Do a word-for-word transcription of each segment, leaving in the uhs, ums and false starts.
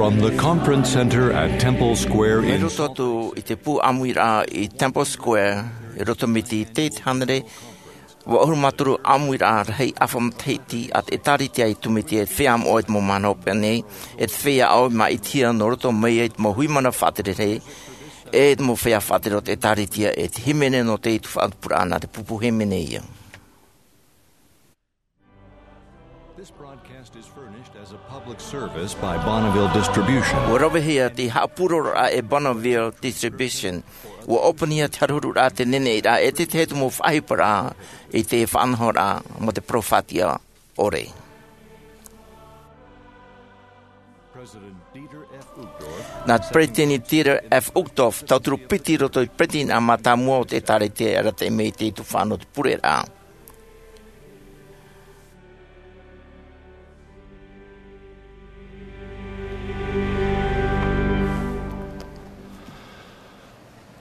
From the Conference Center at Temple Square in Salt Lake. Mai roto atu i te pū ʻāmuiraʻa i Temple Square, i roto mai i te hānere vaʻu ʻahuru mā toru ʻāmuiraʻa rahi ʻāfa matahiti a te ʻĒtārētia Iesu Mesia e te feiā moʻa i te mau mahana hopeʻa nei, e te feiā ʻāʻau i māʻitihia nō roto mai i te mau hui mana faʻatere rahi, e te mau feiā faʻatere o te ʻĒtārētia, e te hīmene nō te tuhaʻa pūpūraʻa nā te pupu hīmene ïa. This broadcast is furnished as a public service by Bonneville Distribution. ʻUa ravehia te haʻapūrororaʻa e Bonneville Distribution. ʻUa ʻōpuahia te haruharuraʻa, te neneʻiraʻa, e te tahi atu mau faʻaʻohiparaʻa i te faʻanahoraʻa mō te parau faʻatiʻa ʻore. Nā te Peretiteni Dieter F. Uchtdorf, tauturu piti i roto i te Peretiteni mātāmua o te ʻĒtārētia e arataʻi mai i te tuhaʻa nō te pureraʻa.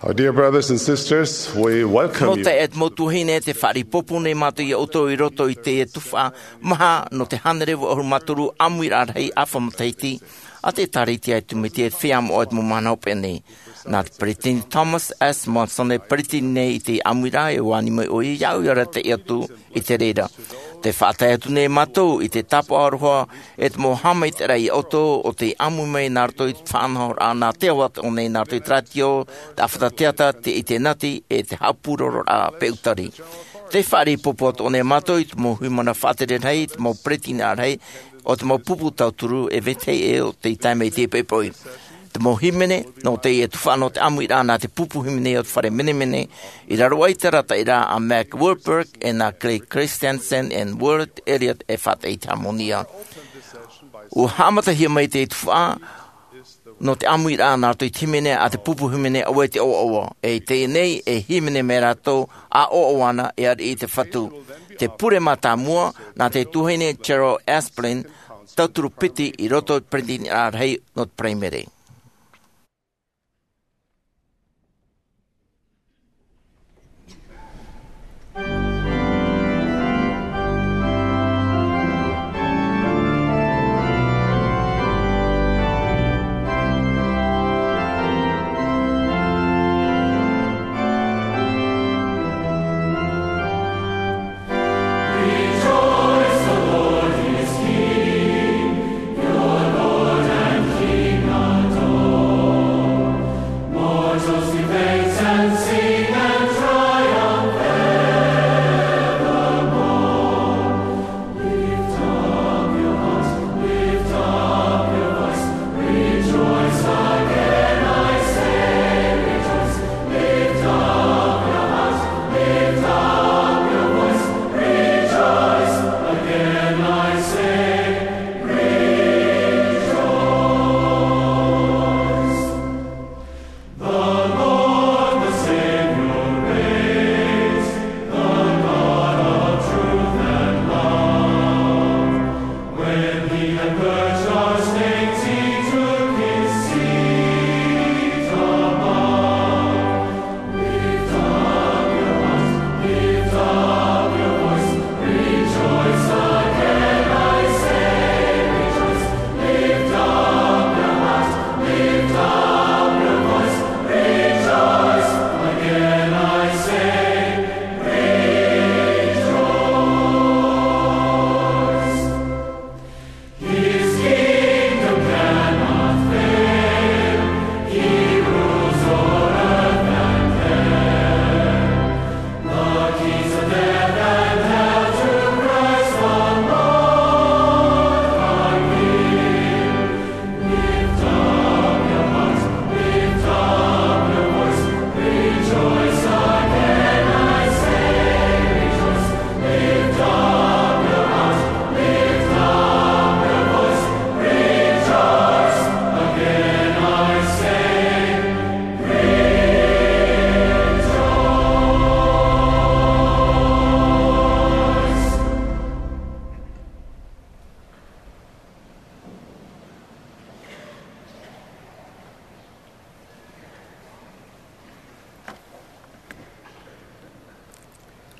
Our dear brothers and sisters, we welcome you. Mau taeaʻe, mau tuahine, tē faʻaroʻo nei mātou ia ʻoutou i roto i te tuhaʻa maha nō te hānere vaʻu ʻahuru mā toru ʻāmuiraʻa rahi ʻāfa matahiti a te ʻĒtārētia Iesu Mesia e te feiā moʻa i te mau mahana hopeʻa nei. Nā te Peretiteni Thomas S. Monson e peretiteni nei i te ʻāmuiraʻa, e ani mai ʻoia iāʻu ia arataʻi atu i te reira. Tē faʻatae atu nei mātou i te tāpaʻo aroha e te mau haʻamaitaʻiraʻa ia ʻoutou, ʻo tē ʻāmui mai nā roto i te faʻanahoraʻa nā te ao atoʻa nei, nā roto i te rātio, te ʻāfata teata, te ʻite nati, e te haʻapūrororaʻa peʻutari. Tē faʻaroʻo atoʻa nei mātou i te mau hui mana faʻatere rahi, te mau peretiteni rahi, ʻo te mau pupu tauturu e vetahi ʻē o tei tae mai i teie poʻipoʻi. Te mau hīmene nō teie tuhaʻa nō te ʻāmuiraʻa nā te pupu hīmene o te fare menemene, i raro aʻe i te arataʻiraʻa a Mac Wilberg e nā Clay Christensen and Willard Elliott e faʻataʻa i te hāmani. ʻUa haʻamatahia mai te tuhaʻa nō te ʻāmuiraʻa nā roto i te hīmene a te pupu hīmene, ʻo vai te ʻoaʻoa. E i teie nei, e hīmene mai rātou, ʻa ʻoaʻoa ana, e ariʻi i te Fatu. Te pure mātāmua, nā te tuahine Cheryl Asplin, tauturu piti i roto i te peretiteni rahi nō te Paraimere.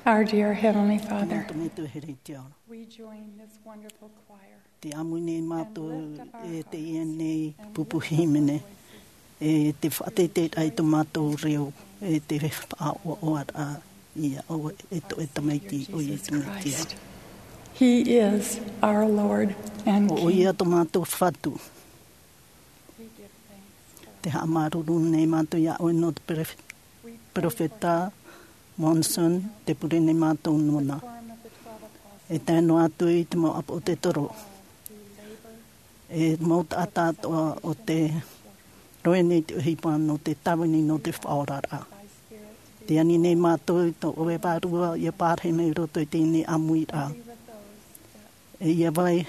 Our dear Heavenly Father, Tō mātou Metua here i te ao ra. We join this wonderful choir. Tē ʻāmui nei mātou e teie nei pupu hīmene, e te faʻateiteiraʻa i tō mātou reo, e te faʻaʻoaʻoaraʻa ia ʻoe e tō ʻoe Tamaiti, ʻo Iesu Mesia. He is our Lord and King. ʻO ia tō mātou Fatu. Tē haʻamāuruuru nei mātou iā ʻoe nō te perof-, perofeta Monson, tē pure nei mātou nōna. E tae noa atu i te mau ʻāpōsetolo. E mau taʻata atoʻa o tē rohe nei i te ʻohipa nō te tāvini nō te faʻaoraraʻa. Tē ani nei mātou i tō ʻoe Vārua ia pārahi mai i roto i teie nei ʻāmuiraʻa. E ia vai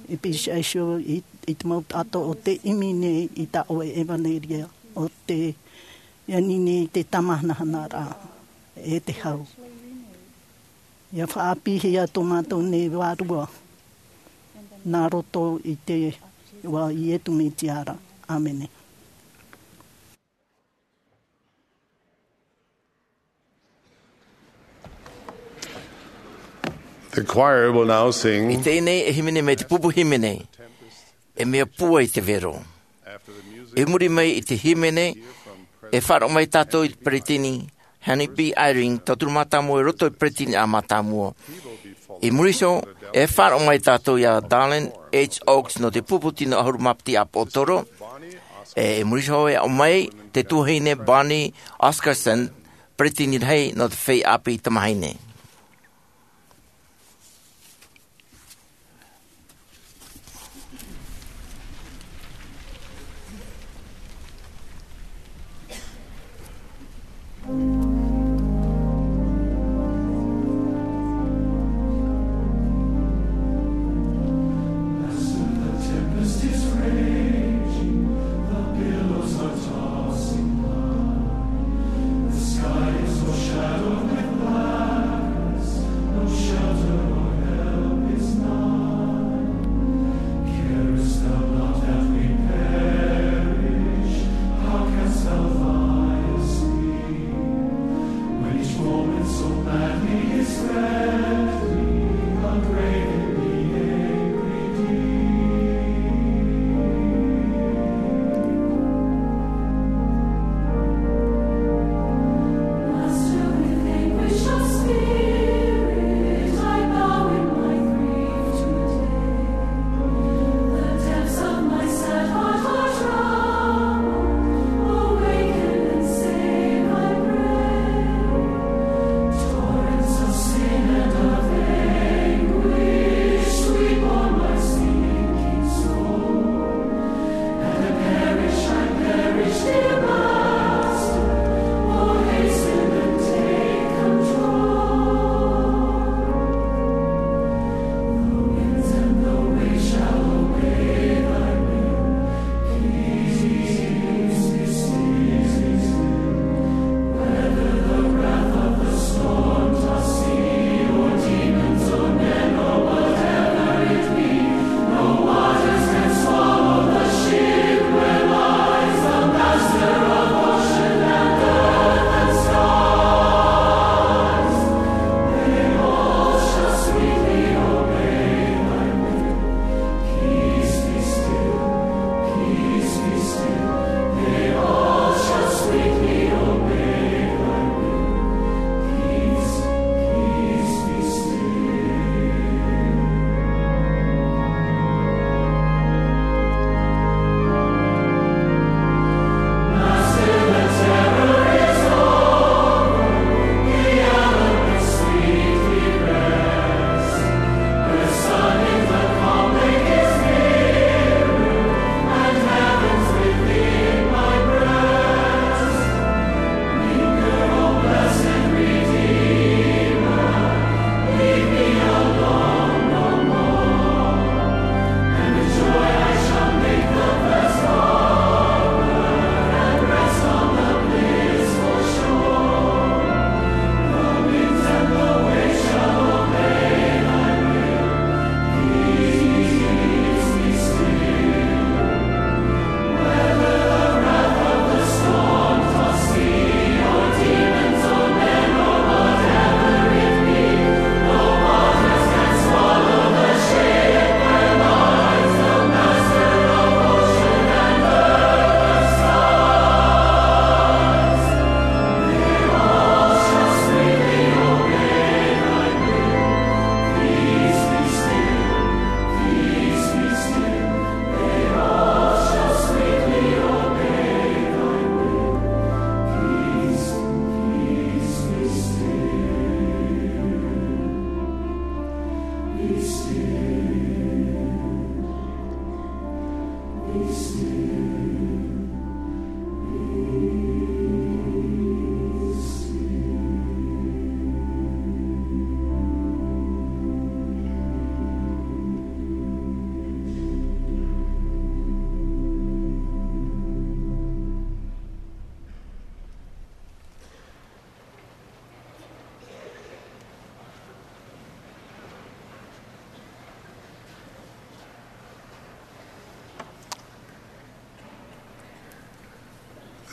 e pīhaʻi iho i, i te mau taʻata o tē ʻimi nei i tā ʻoe ʻevanelia, o tē ani nei i te tāmāhanahanaraʻa e te hau. Ia faʻaʻāpīhia tō mātou nei Vārua, nā roto i te iʻoa o Iesu Mesia ra. ʻĀmene. The choir will now sing. I teie nei e hīmene mai te pupu hīmene, E Mea Pūai te Vero. I muri mai i te hīmene, e faʻaroʻo mai tātou i te peretiteni Henry B. Eyring, tauturu mātāmua i roto i te peretiteni mātāmua. I muri iho, e faʻaroʻo mai tātou iā Dallin H. Oaks nō te pupu tino ʻahuru mā piti ʻāpōsetolo. E, i muri iho e aʻo mai te tuahine Bonnie Oscarson, peretiteni rahi nō te feiā ʻāpī tamāhine.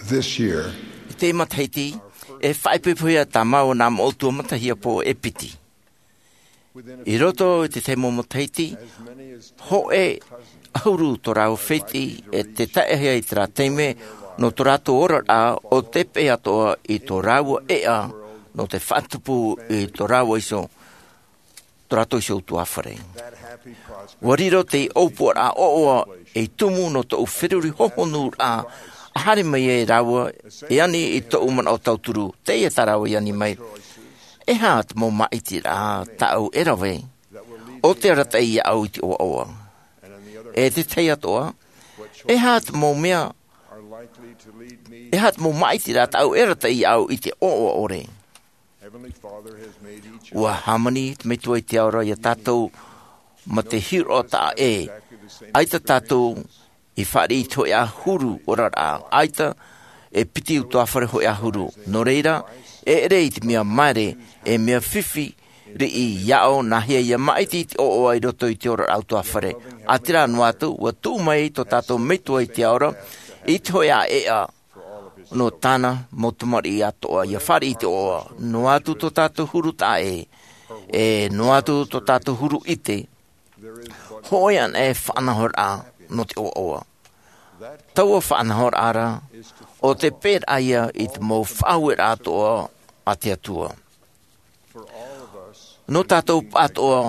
This year, i te matahiti, e faʻaipoipohia tā māua nā moʻotua matahiapo e piti. I roto i te tahi mau matahiti, hōʻē ʻahuru tō rāua fētiʻi e te taeʻahia i terā taime nō tō rātou oraraʻa o te peʻe atoʻa i tō rāua ʻeʻa nō te faʻatupu i tō rāua iho, tō rātou iho utuāfare. Ua riro te ʻōpuaraʻa ʻoaʻoa ei tumu nō tōʻu feruri hohonuraʻa, a haere mai ai rāua e ani i tōʻu manaʻo tauturu, teie tā rāua i ani mai. E aha te mau māʻitiraʻa tāʻu e rave, ʻo te arataʻi iāʻu i te ʻoaʻoa? E te tahi atoʻa, e aha te mau mea, e aha te mau māʻitiraʻa tāʻu e arataʻi iāʻu i te ʻoaʻoa ʻore? Ua hāmani te Metua i te Ao ra iā tātou ma te hiroʻa taʻa ʻē. ʻAita tātou i fāriʻi i te hōʻē ʻahuru oraraʻa. ʻAita e piti utuāfare hōʻē ʻahuru. Nō reira, e ʻere i te mea māere, e mea fifi riʻi iāʻu nāhea ia māʻiti i te ʻoaʻoa i roto i te oraraʻa utuāfare. ʻĀtīrā noa atu, ua tuʻu mai tō tātou Metua i te Ao ra i te hōʻē ʻeʻa nō tāna mau tamariʻi atoʻa ia fāriʻi i te ʻoaʻoa. Noa atu tō tātou huru taʻa ʻē, e noa atu tō tātou huru ʻite, hōʻē anaʻe faʻanahoraʻa nō te ʻoaʻoa. Taua faʻanahoraʻa ra, ʻo te peʻeraʻa ia i te mau faʻaueraʻa atoʻa a te Atua. Nō tātou pāʻatoʻa,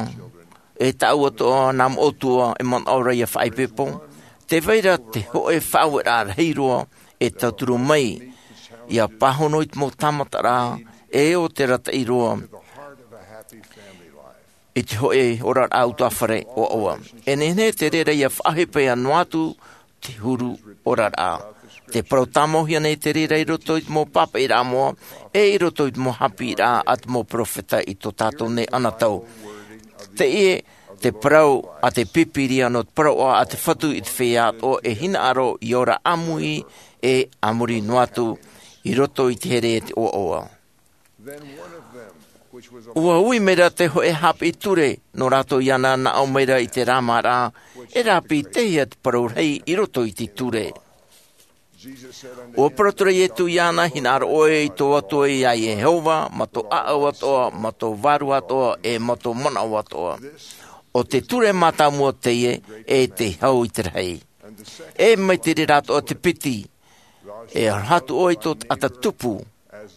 e tāʻu atoʻa, nā moʻotua e manaʻo ra ia faʻaipoipo, tē vai ra te hōʻē faʻaueraʻa rahi roa e tauturu mai, ia pāhono i te mau tāmataraʻa, e ʻo te arataʻi roa i te hōʻē oraraʻa utuāfare ʻoaʻoa. E nehenehe te reira ia faʻaʻohipa noa atu te huru oraraʻa. Tē parau tāmauhia nei te reira i roto i te mau pāpaʻiraʻa moʻa, e i roto i te mau haʻapiʻiraʻa a te mau peropheta i tō tātou nei anotau. Teie te parau a te Pīpīria nō te parauʻa a te Fatu i te feiā atoʻa e hinaʻaro ia ora ʻāmui, e a muri noa atu i roto i te here e te ʻoaʻoa. Ua ui mai ra te hōʻē haʻapiʻi ture nō rātou iāna, nā ʻō mai ra i te rāmāraʻa, e rāpitehia te parau rahi i roto i te ture. Ua parau atu ra Iesu iāna, hinaʻaro ʻoe i tō Atua iā Iehova, mā tō ʻāʻau atoʻa, mā tō vārua atoʻa, e mā tō manaʻo atoʻa. ʻO te ture mātāmua teie, e te hau i te rahi. E mai te reira atoʻa te piti, e aroha atu ʻoe i tō taʻata tupu,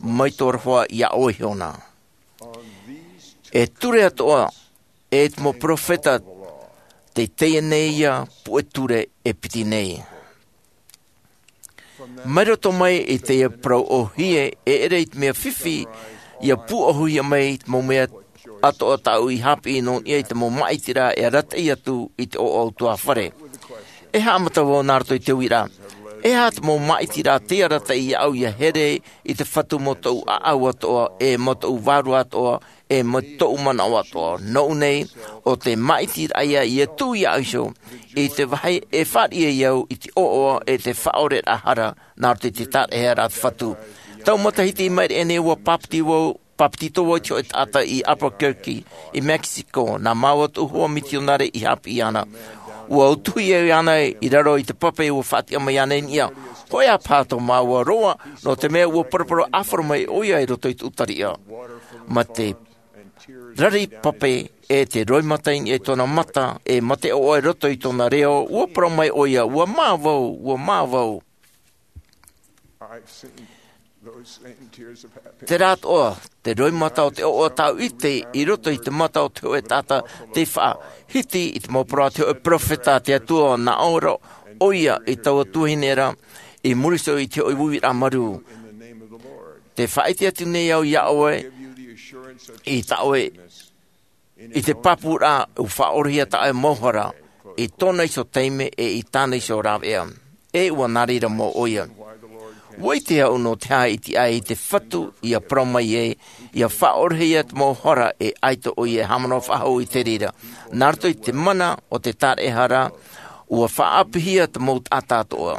mai tō aroha iā ʻoe iho na. E ture atoʻa, e te mau peropheta, tei teie nei ia puʻe ture e piti nei. Mai roto mai i teie parau ʻōhie, e ʻere i te mea fifi, ia pūʻohuhia mai i te mau mea atoʻa tāʻu i haʻapiʻi nō niʻa i te mau māʻitiraʻa e arataʻi atu i te ʻoaʻoa utuāfare. E haʻamata vau nā roto i te uiraʻa, e aha te mau māʻitiraʻa tei arataʻi iāʻu ia here i te Fatu mā tōʻu ʻāʻau atoʻa, e mā tōʻu vārua atoʻa, e mā tōʻu manaʻo atoʻa? Nōʻu nei, ʻo te māʻitiraʻa ia, ia tuʻu iāʻu iho i te vāhi e fāriʻi ai au i te ʻoaʻoa e te faʻaʻoreraʻa hara, nā roto i te tāraʻehara a te Fatu. Taua matahiti i maʻiri aʻe nei, ua pāpeti vau, pāpetito vau i te hōʻē taʻata i Albuquerque, i Mexico, nā māua tōʻu hoa mitionare i haʻapiʻi iāna. Ua utuhi au iāna i raro i te pape ua faʻatiʻa mai iāna i niʻa. Hōʻē ā paha tō māua roa, nō te mea ua paraparau ʻāfaro mai ʻoia i roto i te ʻūtariʻa. Mā te rari pape, e te roimata i niʻa i tōna mata, e mā te ʻoaʻoa i roto i tōna reo, ua parau mai ʻoia, ʻua mā vau, ʻua mā vau. Terā atoʻa te roimata o te ʻoaʻoa tāʻu i ʻite i roto i te mata o te hōʻē taʻata tei faʻahiti i te mau parau a te hōʻē peropheta a te Atua, nā ʻō ra ʻoia i taua tuahine ra, i muri iho i te hōʻē uiraʻa marū. Tē faʻaʻite atu nei au iā ʻoe i tā ʻoe, i te pāpūraʻa ʻua faʻaʻorehia tā ʻoe mau hara, i tōna iho taime e i tāna iho rāveʻa. E ʻua nā reira mau ʻoia. ʻUa ʻite au nō te aha i tiʻa ai te Fatu ia parau mai ai, ia faʻaʻorehia te mau hara e ʻaita ʻoia e haʻamanaʻo faʻahou i te reira. Nā roto i te mana o te tāraʻehara, ʻua faʻaʻāpīhia te mau taʻata atoʻa.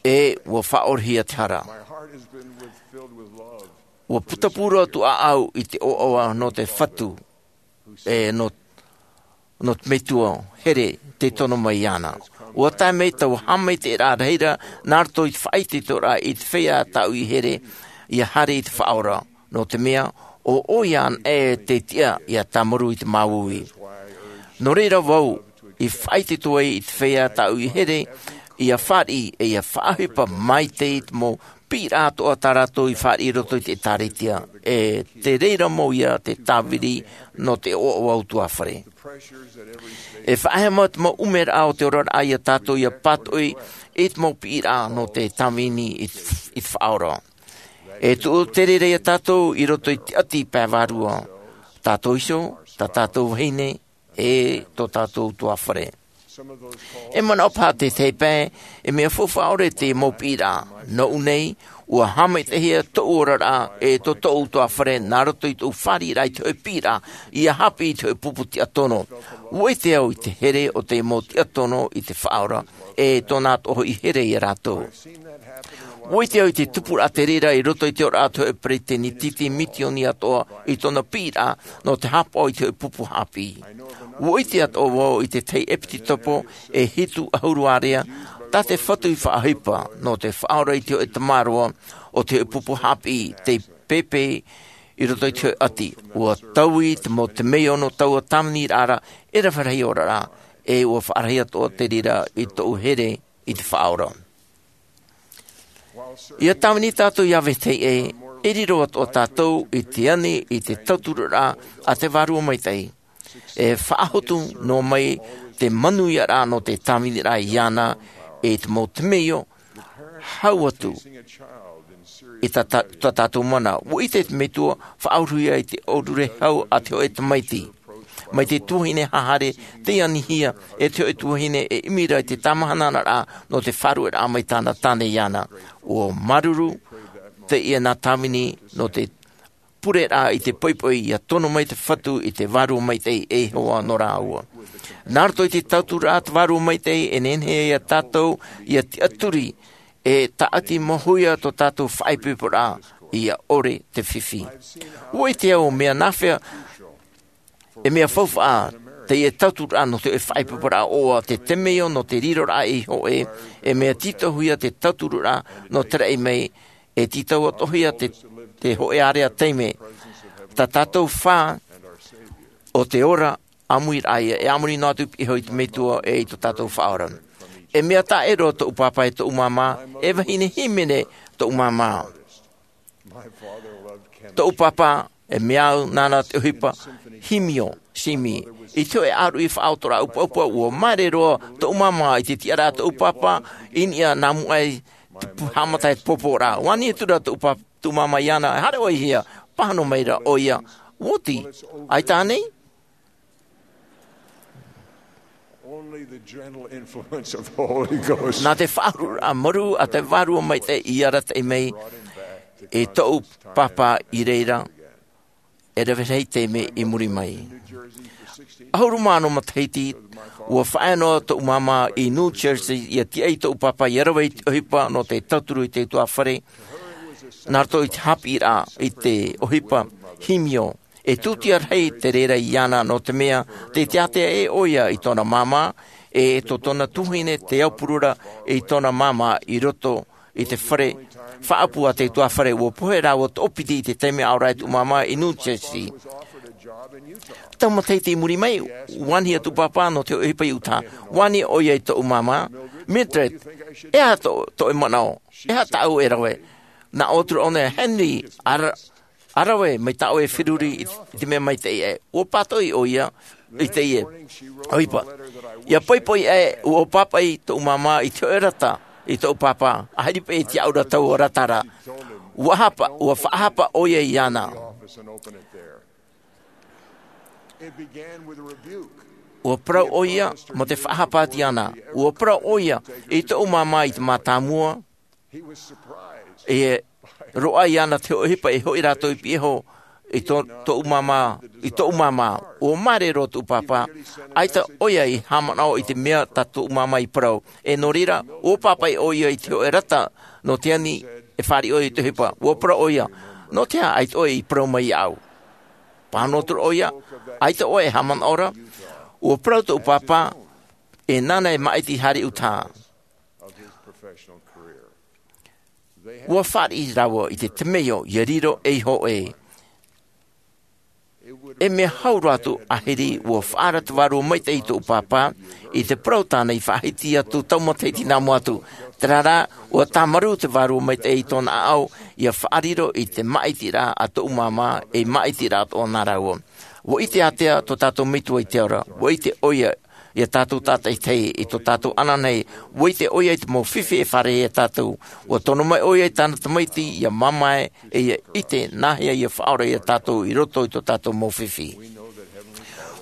E ʻua faʻaʻorehia te hara. ʻUa putapū roa tōʻu ʻāʻau i te ʻoaʻoa nō te Fatu, e nō, nō te metua here tei tono mai iāna. Ua tae mai taua haʻamaitaʻiraʻa rahi ra nā roto i te faʻaitoitoraʻa i te feiā tāʻu i here ia haere i te faʻaora, nō te mea ʻo ʻoia anaʻe te tiʻa ia tāmarū i te māuiui. Nō reira vau i faʻaitoito ai i te feiā tāʻu i here ia fāriʻi e ia faʻaʻohipa mai te mau piʻiraʻa atoʻa tā rātou i fāriʻi i roto i te ʻēkālesia, e te reira mau ia te tāviri nō te ʻoaʻoa utuafare. E faʻahema te mau ʻumeraʻa o te oraraʻa ia tātou ia pātoʻi i te mau piʻiraʻa nō te tāvini i te faʻaora. E tuʻu te reira ia tātou i roto i te ʻati pae vārua, tātou iho, tā tātou vahine, e tō tātou utuafare. E manaʻo paha te tahi pae e mea faufaʻa ʻore te mau piʻiraʻa. Nōʻu nei, ua haʻamaitaʻihia tōʻu oraraʻa e tō tōʻu utuafare nā roto i tōʻu fāriʻiraʻa i te hoʻe piʻiraʻa ia haʻapiʻi i te hoʻe pupu tiʻatono. Ua ʻite au i te here o te mau tiʻatono i te faʻaora e tōna atoʻa hoʻi here ia rātou. Ua ʻite au i te tupuraʻa te reira i roto i te oraraʻa o te hoʻe peresideni misioni atoʻa i tōna piʻiraʻa nō te haʻapaʻo i te hoʻe pupu haʻapiʻi. Ua ʻite atoʻa vau i te tahi ʻepitopo e hitu ʻahuru ārea tā te Fatu i faʻaʻohipa nō te faʻaora i te hoʻe tamaroa o te hoʻe pupu haʻapiʻi tei pēpē i roto i te hoʻe ʻati. Ua taui te mau temeio nō taua tāviniraʻa ra e rave rahi oraraʻa, e ua faʻarahi atoʻa te reira i tōʻu here i te faʻaora. Ia tāvini tātou ia vetahi ʻē, e riro atoʻa tātou i te ani i te tauturu ra a te Vārua Maitaʻi. E faʻahotu noa mai te manuiaraʻa nō te tāviniraʻa iāna i te mau temeio hau atu i tā tātou mana. Ua ʻite te metua faʻauruhia i te ʻōrure hau a te hoʻe tamaiti mai te tuahine hahare tei anihia e te hoʻe tuahine e ʻimi ra i te tamahanaraʻa nō te faʻarueraʻa mai tāna tāne iāna. Ua māuruuru teie nā tāvini nō te pureraʻa i te poʻipoʻi ia tono mai te Fatu i te Vārua Maitaʻi e Iehova nō rāua. Nā roto i te tauturu a te Vārua Maitaʻi e nehenehe ia tātou ia tiʻaturi e tāʻati mau huia tō tātou faʻaipoiporaʻa ia ʻore te fifi. Ua ʻite au mea nāfea e mea faufaʻa teie tauturu ra nō te faʻaipoiporaʻa ʻoaʻoa, te temeio nō te riroraʻa i hoʻē, e mea tītauhia te tauturu ra nō te raʻi mai, e tītau atoʻahia te hoʻē ārea taime tā tātou fā o te ora ʻāmui raʻa ia e ʻāmui noa atu i piʻi iho i te metua e i tō tātou faʻaora. E mea taʻero tōʻu pāpā e tōʻu māmā, e vahine hīmene tōʻu māmā. Tōʻu pāpā e mea au nāna te ʻohipa himio simi i te hoʻe ʻāruʻi faʻaotoraʻa ʻupaʻupa. Ua māere roa tōʻu māmā i te tiʻaraʻa tōʻu pāpā i niʻa nā mua ai te haʻamata e te pōpōraʻa. Ua ani atu ra tōʻu māmā iāna, e haere ʻoe i hea? Pāhono mai ra ʻoia, ua oti. ʻAita ānei? Nā te faʻaururaʻa marū a te Vārua Maitaʻi i arataʻi mai i tōʻu pāpā i reira e rave rahi taime i muri mai. ʻAhuru mā ono matahiti, ua faʻaea noa tōʻu māmā i New Jersey ia tiʻa i tōʻu pāpā ia rave i te ʻohipa nō te tauturu i te utuafare nā roto i te haʻapiʻiraʻa i te ʻohipa himio. E tūtia rahi te reira iāna nō te mea tei teatea ʻē ʻoia i tōna māmā, e tō tōna tuahine te aupuru ra i tōna māmā i roto i te fare faʻaʻapu a te utuafare. Ua pohe rāua toʻopiti i te taime ʻaore ra e tōʻu māmā i New Jersey. Tau matahiti i muri mai, ua ani tōʻu pāpā nō te ʻohipa i Utah. Ua ani ʻoia i tōʻu māmā, Mildred, e aha tō ʻoe manaʻo? E aha tāʻu e rave? Nā ʻō atu ra ʻōna, Henry, ara ʻa rave mai tā ʻoe e feruri i te mea maitaʻi aʻe. Ua pātoʻi ʻoia i teie ʻohipa. Ia poʻipoʻi aʻe, ua pāpaʻi tōʻu māmā i te hoʻe rata i tōʻu pāpā, ʻaita paʻi e tiʻaʻu ra taua rata ra. Ua hapa, ua faʻahapa ʻoia iāna. Ua parau ʻoia mō te faʻahapa atu iāna. Ua parau ʻoia i tōʻu māmā i te mātāmua, e roaʻa iāna te hoʻe ʻohipa e hoʻi rātou i piʻi iho i tōʻu māmā, i tōʻu māmā. Ua māere roa tōʻu pāpā, ʻaita ʻoia i haʻamanaʻo i te mea tā tōʻu māmā i parau. E nō reira, ua pāpaʻi ʻoia i te hoʻe rata nō te ani e fāriʻi ʻoia i te ʻohipa. Ua parau ʻoia, nō te aha ʻaita ʻoe i parau mai iāʻu? Pāhono atu ra ʻoia, ʻaita ʻoe e haʻamanaʻo ra. Ua parau tōʻu pāpā, e nāna e māʻiti haere ʻutaʻa. Ua fāriʻi rāua i te temeio ia riro ei hōʻē. E mea hau roa atu ʻahiri ua faʻaara te vārua maitaʻi i tōʻu pāpā i te parau tāna i faʻahiti atu tau matahiti nā mua atu. Terā rā, ua tāmarū te vārua maitaʻi i tōna ʻaʻau ia faʻariro i te māʻitiraʻa a tōʻu māmā, ei māʻitiraʻa atoʻa nā rāua. Ua ʻite ātea tō tātou metua i te ora, ua ʻite ʻoia ia tātou tātaʻitahi i tō tātou ananahi. Ua ʻite ʻoia i te mau fifi e fāriʻi ia tātou. Ua tono mai ʻoia i tāna tamaiti ia mamae e ia ʻite nāhea ia faʻaora ia tātou i roto i tō tātou mau fifi.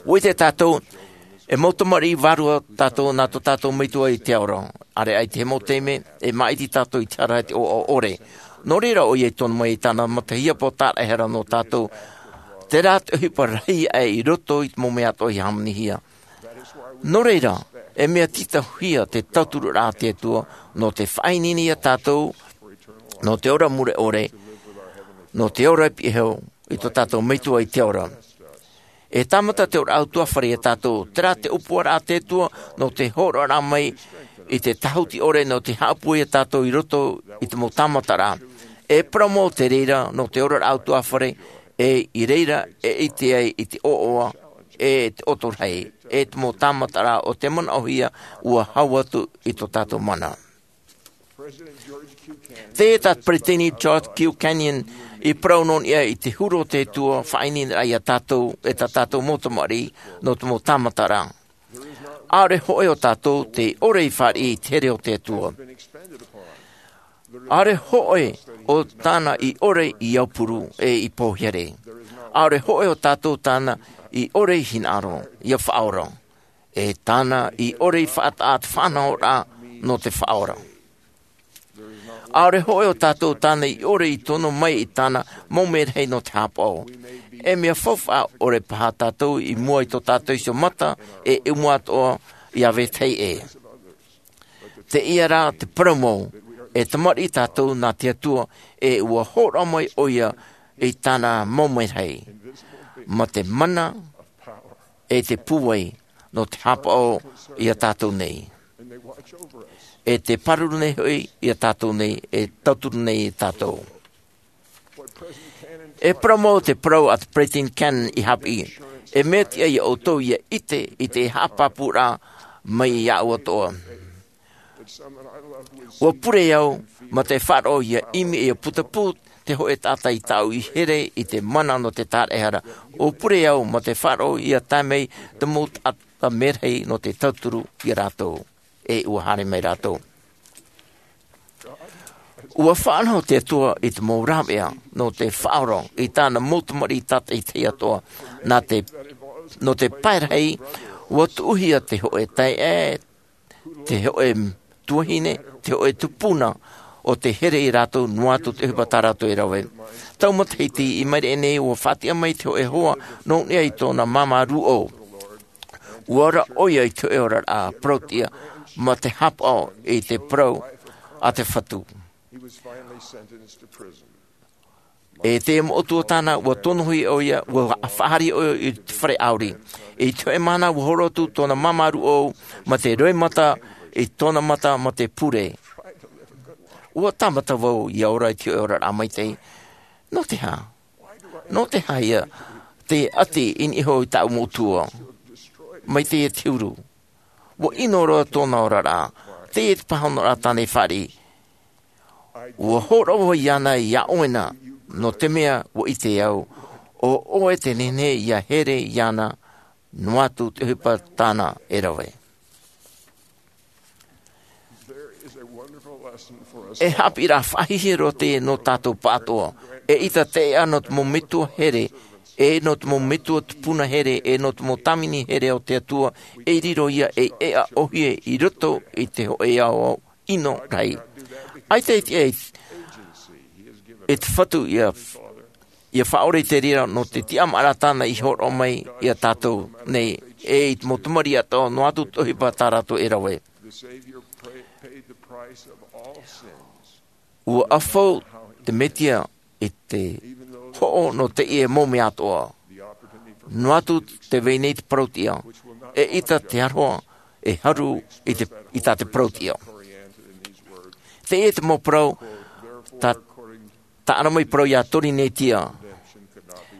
Ua ʻite tātou e mau tamariʻi vārua tātou nā tō tātou metua i te ora. ʻAreʻa i te mau taime e māʻiti tātou i te hara e te ʻoaʻoa ʻore. Nō reira ʻoia i tono mai i tāna matahiapo tāraʻehara nō tātou, terā te ʻohipa rahi aʻe i roto i te mau mea atoʻa i hāmanihia. Nō reira, e mea tītauhia te tauturu a te Atua nō te faʻaineine ia tātou nō te ora mure ʻore, nō te ora i piʻi hau i tō tātou metua i te ora. E tāmata te ora ʻautuafare ia tātou, terā te ʻōpuaraʻa a te Atua nō te hōroʻaraʻa mai i te tāhuti ʻore nō te haʻapūai ia tātou i roto i te mau tāmataraʻa. E parau mau te reira nō te ora ʻautuafare, e i reira e ʻite ai i te ʻoaʻoa, e te ʻotorahi, e te mau tāmataraʻa o te manaʻohia ua hau atu i tō tātou mana. Tē tā peresideni George Q Cannon i parau nō niʻa i te huru o te Atua faʻaineineraʻa ia tātou e tā tātou mau tamariʻi nō te mau tāmataraʻa. ʻAore hoʻi o tātou tei ʻore i fāriʻi i te here o te Atua. ʻAore hoʻi o tāna i ʻore i aupuru e i pōhere. ʻAore hoʻi o tātou tāna i ʻore i hinaʻaro ia faʻaora, e tāna i ʻore i faʻataʻa te faʻanahoraʻa nō te faʻaora. ʻAore hoʻi o tātou tāna i ʻore i tono mai i tāna mau merahi nō te hāpaʻo. E mea faufaʻa ʻore paha tātou i mua i tō tātou iho mata e ʻumu atoʻa ia vetahi ʻē. Teie rā te parau mau, e tamariʻi tātou nā te Atua, e ua hōroʻa mai ʻoia i tāna mau merahi, mā te mana e te pūai nō te hāpaʻo ia tātou nei, e te pāruru nei hoʻi ia tātou nei, e tauturu nei ia tātou. E parau mau te parau a te peresideni Cannon i haʻapiʻi, e mea tiʻa ia ʻoutou ia ʻite i te haʻapāpūraʻa mai iāʻu atoʻa. Ua pure au mā te faʻaroʻo ia ʻimi e ia putapū te hōʻē taʻata i tāʻu i here i te mana nō te tāraʻehara. Ua pure au mā te faʻaroʻo ia tae mai te mau taʻata merahi nō te tauturu ia rātou, e ua haere mai rātou. Ua faʻanaho te Atua i te mau rāveʻa nō te faʻaora i tāna mau tamariʻi tātaʻitahi atoʻa. Nā te, nō te pae rahi, ua tuʻuhia te hōʻē taeaʻe, te hōʻē tuahine, te hōʻē tupuna, ʻo tē here ia rātou noa atu te ʻohipa tā rātou e rave. Tau matahiti i maʻiri aʻe nei ua faʻatiʻa mai te hōʻē hoa nō niʻa i tōna māmā rūʻau. Ua ora ʻoia i te hōʻē oraraʻa parauʻtiʻa mā te hāpaʻo i te parau a te Fatu. E te moʻotua tāna, ua tonohia ʻoia, ua faʻahaere ʻoia i te fare ʻāuri. I te hōʻē mahana ua horo atu tōna māmā rūʻau mā te roimata i tōna mata mā te pure. Ua tāmata vau ia ora i te hōʻē oraraʻa maitaʻi. Nō te aha? Nō te aha ia tē ʻati i niʻa iho i tāʻu moʻotua? Mai teie te huru. Ua ʻino roa tōna oraraʻa. Teie te pāhonoraʻa tāna i fāriʻi. Ua hōroʻa vau iāna iā ʻoe na, nō te mea ua ʻite au, ʻo ʻoe te nehenehe ia here iāna, noa atu te ʻohipa tāna e rave. E haʻapiʻiraʻa faʻahiahia roa teie nō tātou pāʻatoʻa. Eʻita te ʻēʻa nō te mau metua here, e nō te mau metua tupuna here, e nō te mau tāvini here o te Atua, e riro ia ei ʻēʻa ʻōhie i roto i te hōʻē ao ʻino rahi. ʻAita e tiʻa e te Fatu ia, ia faʻaora i te reira nō te tiʻamāraʻa tāna i hōroʻa mai iā tātou nei, e i te mau tamariʻi atoʻa, noa atu te ʻohipa tā rātou e rave. Ua ʻafau te Mesia i te hoʻo nō teie mau mea atoʻa. Noa atu tē vai nei te parauʻtiʻa, E ʻita te aroha e haru i te, i tā te parau tiʻa. Teie te mau parau, tā, tā ʻana mai parau iā Torinetia.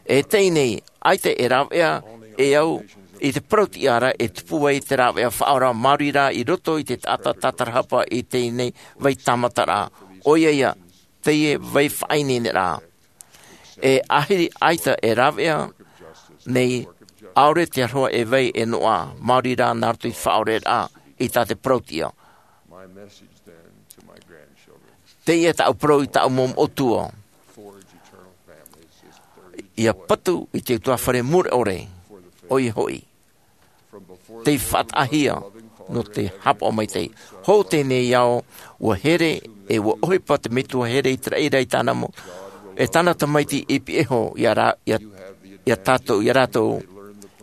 E teie nei, ʻaita e rāveʻa e au i te parau tiʻa ra e tupu ai te rāveʻa faʻaora māuruuru i roto i te taʻata tātarahapa i teie nei vai tāmataraʻa. ʻOia ia, teie vai faʻaineineraʻa. E ahiri ʻaita e rāveʻa nei, ʻaore te aroha e vai e noaʻa, māuruuru nā roto i te faʻaoreraʻa i tā te parau tiʻa. Teie tāʻu parau i tāʻu mau moʻotua. ʻIa patu i te utuafare mure ʻore, ʻoia hoʻi. Tei faʻataʻahia nō te haʻapaʻo maitaʻi. Hou teie nei ao, ʻua here, e ʻua ʻohipa te Metua here i te raʻi ra i tāna mau, e tāna tamaiti i pihaʻi iho iā rā-, iā, iā tātou, iā rātou,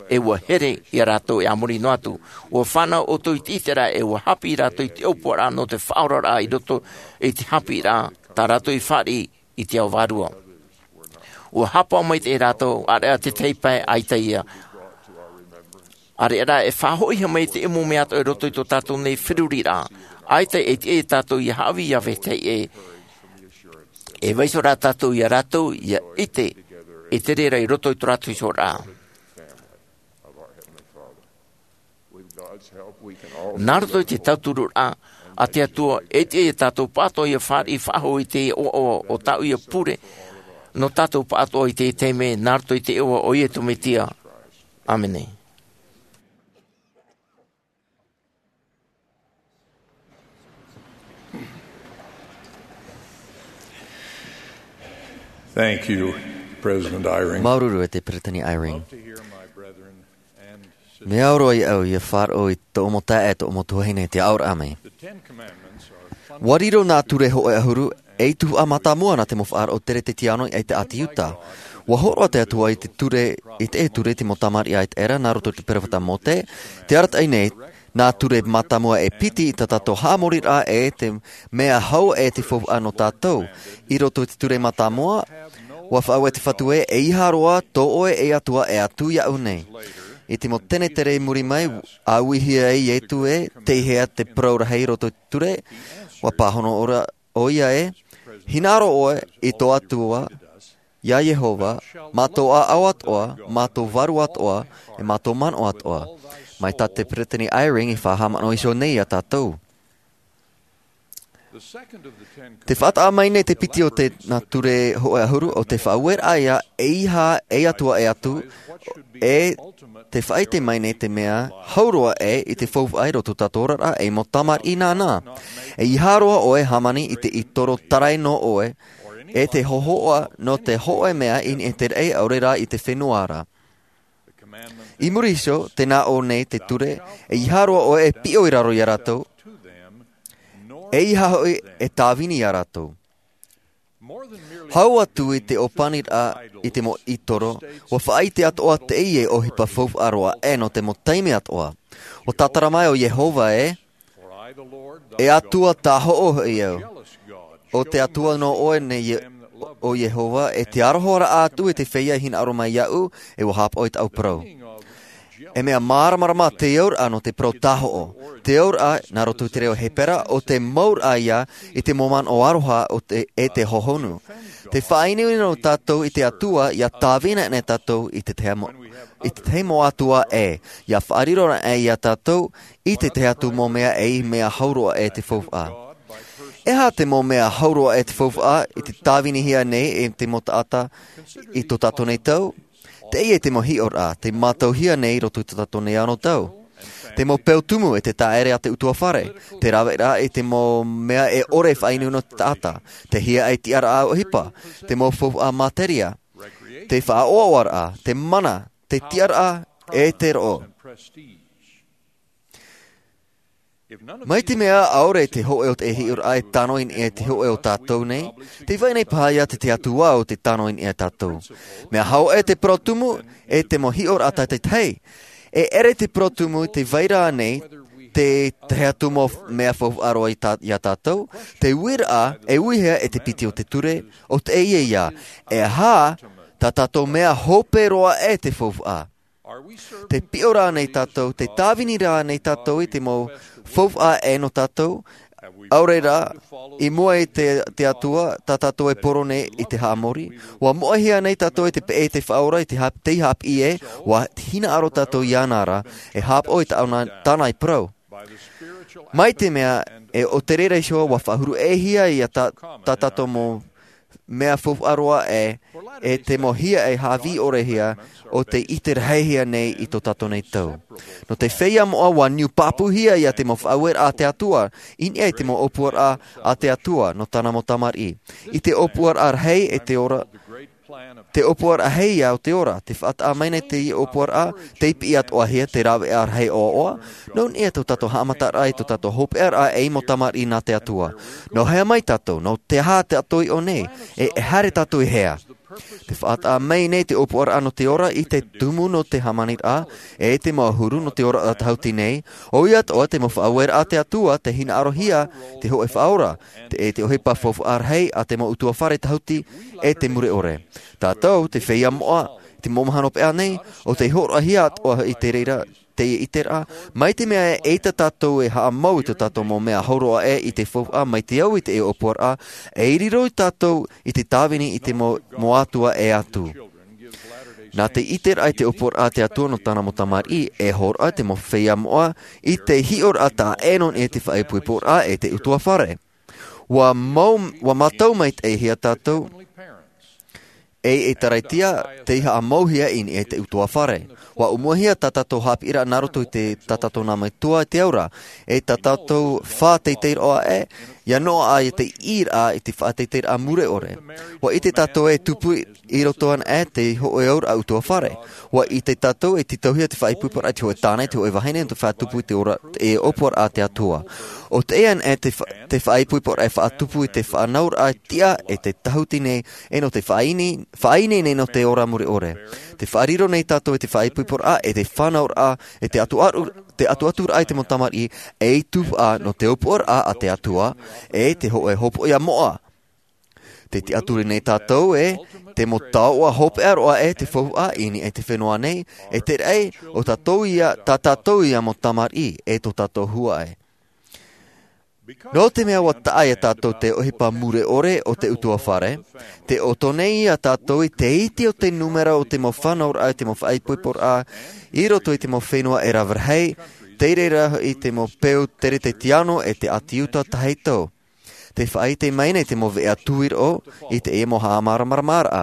e ʻua here iā rātou e a muri noa atu. ʻUa fānau ʻoutou i te ʻiteraʻa, e ʻua haʻapiʻi rātou i te ʻōpuaraʻa nō te faʻaoraraʻa i roto i te haʻapiʻiraʻa, tā rātou i fāriʻi i te ao vārua. ʻUa haʻapaʻo maitaʻi rātou, ʻāreʻa te tahi pae ʻaita ia. ʻĀreʻa rā e faʻahoʻihia mai te mau mea atoʻa i roto i tō tātou nei feruriraʻa. ʻAita e tiʻa iā tātou ʻia haʻavī iā vetahi ʻē. E vaiiho rā tātou iā rātou, ʻia ʻite, i te reira i roto i tō rātou ihoraʻa. Nā roto i te tauturu a te Atua, e tiʻa iā tātou pāʻatoʻa ʻia fāriʻi faʻahou i te ʻoaʻoa o tāʻu ia pure, nō tātou pāʻatoʻa i te taime, nā roto i te iʻoa o Iesu Mesia. ʻĀmene. Thank you, President Eyring. Māuruuru e te Peresideni Eyring. Love to hear my brethren and sisters. Mea au roa iāʻu ʻia faʻaroʻo i tōʻu mau taeaʻe, tōʻu mau tuahine, te aʻoraʻa mai. The Ten Commandments are fundamental. ʻUa riro nā ture hōʻē ʻahuru ei tuhaʻa mātāmua nā te mau faʻaroʻo teretetiāno i te ʻāti Iuta. ʻUa hōroʻa te Atua i te ture, i te ture i te mau tamariʻi ʻaita ra nā roto i te peropheta Mōse, tē arataʻi nei, nā ture mātāmua e piti i tā tātou haʻamoriraʻa e te mea hau e te faufaʻa nō tātou. I roto i te ture mātāmua, ʻua faʻaue te Fatu ē, ʻeiaha roa tō ʻoe e Atua e atu iāʻu nei. I te mau tenetere i muri mai, ʻua uihia ai Iesu ē, tei hea te parau rahi i roto i te ture, ʻua pāhono ʻoia ē, hinaʻaro ʻoe i tō Atua, iā Iehova, mā tō ʻāʻau atoʻa, mā tō vārua atoʻa, e mā tō manaʻo atoʻa. Mai tā te Peresideni Eyring i faʻahaʻamanaʻo iho nei iā tātou. Te faʻataʻa mai nei te piti o te nā ture hōʻē ʻahuru, ʻo te faʻaueraʻa ia, ʻeiaha ei Atua e atu, e te faʻaʻite mai nei te mea hau roa ē i te faufaʻa i roto i tō tātou oraraʻa ei mau tamariʻi nānā. ʻEiaha roa ʻoe e hāmani i te ʻītoro tarai nō ʻoe, e te hōhoʻa nō te hōʻē mea i niʻa i te raʻi ʻaore rā i te fenua ra. I muri iho, tē nā ʻō nei te ture, ʻeiaha roa ʻoe e piʻo i raro iā rātou, ʻeiaha hoʻi e tāvini iā rātou. Hau atu i te ʻōpaniraʻa i te mau ʻītoro, ʻua faʻaʻite atoʻa teie ʻohipa faufaʻa roa ē nō te mau taime atoʻa. ʻUa tātara mai ʻo Iehova ē, e Atua tāhoʻo hoʻi au. ʻO te Atua nō ʻoe nei ʻo Iehova, e te aroharaʻa atu i te feiā e hinaʻaro mai iāʻu, e ʻua haʻapaʻo i tāʻu parau. E mea māramarama te auraʻa nō te parau tāhoʻo. Te auraʻa, nā roto i te reo Hepera, ʻo te mouraʻa ia i te mau manaʻo aroha o te, e te hohonu. Te faʻaineine nō tātou i te Atua, ʻia tāvini nei tātou i te tahi mau, i te tahi mau Atua ʻē, ʻia faʻariro nei iā tātou i te tahi atu mau mea ʻē, mea hau roa ē te faufaʻa. E aha te mau mea hau roa ē te faufaʻa i te tāvinihia nei e te mau taʻata i tō tātou nei tau? Teie te mau hiʻoraʻa, tei mātauhia nei i roto i tō tātou nei anotau. Te mau peu tumu e te taʻere a te ʻutuāfare, te raveraʻa i te mau mea e ʻore e faʻaineine nō te taʻata, te hiaʻai tiʻaraʻa ʻohipa, te mau faufaʻa materia, te faʻaʻoaʻoaraʻa, te mana, te tiʻaraʻa, e te roʻo. Mai te mea ʻaore te hōʻē o te hiʻoraʻa e tano i niʻa i te hōʻē o tātou nei, tē vai nei paha ia te tahi atu ā ʻo tē tano i niʻa ia tātou. Mea hau ē te parau tumu, e te mau hiʻoraʻa tātaitahi. E ʻere te parau tumu tē vai ra nei te tahi atu mau mea faufaʻa roa i tā, iā tātou, te uiraʻa, e uihia e te piti o te ture, ʻo teie ia, e aha tā tātou mea hope roa ē te faufaʻa. Te piʻo rā nei tātou, te tāvini rā nei tātou i te mau faufaʻa ʻē nō tātou, ʻaore rā, i mua i te, te Atua, tā tātou e poro nei i te haʻamori. ʻUa moʻehia nei tātou i te peʻe i te Faʻaora, i te hāp-, tei hāpiʻi ē, ʻua hinaʻaro tātou iāna ra, e hāpaʻo i tāna, tāna i parau. Mai te mea, e o te reira iho ʻua faʻahuru ʻē hia ia tā, tā tātou mau mea faufaʻa roa ē, e te mau hia e hāvī ʻore hia, ʻo tei ʻite rahi hia nei i tō tātou nei tau. Nō te feiā moʻa ʻua niu pāpūhia ia te mau faʻaueraʻa a te Atua, i niʻa i te mau ʻōpuaraʻa a te Atua, nō tāna mau tamariʻi. I te ʻōpuaraʻa rahi e te ora, te ʻōpuaraʻa rahi ia o te ora, te faʻataʻa mai nei te ʻōpuaraʻa, tei piʻi atoʻa hia te rāveʻa rahi ʻoaʻoa, nō niʻa i tō tātou haʻamataraʻa i tō tātou hopeʻaraʻa ei mau tamariʻi nā te Atua. Nō hea mai tātou, nō te aha tātou i ʻō nei, e, e haere tātou i hea. Te faʻataʻa mai nei te ʻōpuaraʻa nō te ora i te tumu nō te hāmaniraʻa, e te mau ʻahuru nō te ora a tahuti nei, ʻoia atoʻa te mau faʻaueraʻa a te Atua, te hinaʻarohia, te hōʻē Faʻaora, te, e te ʻohipa faufaʻa rahi a te mau ʻutuāfare tahuti, e te mure ʻore. Tātou, te feiā moʻa, te mau mahana hopeʻa nei, ʻo tei hōroʻahia atoʻa i te reira, teie ʻiteraʻa, mai te mea e ʻeita tātou e haʻamau i tō tātou mau mea hauroa ʻē i te faufaʻa mai te au i te ʻōpuaraʻa, e riro tātou i te tāvini i te mau, mau atua ʻē atu. Nā te ʻiteraʻa i te ʻōpuaraʻa a te Atua nō tāna mau tamariʻi, e hōroʻa te mau feiā moʻa, i te hiʻoraʻa taʻa ʻē nō niʻa i te faʻaipoiporaʻa e te ʻutuāfare. ʻUa mau, ʻua mātau maitaʻihia tātou, e, e Taraitia, tei haʻamauhia i niʻa i te ʻutuāfare. ʻUa ʻōmuahia tā tātou haʻapiʻiraʻa nā roto i te, tā tātou nā metua i te aura, e tā tātou faʻateiteiraʻa ē, ʻia noaʻa i te ʻīraʻa i te faʻateiteiraʻa mure ʻore. ʻUa ʻite tātou e tupu i roto ana ē te hōʻē auraʻa ʻutuāfare. ʻUa ʻite tātou e tītauhia te faʻaipoiporaʻa i te hōʻē tāne, te hōʻē vahine, te faʻatupu i te ora, e ʻōpuaraʻa a te Atua. ʻO teie ana ē te fa-, te faʻaipoiporaʻa e faʻatupu i te faʻanahoraʻa tiʻa e te tahuti nei, e nō te faʻaini-, faʻaineine nō te ora mure ʻore. Te faʻariro nei tātou i te faʻaipoiporaʻa, e te faʻanahoraʻa, e te atu-, te atuaturaʻa i te mau tamariʻi, ei tuhaʻa nō te ʻōpuaraʻa a te Atua, e te hōʻē hopoiʻa moʻa. Te tiʻaturi nei tātou ē, te mau taoʻa hopeʻa roa ē te faufaʻa i niʻa i te fenua nei, e te raʻi, ʻo tātou ia, tā tātou ia mau tamariʻi, e tō tātou huaʻai. Nō te mea ʻua taʻa ia tātou te ʻohipa mure ʻore o te ʻutuāfare, tē ʻoto nei ia tātou i te iti o te nūmera o te mau faʻanahoraʻa, te mau faʻaipoiporaʻa, i roto i te mau fenua e rave rahi, tei reira i te mau peu teretetiano e te ʻāti Iuta tahito. Tē faʻaʻite mai nei te mau veʻa tuiroʻo i teie mau haʻamāramaramaraʻa.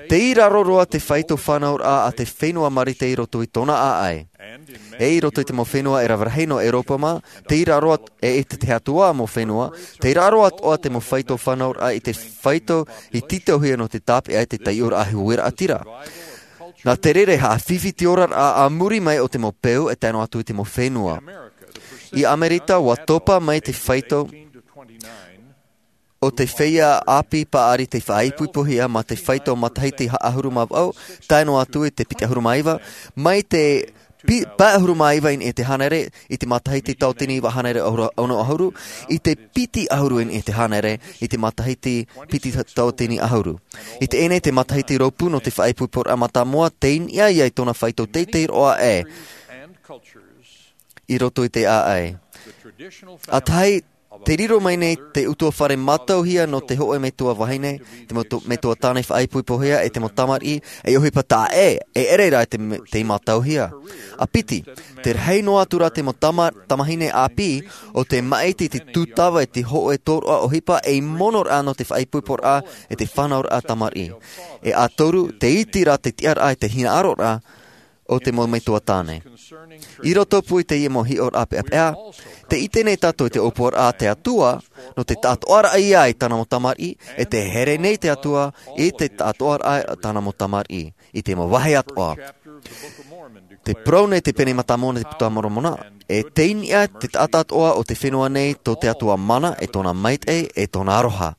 Tei raro roa te faito faʻanahoraʻa a te fenua Marite i roto i tōna ʻāʻai. E i roto i te mau fenua e rave rahi nō ʻEuropa mā, tei raro at-, e, e te, te tahi atu ā mau fenua, tei raro atoʻa te mau faito faʻanahoraʻa i te faito i tītauhia nō te tāpeʻa i te taiʻoraʻa huiraʻatira. Nā te reira e haʻafifi te oraraʻa a muri mai o te mau peu e tae noa atu i te mau fenua. I ʻAmerika, ʻua topa mai te faito o te feiā ʻāpī paʻari tei faʻaipoipohia mā te faito matahiti pae ʻahuru mā vaʻu, tae noa atu i te piti ʻahuru mā iva, mai te pi-, pae ʻahuru mā iva i niʻa i te hānere, i te matahiti tauatini iva hānere ʻahuru, ono ʻahuru, i te piti ʻahuru i niʻa i te hānere, i te matahiti piti tauatini ʻahuru. I teie nei te matahiti rōpū nō te faʻaipoiporaʻa mātāmua, tei niʻa ia i tōna faito teitei roa ē i roto i te ʻāʻai. ʻA tahi, tē riro mai nei te ʻutuāfare mātauhia nō te hōʻē metua vahine, te metu-, metua tāne faʻaipoipohia e te mau tamariʻi, ei ʻohipa taʻa ʻē, e ʻere rā te me-, tei mātauhia. ʻA piti, tē rahi noa atu rā te mau tama-, tamāhine ʻāpī, ʻo tē māʻiti i te tūtava e te hōʻē tōroʻa ʻohipa ei monoraʻa nō te faʻaipoiporaʻa e te faʻanahoraʻa tamariʻi. E ʻa toru, tē iti rā te tiʻaraʻa e te hinaʻaroraʻa o te mau metua tāne. I roto pū i teie mau hiʻoraʻa peʻapeʻa, tē ʻite nei tātou i te ʻōpuaraʻa a te Atua, nō te taʻatoʻaraʻa ia i tāna mau tamariʻi, e tē here nei te Atua i te taʻatoʻaraʻa i tāna mau tamariʻi, i te mau vāhi atoʻa. Tē parau nei te Pene Mātāmua nō te Puta a Moromona, e tei niʻa te taʻata atoʻa o te fenua nei tō te Atua mana, e tōna maitaʻi, e tōna aroha.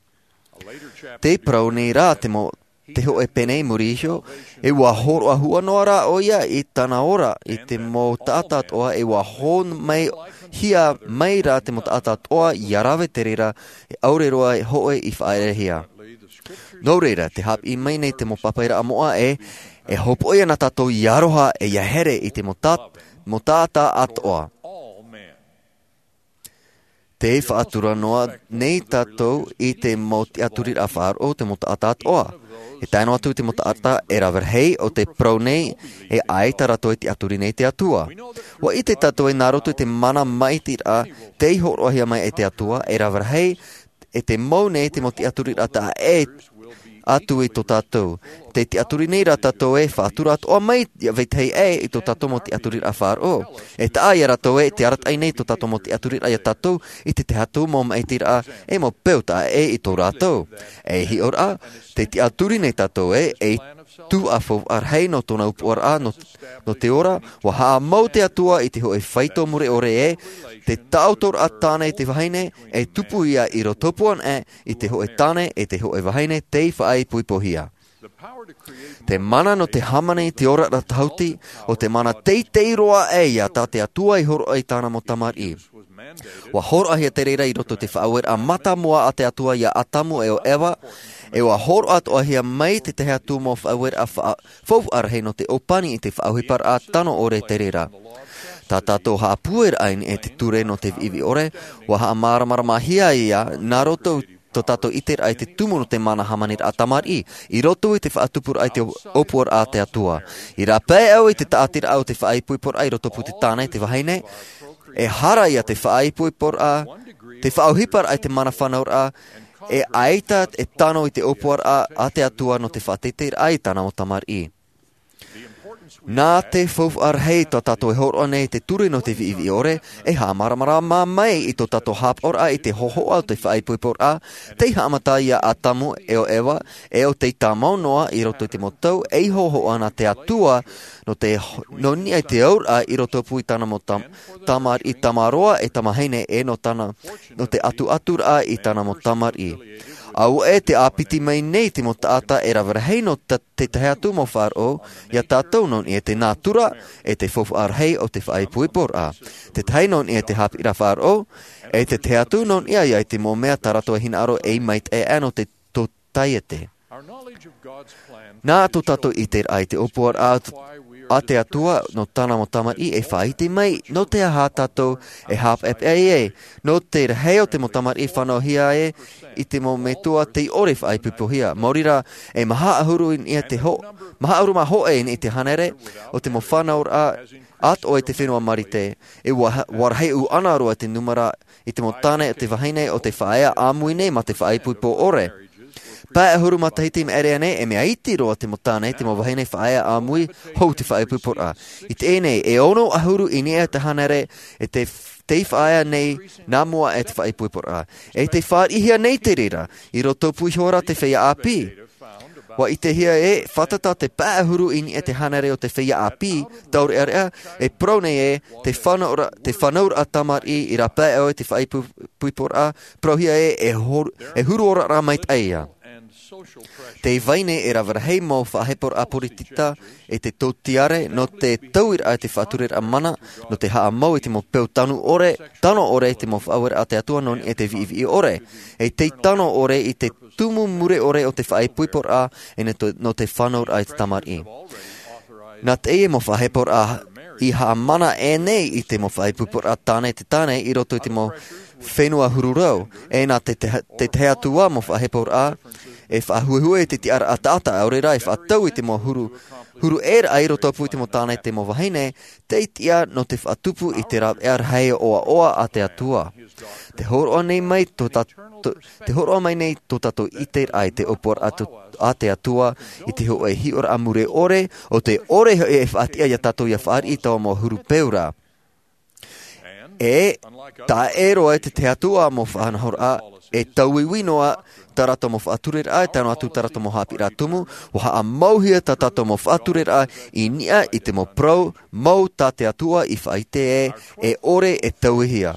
Tē parau nei rā te mau, te hōʻē pene i muri iho, e ʻua hōroʻa huanoa rā ʻoia i tāna ora i te mau taʻata atoʻa, e ʻua hō mai hia mai rā te mau taʻata atoʻa ʻia rave te reira, e ʻaore roa hōʻē i faʻaʻerehia. Nō reira, tē haʻapiʻi mai nei te mau pāpaʻiraʻa moʻa ē, E hopoʻi ana tātou ia aroha e ia here i te mau ta- mau taʻata atoʻa. Te faʻatura noa nei tātou i te mau tiʻaturiraʻa faʻaroʻo o te mau taʻata atoʻa. E tae noa atu i te mau taʻata e rave rahi o te parau nei, e ʻaita rātou e tiʻaturi nei te Atua. Ua ʻite tātou e nā roto i te mana maʻitiraʻa tei hōroʻahia mai e te Atua, e rave rahi e te mau nei te mau tiʻaturiraʻa taʻa ʻē atu i tō tātou. Te tiʻaturi nei rā tātou e faʻatura atoʻa mai ia vetahi ʻē i tō tātou mau tiʻaturiraʻa faʻaroʻo. E taʻa ia rātou e te arataʻi nei tō tātou mau tiʻaturiraʻa ia tātou i te tahi atu mau maʻitiraʻa e mau peu taʻa ʻē i tō rātou. E hiʻoraʻa, te tiʻaturi nei tātou e, e tuaʻa faufaʻa rahi nō tōna ʻōpuaraʻa nō, nō te ora, ua haʻamau te Atua i te hōʻē faito mure ʻore e, te taʻotoraʻa tāne i te vahine, e tupu ia i rotopū anaʻe i te hōʻē tāne e te hōʻē vahine tei faʻaipoipohia. Te mana nō te hāmani i te oraraʻa tāhuti, ʻo te mana teitei roa ʻē ia tā te Atua i hōroʻa i tāna mau tamariʻi. Ua hōroʻahia te reira i roto i te faʻaueraʻa mātāmua a te Atua ia Atamu e ʻo Eva, e ua hōroʻa atoʻahia mai te tahi atu mau faʻaueraʻa fa- faufaʻa rahi nō te ʻōpani i te faʻaʻohiparaʻa tano ʻore te reira. Tā tātou haʻapūairaʻa i niʻa i te ture nō te viʻiviʻi ʻore, ua haʻamāramaramahia ia nā roto tō tātou ʻiteraʻa i te tumu nō te mana hāmaniraʻa tamariʻi, i roto i te faʻatupuraʻa i te ʻōpuaraʻa a te Atua. I rāpae au i te tāʻatiraʻa o te faʻaipoiporaʻa i rotopū te tāne, te vahine, e hara ia te faʻaipoiporaʻa, te faʻaʻohiparaʻa i te mana fānauraʻa, e ʻaita e tano i te ʻōpuaraʻa a te Atua nō te faʻateiteiraʻa i tāna mau tamariʻi. Nā te faufaʻa rahi tā tātou e hōroʻa nei i te ture nō te viʻiviʻi ʻore, e haʻamāramarama mai i tō tātou haʻapaʻoraʻa i te hōhoʻa o te faʻaipoiporaʻa, tei haʻamata ia Atamu e ʻo Eva, e ʻo tei tāmau noa i roto i te mau tau, ei hōhoʻa nā te Atua, nō te, nō niʻa i te auraʻa i rotopū i tāna mau tam-, tamariʻi tamaroa e tamahine e nō tāna, nō te ʻatuʻaturaʻa i tāna mau tamariʻi. Auē te ʻāpiti mai nei te mau taʻata e rave rahi nō ta-, te tahi atu mau faʻaroʻo, ia tātou nō niʻa i te nātura, e te faufaʻa rahi o te faʻaipoiporaʻa. Te tahi nō niʻa i te haʻapiʻiraʻa faʻaroʻo, e te tahi atu nō niʻa ia i te mau mea tā rātou e hinaʻaro ei maitaʻi aʻe nō te tōtaiete. Nā tō tātou ʻiteraʻa i te ʻōpuaraʻa a te Atua nō tāna mau tamariʻi e faʻaʻite mai, nō te aha tātou e haʻapeʻapeʻa ē, nō te rahi o te mau tamariʻi fānauhia ē, i te mau metua tei ʻore faʻaipoipohia. Maori rā, e maha ʻahuru i niʻa i te ho-, maha ʻahuru mā hōʻē i niʻa i te hānere, o te mau fānauraʻa atoʻa i te fenua Marite. E ua, ua rahi ʻuʻana roa te nūmera i te mau tāne, o te vahine, o te faʻaea ʻāmui nei mā te faʻaipoipo ʻore. Pae ʻahuru matahiti i maʻiri aʻe nei, e mea iti roa te mau tāne, te mau vahine faʻaea ʻāmui, hou te faʻaipoiporaʻa. I teie nei, e ono ʻahuru i niʻa i te hānere, e te, tei faʻaea nei, nā mua e te faʻaipoiporaʻa. E tei fāriʻihia nei te reira, i rotopū iho ra te feiā ʻāpī. Ua ʻitehia ē, fātata te pae ʻahuru i niʻa i te hānere o te feiā ʻāpī, taureʻareʻa, e parau nei ē, te fānaura-, te fānauraʻa tamariʻi i rāpae au i te faʻaipoiporaʻa, parauhia ē, e hor-, e huru oraraʻa maitaʻi ia. Tei vai nei e rave rahi mau faʻaheporaʻa poritita, e te tōtiare, nō te tauiraʻa i te faʻatureraʻa mana, nō te haʻamau i te mau peu tano ʻore, tano ʻore i te mau faʻaueraʻa a te Atua nō niʻa i te viʻiviʻi ʻore. E tei tano ʻore i te tumu mure ʻore o te faʻaipoiporaʻa, e nō te, nō te fānauraʻa i te tamariʻi. Nā teie mau faʻaheporaʻa i haʻamana aʻenei i te mau faʻaipoiporaʻa tāne te tāne i roto i te mau fenua huru rau. E nā te, te, te tahi atu ā mau faʻaheporaʻa, e faʻahuehue i te tiʻaraʻa taʻata, ʻaore rā e faʻatau i te mau huru, huru ʻē raʻa i rotopū i te mau tāne, te mau vahine, tei tiʻa nō te faʻatupu i te rāveʻa rahi ʻoaʻoa a te Atua. Te hōroʻa nei mai tō tā-, tō, te hōroʻa mai nei tō tātou ʻiteraʻa i te ʻōpuaraʻa a te Atua, i te hōʻē hiʻoraʻa mure ʻore, ʻo te ʻore hoʻi e faʻatiʻa ia tātou ia fāriʻi i taua mau huru peu ra. E, taʻa ʻē roa i te tahi atu ā mau faʻanahoraʻa, e tauiui noa tā rātou mau faʻatureraʻa, e tae noa atu tā rātou mau haʻapiʻiraʻa tumu, ʻua haʻamauhia tā tātou mau faʻatureraʻa i niʻa i te mau parau mau tā te Atua i faʻaʻite ē, e ʻore e tauihia.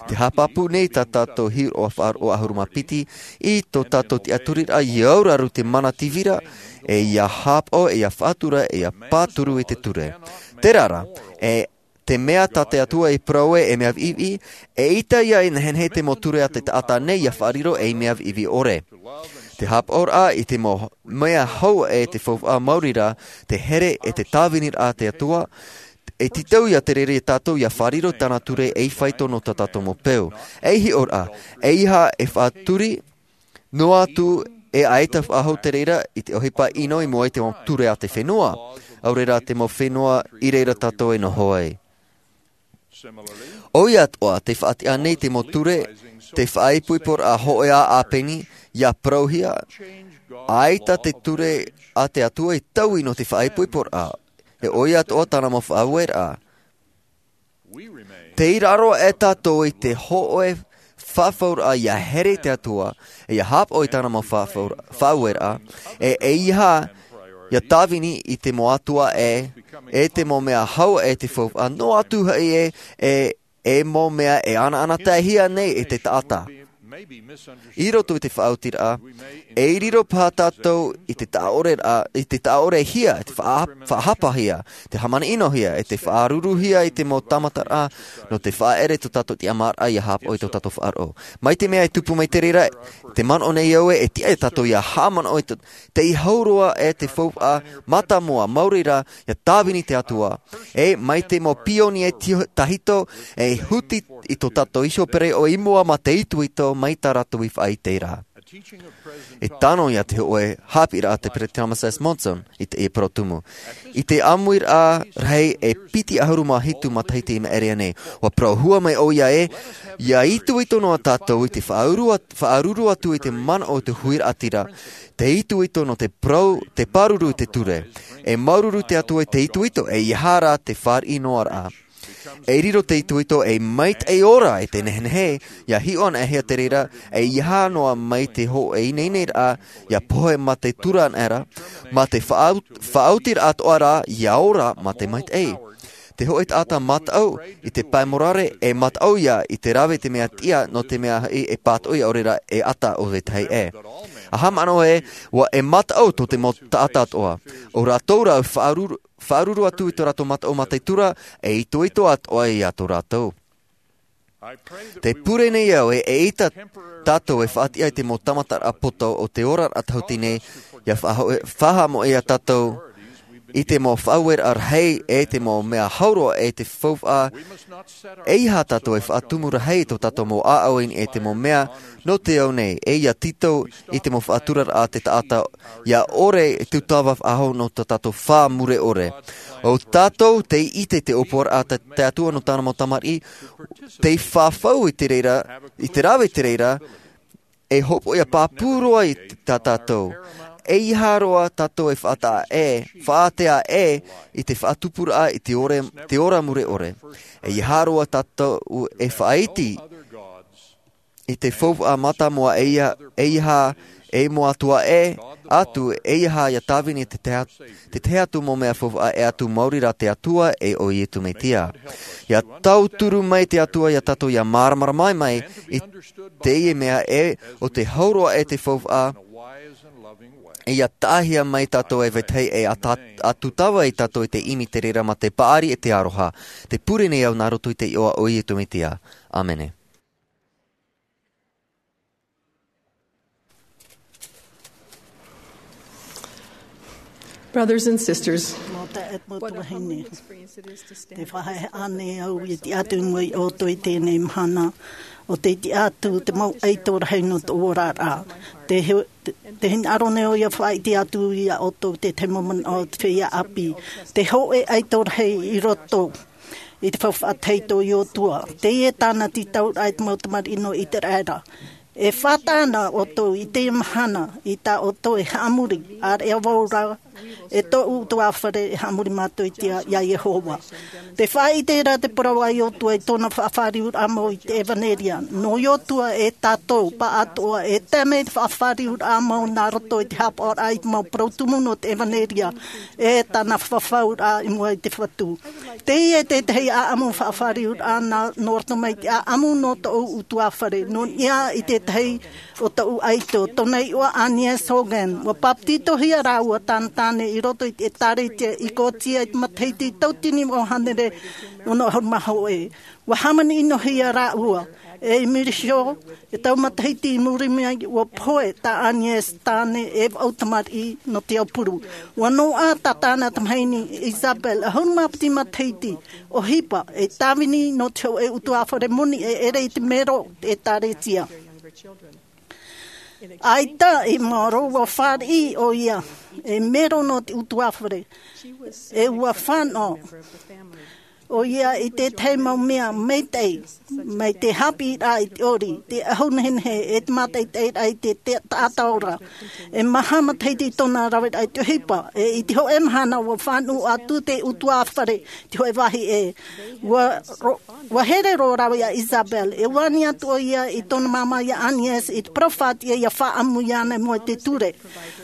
Te haʻapāpū nei tā tātou hiʻoraʻa faʻaroʻo ʻahuru mā piti, i tō tātou tiʻaturiraʻa ia auraru te mana tīvira, e ia haʻapaʻo, e ia faʻatura, e ia pāturu i te ture. Terā rā, e te mea tā te Atua i parau ē, e mea viʻiviʻi, eʻita ia e nehenehe te mau ture a te taʻata nei ia faʻariro ei mea viʻiviʻi ʻore. Te hāpaʻoraʻa i te mau mea hau e te faufaʻa maori rā, te here e te tāviniraʻa a te Atua, e tītau ia te reira ia tātou ia fārerei tāna ture ei faito nō tā tātou mau peu. Ei hiʻoraʻa, eiaha e faʻaturi noa atu e ʻaita faʻahou te reira i te ʻohipa ʻino i mua i te mau ture a te fenua, ʻaore rā te mau fenua i reira tātou e noho ai. ʻOia atoʻa, te faʻatiʻa nei te mau ture, te faʻaipoiporaʻa hoʻi ā ʻāpeni, ia parauhia, ʻaita te ture a te Atua i taui nō te faʻaipoiporaʻa, e ʻoia atoʻa tāna mau faʻaueraʻa. Tei raro e tātou i te hōʻē faʻafauraʻa ia here i te Atua, e ia hāpaʻo i tāna mau faʻafaura-, faʻaueraʻa, e, eiaha ia tāvini i te mau atua ʻē, e te mau mea hau e te faufaʻa, noa atu hoʻi ē, e, e mau mea e ʻanaʻanataehia nei e te taʻata. I roto i te faʻaotiraʻa, e riro paha tātou i te taʻaʻoreraʻa, i te taʻaʻorehia, i te faʻa-, faʻahapahia, te hāmani ʻinohia, e te faʻaruruhia i te mau tāmataraʻa, nō te faʻaʻere tō tātou tiʻamāraʻa ia hāpaʻo i tō tātou faʻaroʻo. Mai te mea e tupu mai te reira, te manaʻo nei au ē, e tiʻa ia tātou ia haʻamanaʻo i tō, tei hau roa e te faufaʻa mātāmua maori rā, ia tāvini te Atua. E mai te mau pionie ti-, tahito, e huti i tō tātou iho pereʻoʻo i mua mā te itoito mai tā rātou i faʻaʻite ra. E tano ia te hōʻē haʻapiʻiraʻa a te Peresideni Thomas S. Monson i te, i parau tumu. I te ʻāmuiraʻa rahi e piti ʻahuru mā hitu matahiti i maʻiri aʻe nei, ʻua parauhia mai ʻoia ē, ia itoito noa tātou i te faʻaruru at-, faʻaruru atu i te manaʻo o te huiraʻatira, te itoito nō te parau, te pāruru i te ture. E māuruuru te Atua i te itoito, eiaha rā te fāriʻi noa ra. E riro te itoito ei maitaʻi ora e te nehenehe, ia hiʻo anaʻe hia te reira, eiaha noa mai te hōʻē ineineraʻa, ia pohe mā te tura anaʻe ra, mā te faʻau-, faʻaotiraʻa atoʻa rā, ia ora mā te maitaʻi. Te hōʻē taʻata mataʻu i te pae morare, e mataʻu ia i te rave te mea tiʻa nō te mea hoʻi e pātoʻi ʻaore rā e ʻata o vetahi ʻē. ʻA haʻamanaʻo ē, ʻua e mataʻu tō te mau taʻata atoʻa. ʻO rātou rā faʻaruru-, faʻaruru atu i tō rātou mataʻu mā te tura, e itoito atoʻa ia tō rātou. Te pure nei au ē, eʻita tātou e faʻatiʻa i te mau tāmataraʻa poto o te oraraʻa tahuti nei, ia faʻaho-, faʻahaʻamoʻe ia tātou i te mau faʻaueraʻa rahi, e te mau mea hau roa e te faufaʻa, eiaha tātou e faʻatumu rahi i tō tātou mau ʻāʻau i niʻa i te mau mea nō te ao nei, e ia tītau i te mau faʻaturaraʻa a te taʻata, ia ʻore e tūtava faʻahou nō tō tātou fā mure ʻore. ʻO tātou tei ʻite te ʻōpuaraʻa a te, te Atua nō tāna mau tamariʻi, tei fafau i te reira, i te rave i te reira, e hopoiʻa pāpū roa i tā tātou. Eiaha roa tātou e faʻataʻa ʻē, faʻatea ʻē i te faʻatupuraʻa i te ore, te ora mure ʻore. Eiaha roa tātou e faʻaiti i te faufaʻa mātāmua, eiaha, eiaha e mau atua ʻē atu, eiaha ia tāvini te tahi, te tahi atu mau mea faufaʻa ʻē atu maori rā te Atua, e ʻo Iesu Mesia. Ia tauturu mai te Atua ia tātou ia māramarama mai i teie mea ē, ʻo te hau roa e te faufaʻa, e ia taʻahia mai tātou e vetahi e ata-, ʻatutava ia tātou i te ʻimi i te reira mā te paʻari e te aroha. Te pure nei au nā roto i te iʻoa o Iesu Mesia. ʻĀmene. Brothers and sisters, mau taeaʻe, mau tuahine, te faʻaheʻa nei au i te tiʻa atu i mua ia ʻoutou i teie mahana, ʻo te tiʻa atu te mau ʻaito rahi nō tō oraraʻa. Te he-, te, te hinaʻaro nei au ia faʻaʻite atu ia ʻoutou te tahi mau manaʻo o te feiā ʻāpī. Te hōʻē ʻaito rahi i roto i te faufaʻa tahito o Iosua. Teie tāna tītauraʻa i te mau tamariʻi nō Iseraela. E fātata ʻoutou i teie mahana, i tā ʻoutou e haʻamori, ʻāreʻa vau rā, e tōʻu ʻutuāfare e haʻamori mātou i te, ia Iehova. Tē faʻaʻite ra te parau a Iosua i tōna faʻafāriuraʻa mau i te ʻevanelia. Nō Iosua e tātou, pāʻatoʻa, e tae mai te faʻafāriuraʻa mau nā roto i te hāpaʻoraʻa i te mau parau tumu nō te ʻevanelia, e tāna fafauraʻa i mua i te Fatu. Teie te tahi ʻāʻamu faʻafāriuraʻa nā, nō roto mai te ʻāʻamu nō tōʻu ʻutuāfare, nō niʻa i te tahi o tōʻu ʻaito, tōna iʻoa Agnes Hoggan. ʻUa papetitohia rāua tāna tāne i roto i te ʻĒtārētia i Kōtia i te matahiti tauatini vaʻu hānere ono ʻahuru mā hōʻē. ʻUa hāmani ʻinohia rāua E i muri iho, e taua matahiti i muri mai, ua pohe tā Agnes tāne e vaʻu tamariʻi nō te aupuru. Ua noaʻa tā tāna tamahine Isabel, ʻahuru mā piti matahiti, ʻohipa, e tāvini nō te hōʻē ʻutuāfare moni e ʻere i te mero ʻĒtārētia. ʻAita i maoro, ua fāriʻi ʻoia e mero nō te ʻutuāfare. E ua fānaʻo ʻoia i te tahi mau mea maitaʻi, mai te haʻapiʻiraʻa i te ʻori, te ʻahu nehenehe, e te mātaʻitaʻiraʻa i te, te taʻata ora. E maha matahiti tōna raveraʻa i te ʻohipa, e i te hōʻē mahana ua fānaʻo atu te ʻutuāfare, te hōʻē vāhi ʻē. Ua ro-, ua here roa rāua iā Isabel, e ani atu ʻoia i tōna māmā iā Agnes, i te parau faʻatiʻa ʻia faʻaʻamu iāna i mua i te ture.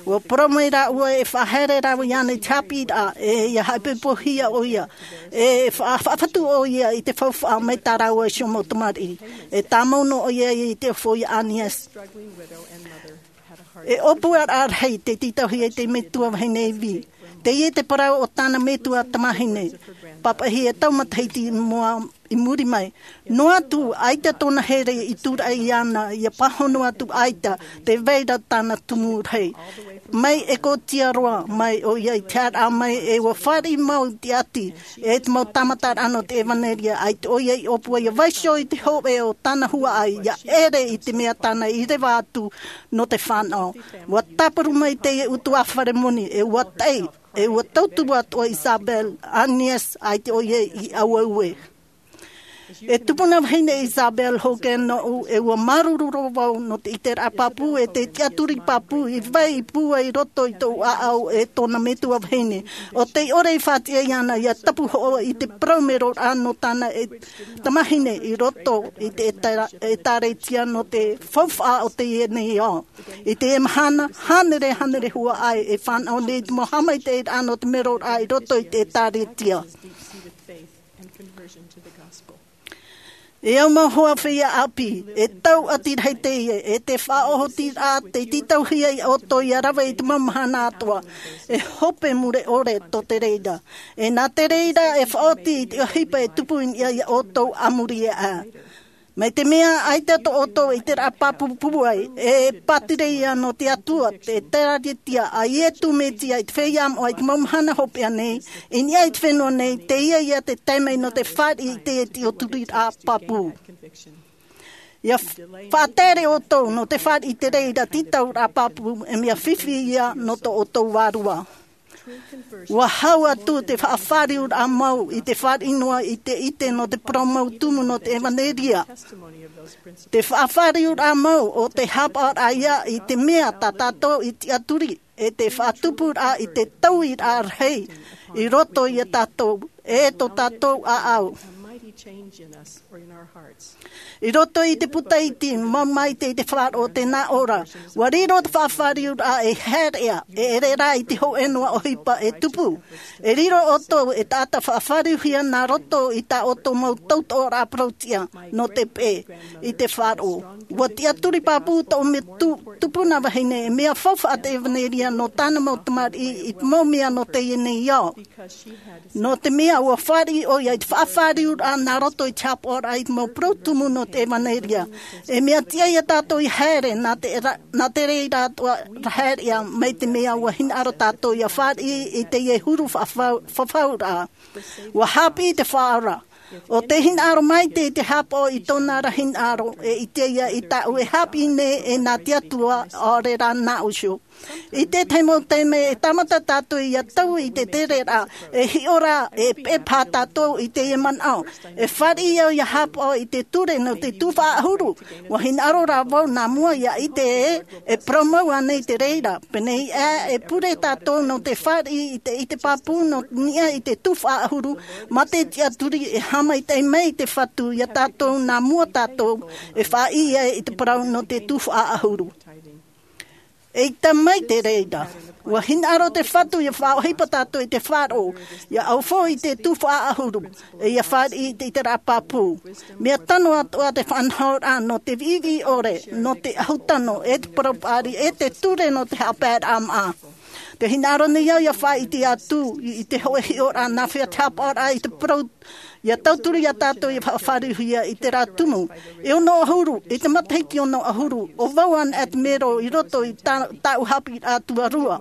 Ua parau mai rāua e faʻahaere rāua iāna i te haʻapiʻiraʻa, e ʻia haʻaipoipohia ʻoia, e fa-, faʻafatu ʻoia i te faufaʻa mai tā rāua iho mau tamariʻi. E tāmau noa ʻoia i te ofo iā Agnes. E ʻōpuaraʻa rahi tei tītauhia e te metua vahine ivi. Teie te parau o tāna metua tamahine, pāpaʻihia e taua matahiti i mua, i muri mai. Noa atu, ʻaita tōna here i tūraʻi iāna, ʻia pāhono atu ʻaita, tē vai ra tāna tumu rahi. Mai Ekōtia roa, mai ʻoia i te haereraʻa mai, e ua fāriʻi mau i te ʻati, e te mau tāmataraʻa nō te ʻevaneria, ʻaita ʻoia i ʻōpua ʻia vaiiho i te hōʻē o tāna huaʻai, ʻia ʻere i te mea tāna i reva atu nō te fānaʻo. Ua tāparu mai teie ʻutuāfare moni, e ua taʻi, e ua tautumu atoʻa Isabel, Agnes, ʻaita ʻoia i ʻauaue. E tupuna vahine Isabel Hoggan nōʻu, e ua māuruuru roa vau nō te ʻiteraʻa pāpū, e te tiʻaturi pāpū, i vai i pūai i roto i tōʻu ʻāʻau e tōna metua vahine. ʻO tei ʻore i faʻatiʻa iāna ʻia tapu hoʻi i te parau meroraʻa nō tāna e tamahine i roto i te ʻEtā-, ʻĒtārētia nō te faufaʻa o teie nei ao. I teie mahana, hānere, hānere huaʻai e fānaʻo nei i te mau haʻamaitaʻiraʻa nō te meroraʻa i roto i te ʻĒtārētia. E au mau hoa feiā ʻāpī, e tau ʻati rahi teie, e te faʻaʻohotiraʻa tei tītauhia iā ʻoutou ʻia rave i te mau mahana atoʻa, e hope mure ʻore tō te reira. E nā te reira e faʻaoti i te ʻohipa e tupu i niʻa iā ʻoutou a muri aʻe. Mai te mea ʻaita tō ʻoutou ʻiteraʻa pāpū pūai, e pātireia nō te Atua, te ʻĒtārētia a Iesu Mesia i te feiā moʻa i te mau mahana hopeʻa nei, i niʻa i te fenua nei, teie ia te taime nō te fāriʻi i te tiʻaturiraʻa pāpū. ʻIa f-, faʻatere ʻoutou nō te fāriʻi i te reira tītauraʻa pāpū, e mea fifi ia nō tō ʻoutou vārua. Ua hau atu te faʻafāriuraʻa mau i te fāriʻi noa i te ʻite nō te parau mau tumu nō te ʻevaneria. Te faʻafāriuraʻa mau ʻo te haʻapaʻoraʻa ia i te mea tā tātou i tiʻaturi, e te faʻatupuraʻa i te tauiraʻa rahi i roto iā tātou, e tō tātou ʻāʻau. I roto i te puta iti, mau maitaʻi te faʻaroʻo o tēnā ora. Ua riro te faʻafāriuraʻa e haereʻa, e ʻere rā i te hōʻē noa ʻohipa e tupu. E riro ʻoutou e taʻata faʻafāriuhia nā roto i tā ʻoutou mau tautoʻoraʻa parautiʻa nō te peʻe i te faʻaroʻo. Ua tiʻaturi pāpū tō ʻoutou tupuna vahine, e mea faufaʻa te ʻevaneria nō tāna mau tamariʻi i te mau mea nō teie nei ao. Nō te mea ua fāriʻi ʻoia i te faʻafāriuraʻa nā roto i te haʻapaʻoraʻa i te mau parau tumu nō te ʻevaneria. E mea tiʻa iā tātou ʻia haere, nā te ra-, nā te reira atoʻa haereʻa, mai te mea ua hinaʻaro tātou ʻia fāriʻi i teie huru faʻafau-, fafauraʻa. Ua haʻapiʻi te Faʻaora. ʻO tē hinaʻaro maitaʻi i te haʻapaʻo i tōna ra hinaʻaro, e ʻite ia i tāʻu e haʻapiʻi nei e nā te Atua, ʻaore rā nāʻu iho. I te tahi mau taime e tāmata tātou ʻia tau i te tereraʻa, e hiʻo rā, e peʻe paha tātou i teie manaʻo. E fāriʻi au ʻia haʻapaʻo i te ture nō te tuhaʻa ʻahuru. Ua hinaʻaro rā vau nā mua ʻia ʻite ē, e parau mau ānei te reira. Pēnei ā, e pure tātou nō te fāriʻi i te, i te pāpū nō niʻa i te tuhaʻa ʻahuru, mā te tiʻaturi e haʻamaitaʻi mai te Fatu iā tātou nā mua tātou, e faʻaʻī ai i te parau nō te tuhaʻa ʻahuru. Eʻita mai te reira. Ua hinaʻaro te Fatu ʻia faʻaʻohipa tātou i te faʻaroʻo, ʻia ʻaufau i te tuhaʻa ʻahuru, e ʻia fāriʻi i te, i te ʻiteraʻa pāpū. Mea tano atoʻa te faʻanahoraʻa nō te viʻiviʻi ʻore, nō te ʻahu tano, e te parau paʻari, e te ture nō te haʻapaeraʻa maʻa. Te hinaʻaro nei au ia faʻaʻite atu i te hoʻe hiʻoraʻa nā hea te hāpaʻoraʻa i te parau ia tauturu iā tātou ia faʻafāriuhia i terā tumu. E ono ʻahuru, i te matahiti ono ʻahuru, ʻo vau anaʻe te mero i roto i tā, tāʻu haʻapiʻiraʻa tuarua.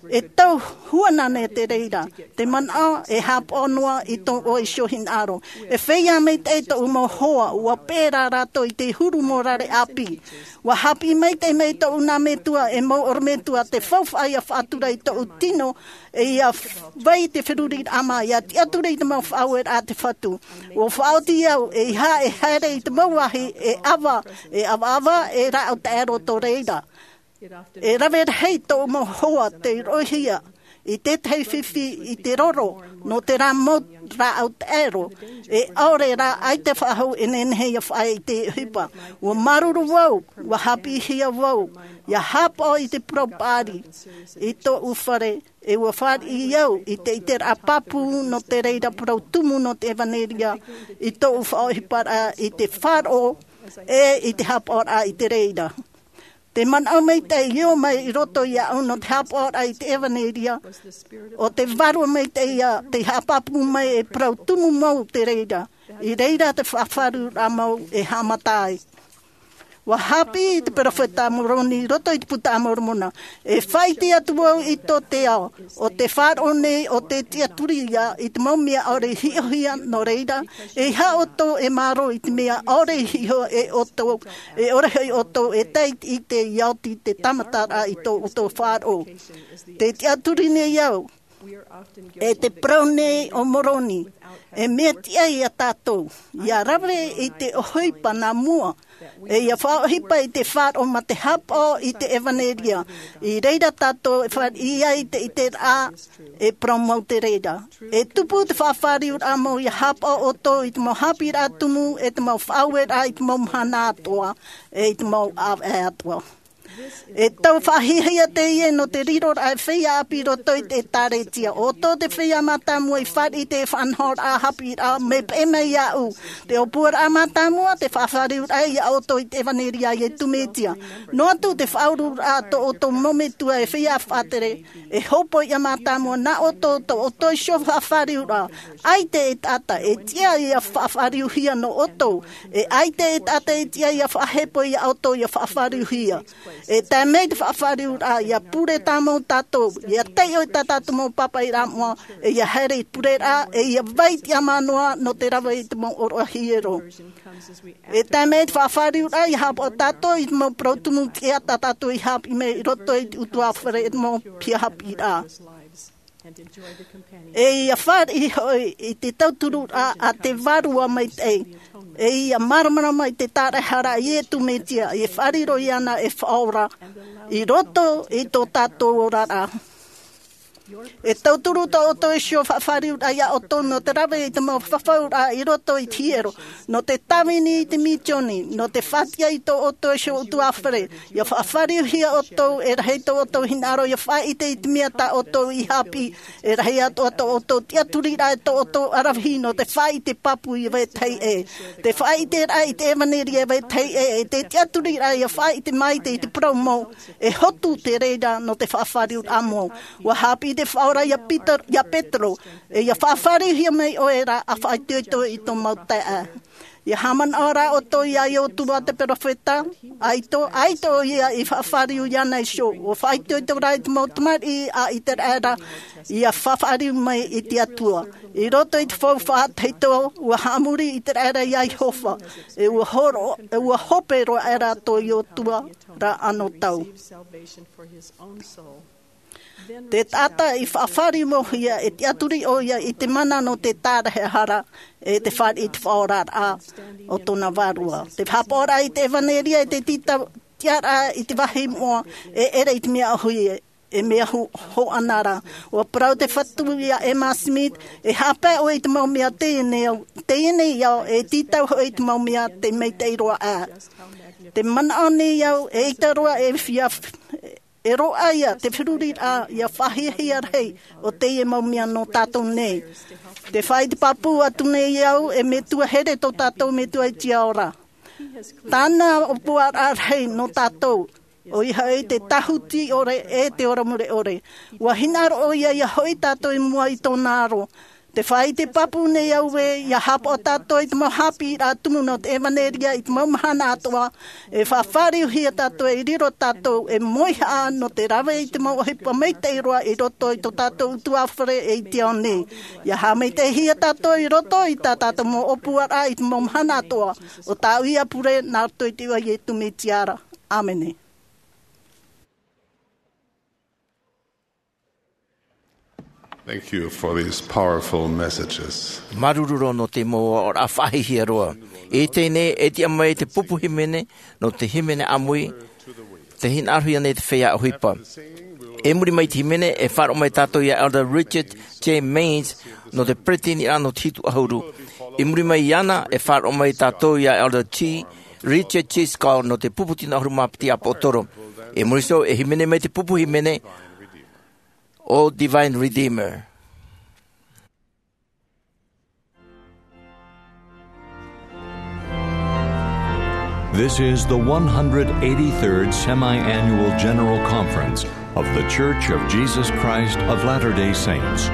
E tau huanane te reira, te manaʻo e hāpaʻo noa i tō ʻoe iho hinaʻaro. E feiā maitaʻi tōʻu mau hoa, ʻua pērā rātou i te huru mau rare ʻāpī. ʻUa haʻapiʻi maitaʻi mai tōʻu nā metua e mau ʻorometua te faufaʻa ia faʻatura i tōʻu tino, e ia vai te feruriraʻa mā, ia tiʻaturi i te mau faʻaueraʻa a te Fatu. ʻUa faʻaoti au, ʻeiaha e haere i te mau vāhi, e ʻava, e ʻavaʻava, e rāʻau taʻero tō reira. E rave rahi tōʻu mau hoa tei roʻohia i te tahi fifi i te roro nō terā mau rāʻau taʻero. E ʻaore rā ʻaita faʻahou e nehenehe ia faʻaʻite i te ʻohipa. ʻUa māuruuru vau, ʻua haʻapiʻihia vau ia hāpaʻo i te parau paʻari i tōʻu fare, e ʻua fāriʻi au i te ʻiteraʻa pāpū nō te reira parau tumu nō te ʻevanelia i tōʻu faʻaʻohiparaʻa i te faʻaroʻo e i te hāpaʻoraʻa i te reira. Te manaʻo maitaʻi i ō mai i roto iāʻu nō te hāpaʻoraʻa i te ʻevanelia, ʻo te Vārua Maitaʻi ia tei haʻapāpū mai e parau tumu mau te reira, i reira te faʻafāriuraʻa mau e haʻamata ai. ʻUa haʻapiʻi te peropheta Moroni i roto i te Buka a Moromona, e faʻaʻite atu vau i tō te ao, ʻo te faʻaroʻo nei ʻo te tiʻaturi ia i te mau mea ʻaore i hiʻohia nō reira, ʻeiaha ʻoutou e mārō i te mea ʻaore i hiʻo e ʻoutou, e ʻore hoʻi ʻoutou e tae i te ʻite ia oti te tāmataraʻa i tō ʻoutou faʻaroʻo. Te tiʻaturi nei au, e te parau nei ʻo Moroni, e mea tiʻa iā tātou ia rave i te ʻohipa nā mua, e ia faʻaʻohipa i te faʻaroʻo mā te hāpaʻo i te ʻevanelia, i reira tātou e fāriʻi ai te ʻiteraʻa e parau mau te reira. E tupu te faʻafāriuraʻa mau ia hāpaʻo ʻoutou i te mau haʻapiʻiraʻa tumu, e te mau faʻaueraʻa i te mau mahana atoʻa, e i te mau ʻāvaʻe atoʻa. E tau faʻahiahia teie nō te riroraʻa e feiā ʻāpī i roto i te ʻēkālesia. ʻO tō te feiā mātāmua i fāriʻi i te faʻanahoraʻa haʻapiʻiraʻa, mea peʻe mai iāʻu. Te ʻōpuaraʻa mātāmua, te faʻafāriuraʻa iā ʻoutou i te ʻevanelia a Iesu Mesia. Noa atu te faʻaururaʻa tō ʻoutou mau metua e feiā faʻatere, e hōpoiʻa mātāmua nā ʻoutou tō ʻoutou iho faʻafāriuraʻa. ʻAita e taʻata e tiʻa ia faʻafāriuhia nō ʻoutou, e ʻaita e taʻata e tiʻa ia faʻahepo iā ʻoutou ia faʻafāriuhia. E tae mai te faʻafāriuraʻa, ia pure tāmau tātou, ia taiʻo i tā tātou mau pāpaʻiraʻa moʻa, e ia haere i te pureraʻa, e ia vai tiʻamā noa nō te rave i te mau ʻōroʻa hiero. E tae mai te faʻafāriuraʻa, ia hāpaʻo tātou i te mau parau tumu tiʻa tā tātou i haʻapiʻi mai i roto i te ʻutuāfare, e te mau piha haʻapiʻiraʻa. E ia fāriʻi hoʻi i te tautururaʻa a te Vārua Maitaʻi, e ia māramarama i te tāraʻehara a Iesu Mesia, e faʻariro iāna e faʻaora i roto i tō tātou oraraʻa. E tauturu tō ʻoutou iho faʻafāriuraʻa iā ʻoutou nō te rave i te mau fafauraʻa i roto i te hiero, nō te tāvini i te misioni, nō te faʻatiʻa i tō ʻoutou iho ʻutuāfare, ia faʻafāriuhia ʻoutou, e rahi tō ʻoutou hinaʻaro ia faʻaʻite i te mea tā ʻoutou i haʻapiʻi, e rahi atoʻa tō ʻoutou tiʻaturiraʻa e tō ʻoutou ʻaravihi nō te faʻaʻite pāpū i vetahi ʻē. Te faʻaʻiteraʻa i te ʻevanelia e vetahi ʻē, e te tiʻaturiraʻa ia faʻaʻite maite i te parau mau, e hotu te reira nō te faʻafāriuraʻa mau. ʻUa haʻapiʻi te Faʻaora iā Pita-, iā Petero, e ia faʻafāriuhia mai ʻoe ra ʻa faʻaitoito i tō mau taeaʻe. Ia haʻamanaʻo rā ʻoutou iā Iosua te peropheta, ʻaita, ʻaita ʻoia i faʻafāriu iāna iho, ʻua faʻaitoito rā i te mau tamariʻi a ʻĪteraʻera, ia faʻafāriu mai i te Atua. I roto i te faufaʻa tahito, ʻua haʻamori ʻĪteraʻera iā Iehova, e ʻua horo-, e ʻua hope roa aʻera tō Iosua ra anotau. Te taʻata i faʻafāriumauhia e tiʻaturi ʻoia i te mana nō te tāraʻehara, e te fāriʻi i te faʻaoraraʻa o tōna vārua. Te hāpaʻoraʻa i te ʻevanelia, e te tītau-, tiʻaraʻa i te vāhi moʻa, e ʻere i te mea ʻōhie, e mea hu-, hoʻanara. ʻUa parau te Fatu iā Emma Smith, e haʻapae ʻoe i te mau mea teie nei ao, teie nei ao, e tītau hoʻi i te mau mea te maitaʻi roa aʻe. Te manaʻo nei au, eʻita roa e fia f-, e roaʻa ia te feruriraʻa ia faʻahiahia rahi o teie mau mea nō tātou nei. Te faʻaʻite pāpū atu nei au, e Metua here tō tātou Metua i te ao ra. Tāna ʻōpuaraʻa rahi nō tātou. ʻOia hoʻi te tāhuti ʻore e te ora mure ʻore. Ua hinaʻaro ʻoia ia hoʻi tātou i mua i tōna aro. Te fāʻi te pāpū nei au ē, ia haʻapaʻo tātou i te mau haʻapiʻiraʻa tumu nō te ʻevanelia i te mau mahana atoʻa, e faʻafāriuhia tātou, e riro tātou, e moihaʻa nō te rave i te mau ʻohipa maitaʻi roa i roto i tō tātou ʻutuāfare e i te ao nei. Ia haʻamaitaʻihia tātou i roto i tā tātou mau ʻōpuaraʻa i te mau mahana atoʻa, ʻo tāʻu ia pure nā roto i te iʻoa o Iesu Mesia ra. ʻĀmene. Thank you for these powerful messages. Māuruuru roa nō te mau aʻoraʻa faʻahiahia roa. I teie nei, e tiʻa mai te pupu hīmene, nō te hīmene ʻāmui, tē hinaʻarohia nei te feiā ʻohipa. I muri mai i te hīmene, e faʻaroʻo mai tātou ia Elder Richard J. Maynes, nō te peretiteniraʻa nō te hitu ʻahuru. I muri mai iāna, e faʻaroʻo mai tātou ia Elder G. Richard G. Scott, nō te pupu tino ʻahuru mā piti ʻāpōsetolo. I muri iho, e hīmene mai te pupu hīmene, ʻo Divine Redeemer. This is the one hundred eighty-third Semi-Annual General Conference of The Church of Jesus Christ of Latter-day Saints.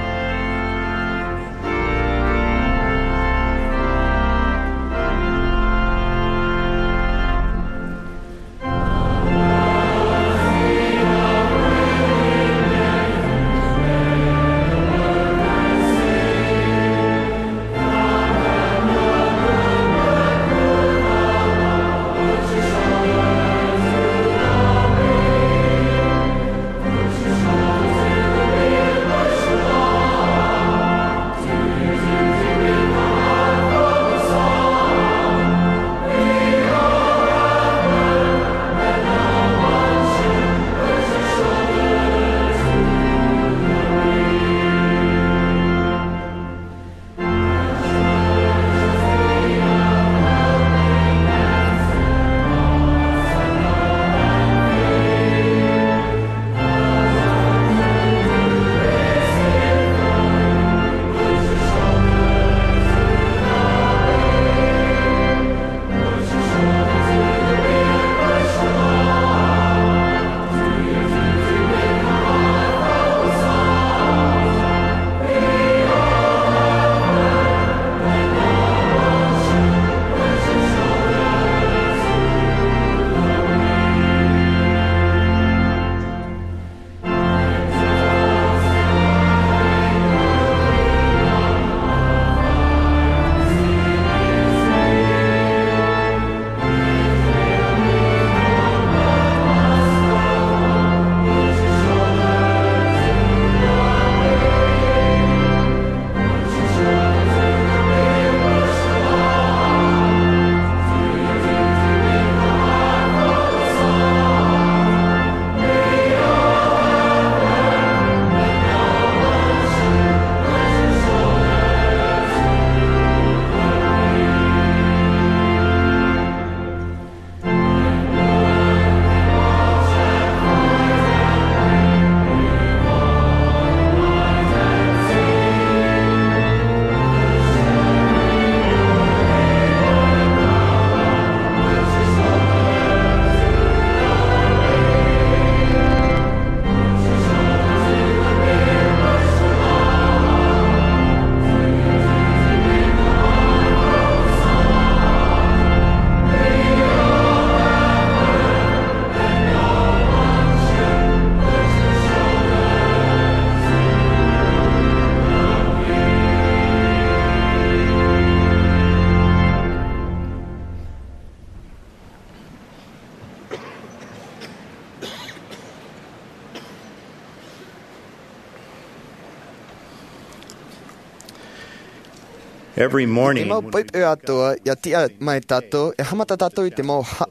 Every morning, te mau poʻipoʻi atoʻa, ia tiʻa mai tātou, e haʻamata tātou i te mau ha-,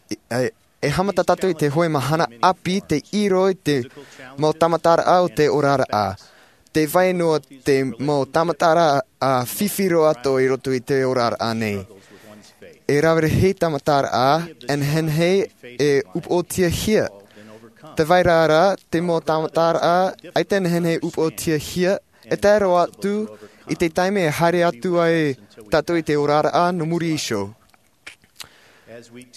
e, e haʻamata tātou i te hōʻē mahana ʻāpī, tei riro i te mau tāmataraʻa o te oraraʻa. Tē vai noa te mau tāmataraʻa fifi roa atoʻa i roto i te oraraʻa nei. E rave rahi tāmataraʻa, e nehenehe e upoʻotiahia. Tē vai ra rā, te mau tāmataraʻa, ʻaita e nehenehe e upoʻotiahia, e tae roa atu i te taime e haere atu ai tātou i te oraraʻa nō muri iho.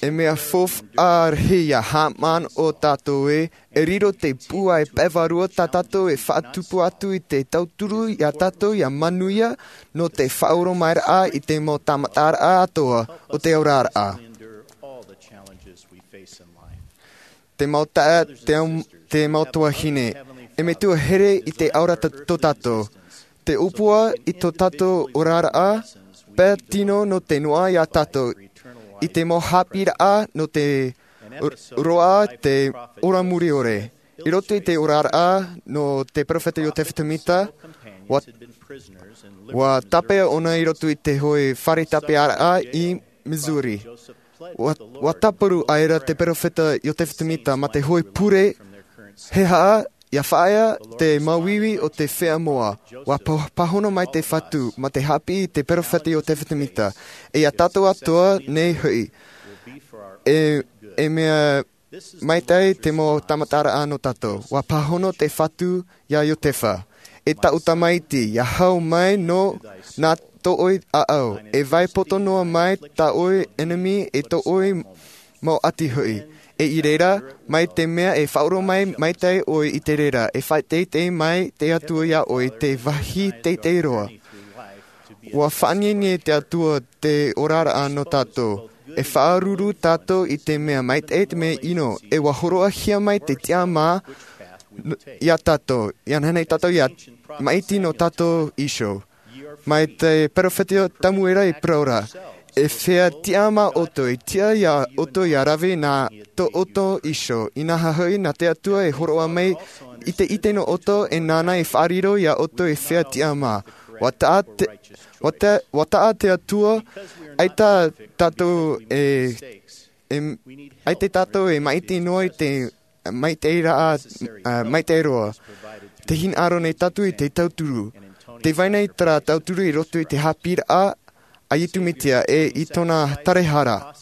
E mea faufaʻa rahi ia haʻamanaʻo tātou ē, e riro te pūai pae vārua tā tātou e faʻatupu atu i te tauturu iā tātou ia manuia nō te faʻaoromairaʻa i te mau tāmataraʻa atoʻa o te oraraʻa. Te mau taeaʻe, te, te mau tuahine, e metua here i te aura tō tātou. Te ʻōpua i tō tātou oraraʻa, pae tino nō te noaʻa iā tātou, i te mau haʻapiʻiraʻa nō te roaʻa te ora mure ʻore. I roto i te oraraʻa nō te peropheta Iosepha Semita, ua, ua tāpeʻa ʻōna i roto i te hōʻē fare tāpeʻaraʻa i Missouri. Ua, ua tāparu aʻera te peropheta Iosepha Semita mā te hōʻē pure, he aha ia faʻaea te māuiui o te feiā moʻa. Ua pa-, pāhono mai te Fatu mā te haʻapiʻi i te peropheta Iosepha Semita, e iā tātou atoʻa nei hoʻi. E, e mea maitaʻi te mau tāmataraʻa nō tātou. Ua pāhono te Fatu iā Iosepha, e taʻu tamaiti, ia hau mai nō nā tō ʻoe ʻāʻau, e vai poto noa mai tā ʻoe ʻenemi, e tō ʻoe mau ʻati hoʻi. E i reira, mai te mea e faʻaoromai maitaʻi ʻoe i te reira, e faʻateitei mai te Atua iā ʻoe i te vāhi teitei roa. Ua faʻaʻiteʻite te Atua te oraraʻa nō tātou. E faʻaruru tātou i te mea maitaʻi, te mea ʻino, e ua hōroʻahia mai te tiʻamā n-, iā tātou, ia nehenehe tātou ia maʻiti nō tātou iho. Mai te peropheta Samuela i parau ra, e feiā tiʻamā ʻoutou, e tiʻa iā ʻoutou ia rave nā tō ʻoutou iho, inaha hoʻi nā te Atua e hōroʻa mai i te ʻite nō ʻoutou, e nāna e faʻariro iā ʻoutou e feiā tiʻamā. Ua taʻa te, ua te, ua taʻa te Atua, ʻaita tātou e, e, ʻaita tātou e maʻiti noa i te maitaʻi ra, ā, maitaʻi roa. Tē hinaʻaro nei tātou i te tauturu. Tē vai nei terā tauturu i roto i te haʻapiʻiraʻa a Iesu Mesia e i tōna tarahara.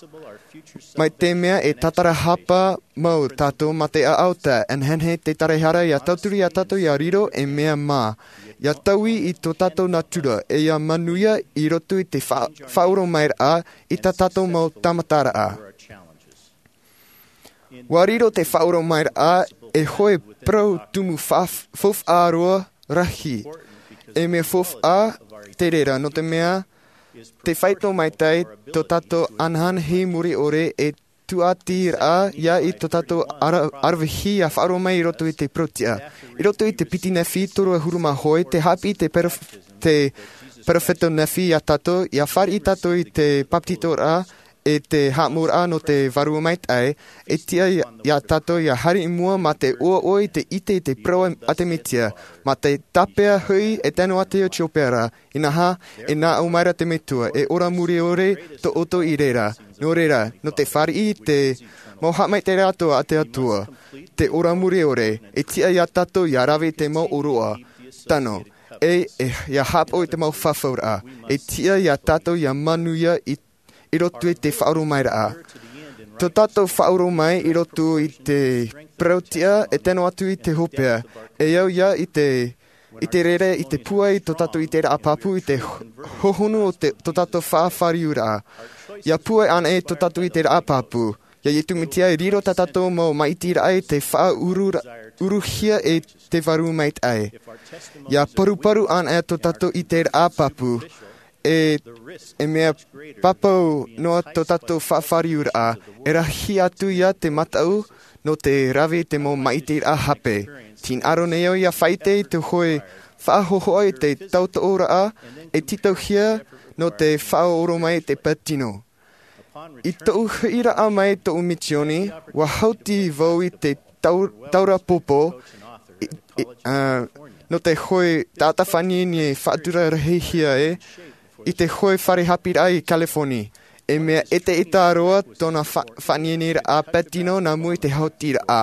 Mai te mea e tātarahapa mau tātou mā te ʻaʻau taʻa, e nehenehe te tarahara ia tauturu iā tātou ia riro ei mea mā. Ia taui i tō tātou natura, e ia manuia i roto i te fa-, faʻaoromairaʻa i tā tātou mau tāmataraʻa. Ua riro te faʻaoromairaʻa ei hōʻē parau tumu fa-, faufaʻa roa rahi. E mea faufaʻa te reira, nō te mea, tē faito maitaʻi tō tātou ananahi mure ʻore e tūʻatiraʻa ia i tō tātou ara-, aravihi ia faʻaoromai i roto i te parau tiʻa. I roto i te piti Nephi toru ʻahuru mā hōʻē, tē haʻapiʻi te perof-, te peropheta Nephi iā tātou, ia fāriʻi tātou i te bāpetizoraʻa, e te haʻamouraʻa nō te Vārua Maitaʻi, e tiʻa iā, iā tātou ia haere i mua mā te ʻoaʻoa i te ʻite i te parau a te Mesia, mā te tāpeʻa hoʻi e tae noa atu i Etiopia ra, inaha, e nā ʻō mai ra te Metua, e ora mure ʻore tō ʻoutou i reira. Nō reira, nō te fāriʻi i te mau haʻamaitaʻiraʻa atoʻa a te Atua, te ora mure ʻore, e tiʻa iā tātou ia rave i te mau ʻōroʻa, tano, e, e, ia haʻapaʻo i te mau fafauraʻa, e tiʻa iā tātou ia manuia i i roto i te faʻaoromairaʻa. Tō tātou faʻaoromai i roto i te parau tiʻa e tae noa atu i te hopeʻa, e au ia i te, i te reira i te pūai i tō tātou ʻiteraʻa pāpū i te ho-, hohonu o te, tō tātou faʻafāriuraʻa. Ia pūai anaʻe tō tātou ʻiteraʻa pāpū. Ia Iesu Mesia e riro tā tātou mau maʻitiraʻa i te faʻauru ra-, uruhia e te Vārua Maitaʻi. Ia paruparu anaʻe tō tātou ʻiteraʻa pāpū. E, e mea pāpū noa tō tātou faʻafāriuraʻa, e rahi atu ia te mataʻu nō te rave i te mau maʻitiraʻa hape. Tē hinaʻaro nei au ia faʻaʻite i te hōʻē faʻahōhoʻa i te tautooraʻa, e tītauhia nō te faʻaoromai i te pae tino. I tōʻu hoʻiraʻa mai tōʻu misioni, ua haʻuti vau i te tau-, taura pōpō, i, i, ā, nō te hōʻē taʻata faʻaʻiteʻite faʻatura rahihia ē, i te hōʻē fare haʻapiʻiraʻa i California. E mea ʻetaʻeta roa tōna fa-, faʻaʻiteʻiteraʻa pae tino nā mua i te haʻutiraʻa.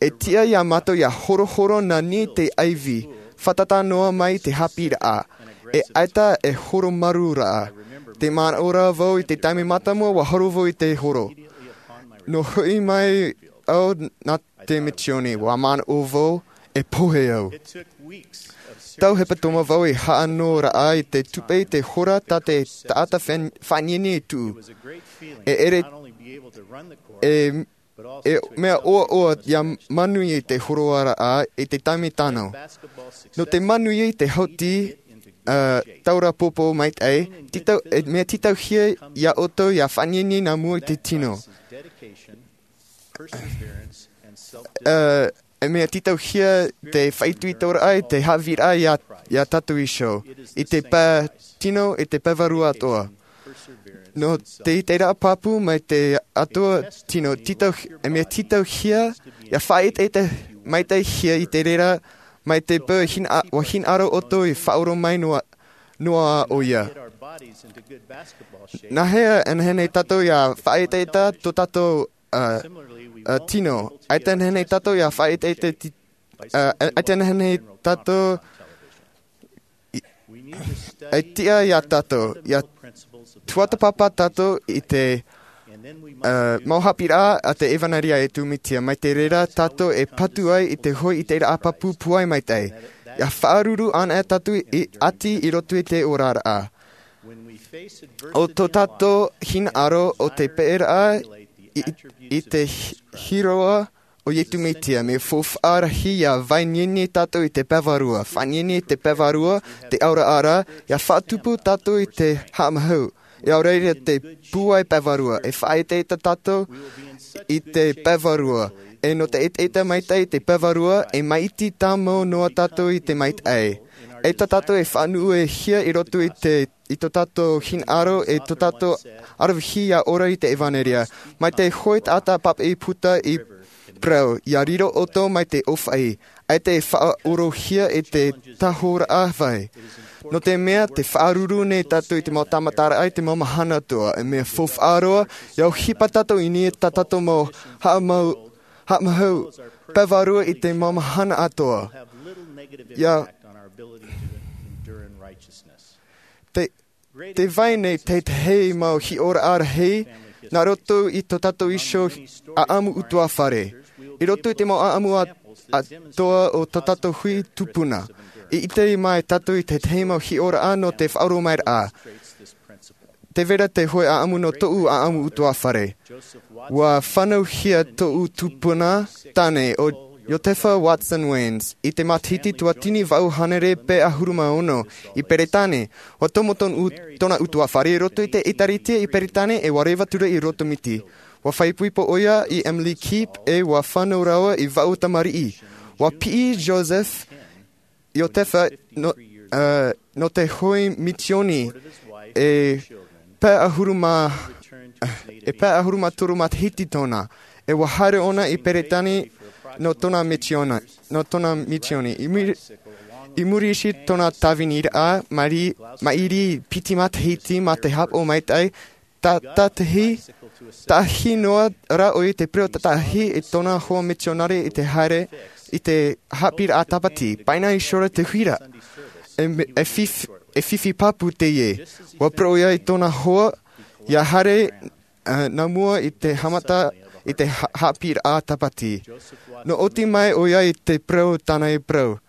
E tiʻa iā mātou ia horohoro nā niʻa i te ʻaivi, fātata noa mai i te haʻapiʻiraʻa. E ʻaita e horo marū ra. Tē manaʻo ra vau i te taime mātāmua ua horo vau i te horo. Nō hoʻi mai au nā te misioni, ua manaʻo vau e pohe au. Tau hepetoma vau i haʻanoraʻa i te tupe i te hora tā te taʻata fa-, faʻaʻiteʻite i tuʻu. E ʻere E e mea ʻoaʻoa ia manuia i te horoaraʻa i te taime tano. Nō te manuia i te hauti taura pōpō maitaʻi, mea tītauhia ia ʻoutou ia faʻanienien nā mua i te tino. E mea tītauhia te faʻaitoitoraʻa i te haʻaviraʻa ia tātou iho i te pae tino i te pae vārua atoʻa. Nō te iteraʻa pāpū mai te atoʻa tino, e mea tītauhia ia faʻaʻetaʻeta maitaʻihia i te reira mai te peu ua hinaʻaro ʻoutou i faʻaoromaʻi noa ʻo ia. Nā hea e nehenehe tātou ia faʻaʻetaʻeta tō tātou tino? ʻAita e nehenehe tātou ia faʻaʻetaʻeta ʻaita e nehenehe tātou e tiʻa ia tātou ia tuatāpapa tātou i te mau haʻapiʻiraʻa a te ʻevanelia a iesu mesia mai te reira tātou e patu ai i te hoʻi iteraʻa pāpū pūai maitaʻi. Ia faʻaruru ana tātou i ʻati i roto i te oraraʻa o tō tātou hinaʻaro o te peʻeraʻa i te hiroʻa o iesu mesia mea faufaʻa rahi ia faʻanienien tātou i te pae vārua faʻanienien i te pae vārua te auraʻa ra ia faʻatupu tātou i te haʻamahau. Ia ʻaore rā te pūai pae vārua e faʻaʻetaʻeta tātou i te pae vārua e nō te ʻetaʻeta maitaʻi i te pae vārua e maʻiti tāmau noa tātou i te maitaʻi. ʻAita tātou e faʻanuʻuhia i roto i te i tō tātou hinaʻaro e tō tātou aravihi ia ora i te ʻevanelia. Mai te hoʻi taʻata pāpaʻi puta i parau ia riro ʻoutou mai te ʻōfaʻi ʻaita e faʻaorohia i te tahoraʻa vai. Nō te mea te faʻaruru nei tātou i te mau tāmataraʻa i te mau mahana atoʻa e mea faufaʻa roa ia ʻohipa tātou i niʻa i tā tātou mau haʻamahau pae vārua i te mau mahana atoʻa. Ia te vai nei tētahi mau hiʻoraʻa rahi nā roto i tō tātou iho ʻaʻamu utuafare. I roto i te mau ʻaʻamu atoʻa o tō tātou hui tupuna i ʻite mai tātou i tētahi mau hiʻoraʻa nō te faʻaoromaʻiraʻa. Te vera te hoʻi ʻaʻamu nō tōʻu ʻaʻamu utuafare. Ua fānauhia tōʻu tupuna tāne o iotefa watson waynes i te matahiti tuatini vaʻu hānere pea ʻahuru mā ono i peretāne. Ua tomo tōna utuafare i roto i te ʻēkālesia i peretāne e ua reva atu i roto miti. Ua faʻaipoipo ʻo ia i emily keep e ua fānau rāua i vaʻu tamariʻi. Ua piʻi joseph iotefa nō te hoʻi misioni e pea ʻahuru mā e pea ʻahuru mā toru matahiti tōna e ua haere ʻoia i peretāne nō tōna misioni. I muri iho i tōna tāviniraʻa maʻiri piti matahiti mā te hāpaʻo maitaʻi, tātahi tātahi noa rā ʻo ia i te parau tātahi i tōna hoa misionare i te haere i te haʻapiʻiraʻa tāpati paʻina i sora te huira. E fifi pāpū teie. Ua parau ʻo ia i tōna hoa ia haere nā mua i te haʻamata i te haʻapiʻiraʻa tāpati. Nō oti mai ʻo ia i te parau tāna e parau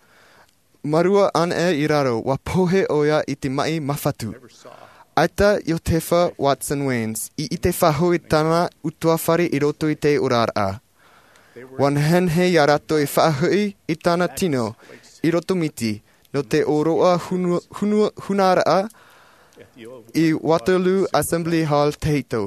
mārua ana i raro ua pohe ʻo ia i te maʻi māfatu. ʻAita iotefa watson waynes i ʻite faʻahou i tāna utuafare i roto i te oraraʻa. Ua nehenehe iā rātou e faʻahoʻi i tāna tino i roto miti nō te ʻōroʻa huna raʻa i waterloo assembly hall tahito.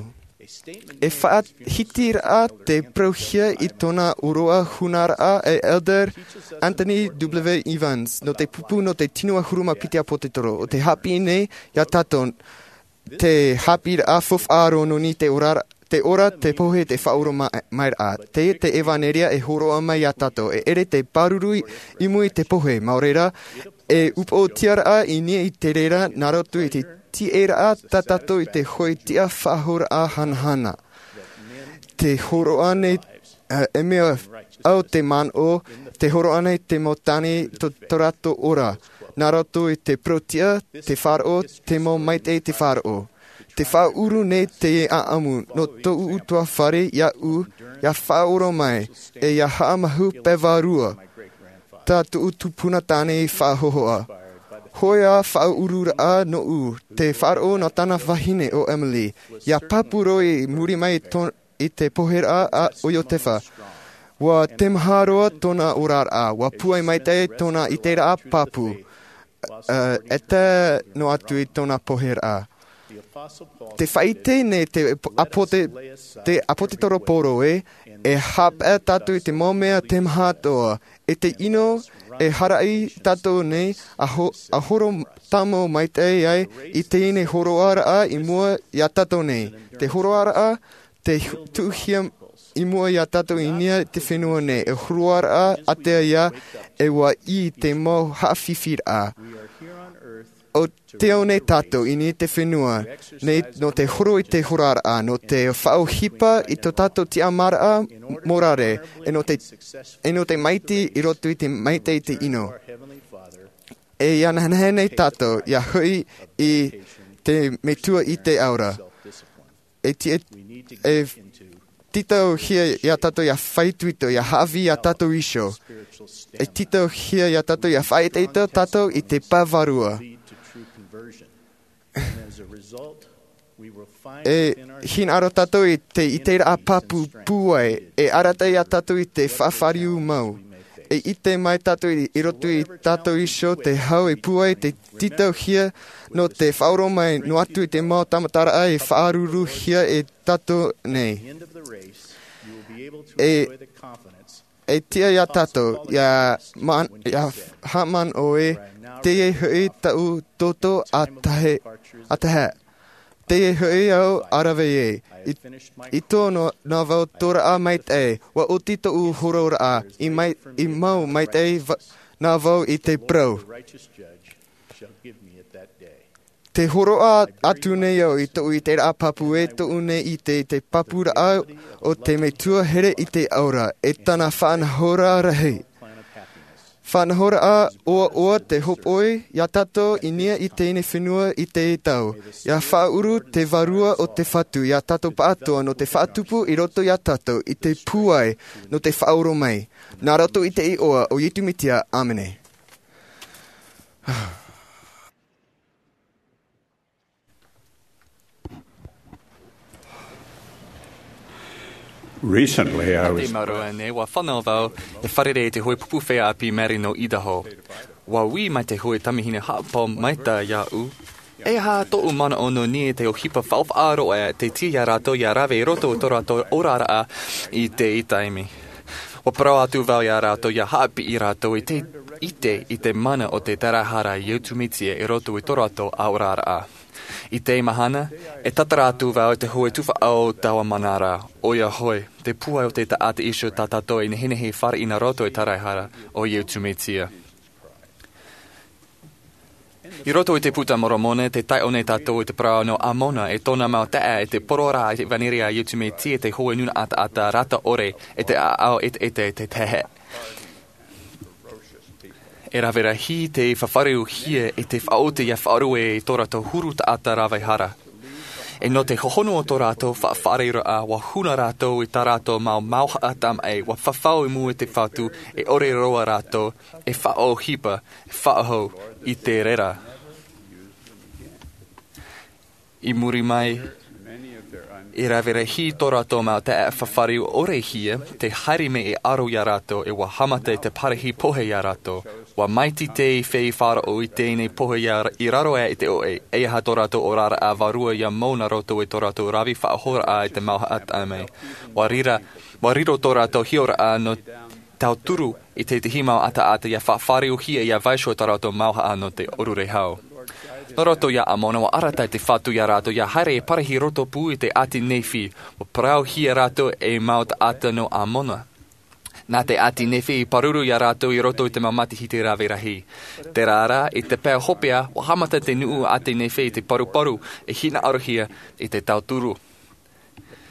E faʻahiti raʻa te parauhia i tōna ʻōroʻa huna raʻa e elder anthony w evans nō te pupu nō te tino ʻahuru mā piti ʻāpōsetolo o te haʻapiʻi nei iā tātou te haʻapiʻiraʻa faufaʻa roa nō niʻa i te ora te pohe te faʻaoromaʻiraʻa. Teie te ʻevanelia e hōroʻa mai iā tātou e ʻere te pāruru i muri i te pohe mau reira e upoʻotia raʻa i niʻa i te reira nā roto i te tiʻaraʻa tā tātou i te hoʻi tiʻa faʻahouraʻa hanahana. Te hōroʻa nei e mea au te manaʻo te hōroʻa nei te mau tāne tō rātou ora nā roto i te parau tiʻa te faʻaroʻo te mau maitaʻi te faʻaroʻo. Te faʻaʻuru nei te ʻaʻamu nō tōʻu utuafare iāʻu ia faʻaoromaʻi e ia haʻamahau pae vārua. Tā tōʻu tupuna tāne i faʻahohoʻa. Hōʻē ā faʻaʻuru raʻa nōʻu te faʻaroʻo nō tāna vahine o emily ia pāpū roa i muri mai i tōna i te poheraʻa o Iotefa. Ua temaha roa tōna oraraʻa, ua pūai maitaʻi tōna ʻiteraʻa pāpū. E tae noa atu i tōna poheraʻa. Te faʻaite nei te ʻāpōsetolo Paulo ē, e haʻapaʻo tātou i te mau mea temaha atoʻa, e te ʻino e haʻapaʻo tātou nei, a horo tāmau maitaʻi ai i teie hōroaraʻa i mua iā tātou nei. Te hōroaraʻa te tuʻuhia i mua iā tātou i niʻa i te fenua nei, e hōroaraʻa ʻātea ia, e ua ʻī te mau haʻafifiraʻa. ʻO te ao nei tātou i niʻa i te fenua nei nō te horo i te hōroaraʻa, nō te faʻaʻohipa i tō tātou tiʻamāraʻa morare, e nō te, e nō te maitaʻi i roto i te maitaʻi i te ʻino. E ia nehenehe nei tātou ia hoʻi i te Metua i te aura. E ti-, e, e tītauhia iā tātou ia faʻaitoito, ia haʻavī iā tātou iho. E tītauhia iā tātou ia faʻaitoito tātou i te pae vārua. E hinaʻaro tātou i te ʻiteraʻa pāpū pūai, e arataʻi iā tātou i te faʻafāriu mau. E ʻite mai tātou i, i roto iā tātou iho te hau e pūai, te tītauhia nō te faʻaoromaʻi noa atu i te mau tāmataraʻa e faʻaruruhia e tātou nei. E, e tiʻa iā tātou ia man-, ia haʻamanaʻo ē, teie hoʻi taʻu toto a tahi, a tahi. Teie hoʻi au a rave ē. I, i tō nō, nā vau tōraʻa maitaʻi, ua oti tōʻu hōroaraʻa, i mai, i mau maitaʻi va-, nā vau i te parau. Te hōroʻa atu nei au i tōʻu ʻiteraʻa pāpū e tōʻu nei ʻite i te pāpūraʻa o te Metua here i te aura, e tāna faʻanahoraʻa rahi. Faʻanahoraʻa ʻoaʻoa te hōpoi iā tātou i niʻa i teie fenua i teie tau. Ia faʻaʻuru te Vārua o te Fatu iā tātou pāʻatoʻa nō te faʻatupu i roto iā tātou i te pūai nō te faʻaoromaʻi. Nā roto i te iʻoa o Iesu Mesia, ʻāmene. Recently, I was Te maru nei, ua fānau vau e fārerei i te hōʻē pupu feiā ʻāpī Mary nō Idaho. Ua ui mai te hōʻē tamahine haʻapaʻo maitaʻi iāʻu. E aha tōʻu manaʻo nō niʻa i te ʻohipa faʻaroʻo ē, te tiʻa iā rātou ia rave i roto i tō rātou oraraʻa i teie taime. Ua parau atu vau iā rātou ia haʻapiʻi rātou i te ʻite i te mana o te taraehara a Iesu Mesia i roto i tō rātou oraraʻa. I teie mahana, e tātara atu vau i te hōʻē tuhaʻa o taua manarā, ʻoia hoʻi, te pūai o te taʻata iho tā tātou e nehenehe e fāriʻi nā roto i te taraehara o Iesu Mesia. I roto i te Buka a Moromona, tē taiʻo nei tātou i te parau nō Amona e tōna mau taeaʻe i te poroʻi i te ʻevanelia a Iesu Mesia i te hōʻē nūnaʻa taʻata rata ʻore e te ʻāʻau ʻeteʻete te tehe. E rave rahi te fāriuhia e te faʻaoti ia faʻarue i tō rātou huru taʻata rave hara. E nō te hohonu o tō rātou faʻafāriuraʻa, ua huna rātou i tā rātou mau mauhaʻa tamaʻi, ua fafau i mua i te Fatu, e ʻore roa rātou e faʻaʻohipa, e faʻahou i te reira. I muri mai, e rave rahi tō rātou mau taeaʻe fāriu ʻore hia, tē haere mai e aro iā rātou, e ua haʻamata te parahi pohe iā rātou. Ua maitaʻi te feiā faʻaroʻo i teie pohe ia i raro aʻe i te ʻoʻe, e aha tō rātou oraraʻa vārua ia mau nā roto i tō rātou rave faʻahouraʻa i te mauhaʻa tamaʻi. Ua riro, ua riro tō rātou hiʻoraʻa nō tauturu i te tahi mau taʻata ia faʻafāriuhia ia vaiiho tā rātou mauhaʻa nō te ʻōrurehau. Nā roto iā Amona, ua arataʻi te Fatu iā rātou ia haere e parahi roto pū i te ʻāti Nephi, ua parauhia rātou e mau taʻata nō Amona. Nā te ʻāti Nephi i pāruru iā rātou i roto i te mau matahiti rave rahi. Terā rā, i te pae hopeʻa, ua haʻamata te nuʻu ʻāti Nephi i te paruparu, e hinaʻarohia i te tauturu.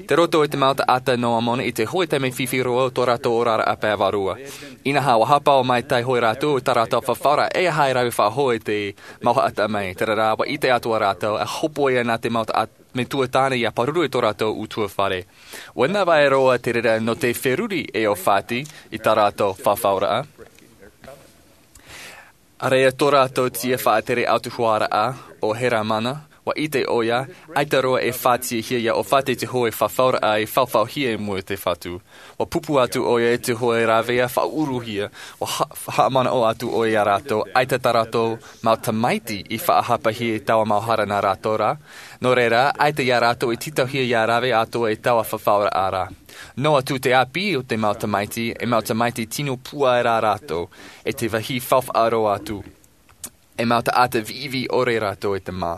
Tei roto i te mau taʻata nō Amona i te hōʻē taime fifi roa o tō rātou oraraʻa pae vārua. Inaha, ua haʻapaʻo maitaʻi hoʻi rātou i tā rātou fafauraʻa e aha e rave faʻahou i te mauhaʻa tamaʻi. Terā rā, ua ʻite atoʻa rātou, e hōpoi ana te mau taʻata metua tāne ia pāruru i tō rātou ʻutuāfare. ʻUa nā vai roa te reira nō te feruri e ʻōfati i tā rātou fafauraʻa. ʻAreʻa tō rātou tiʻa faʻatere ʻautuharaʻa ʻo Helamana, Ua ʻite ʻoia, ʻaita roa e fātiahia ia ʻōfate te hōʻē fafauraʻa e faʻaʻohipahia i mua i te Fatu. Ua pupu atu ʻoia i te hōʻē rāveʻa faʻauruhia. Ua ha-, haʻamanaʻo atu ʻoia ia rātou, ʻaita tā rātou mau tamaiti i faʻahapahia i taua mau hara nā rātou rā. Nō reira, ʻaita ia rātou i tītauhia ia rave atu i taua fafauraʻa ra. Noa atu te ʻāpī o te mau tamaiti, e mau tamaiti tino pūai rā rātou, e te vāhi faufaʻa roa atu. E mau taʻata viʻiviʻi ʻore rātou e te mā.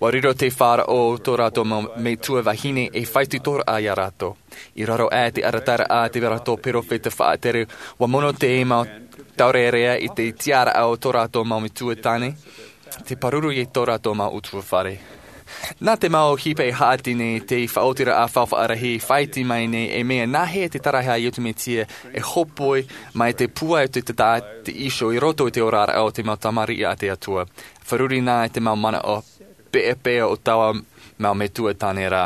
Ua riro te faʻaroʻo o tō rātou mau metua vahine e faʻaitoitoraʻa ia rātou. I raro aʻe i te arataʻiraʻa a te rātou perofeta faʻatere, ua mono te mau taurearea i te tiʻaraʻa o tō rātou mau metua tāne, te pāruru i tō rātou mau ʻutuāfare. Nā te mau ʻohipa e haʻati nei te faʻaotiraʻa faufaʻa rahi e faʻaʻite mai nei e mea nāhea te tāraʻa a Iesu Mesia e hōpoi mai te pūai o te taʻata iho i roto i te oraraʻa o te mau tamariʻi a te Atua. Fārerei nā i te mau manaʻo peʻapeʻa o taua mau metua tāne ra.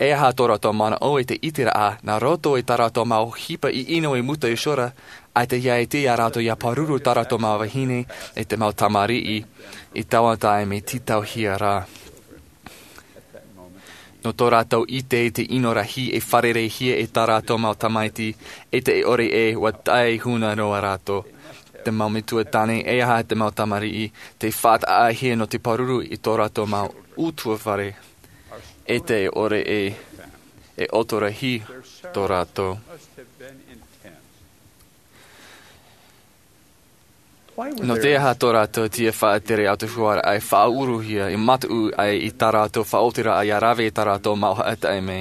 E aha tō rātou manaʻo i te ʻiteraʻa, nā roto i tā rātou mau ʻohipa ʻino i mua iho ra, ʻaita ia ʻite ia rātou ia pāruru tā rātou mau vahine e te mau tamariʻi i taua taime tītauhia ra. Nō tō rātou ʻite i te ʻino rahi e fārereihia e tā rātou mau tamaiti, e te ʻore ē, ua tae huna noa rātou. Te mau metua tāne, e aha te mau tamariʻi, tē faʻataʻahia nō te pāruru i tō rātou mau ʻutuāfare, e te ʻore ē, e ʻoto rahi tō rātou. Nō te aha tō rātou tiʻa faʻatere ʻautahuaraʻa e faʻauruhia, e mataʻu ai i tā rātou faʻaotiraʻa ia rave i tā rātou mau haʻa taime,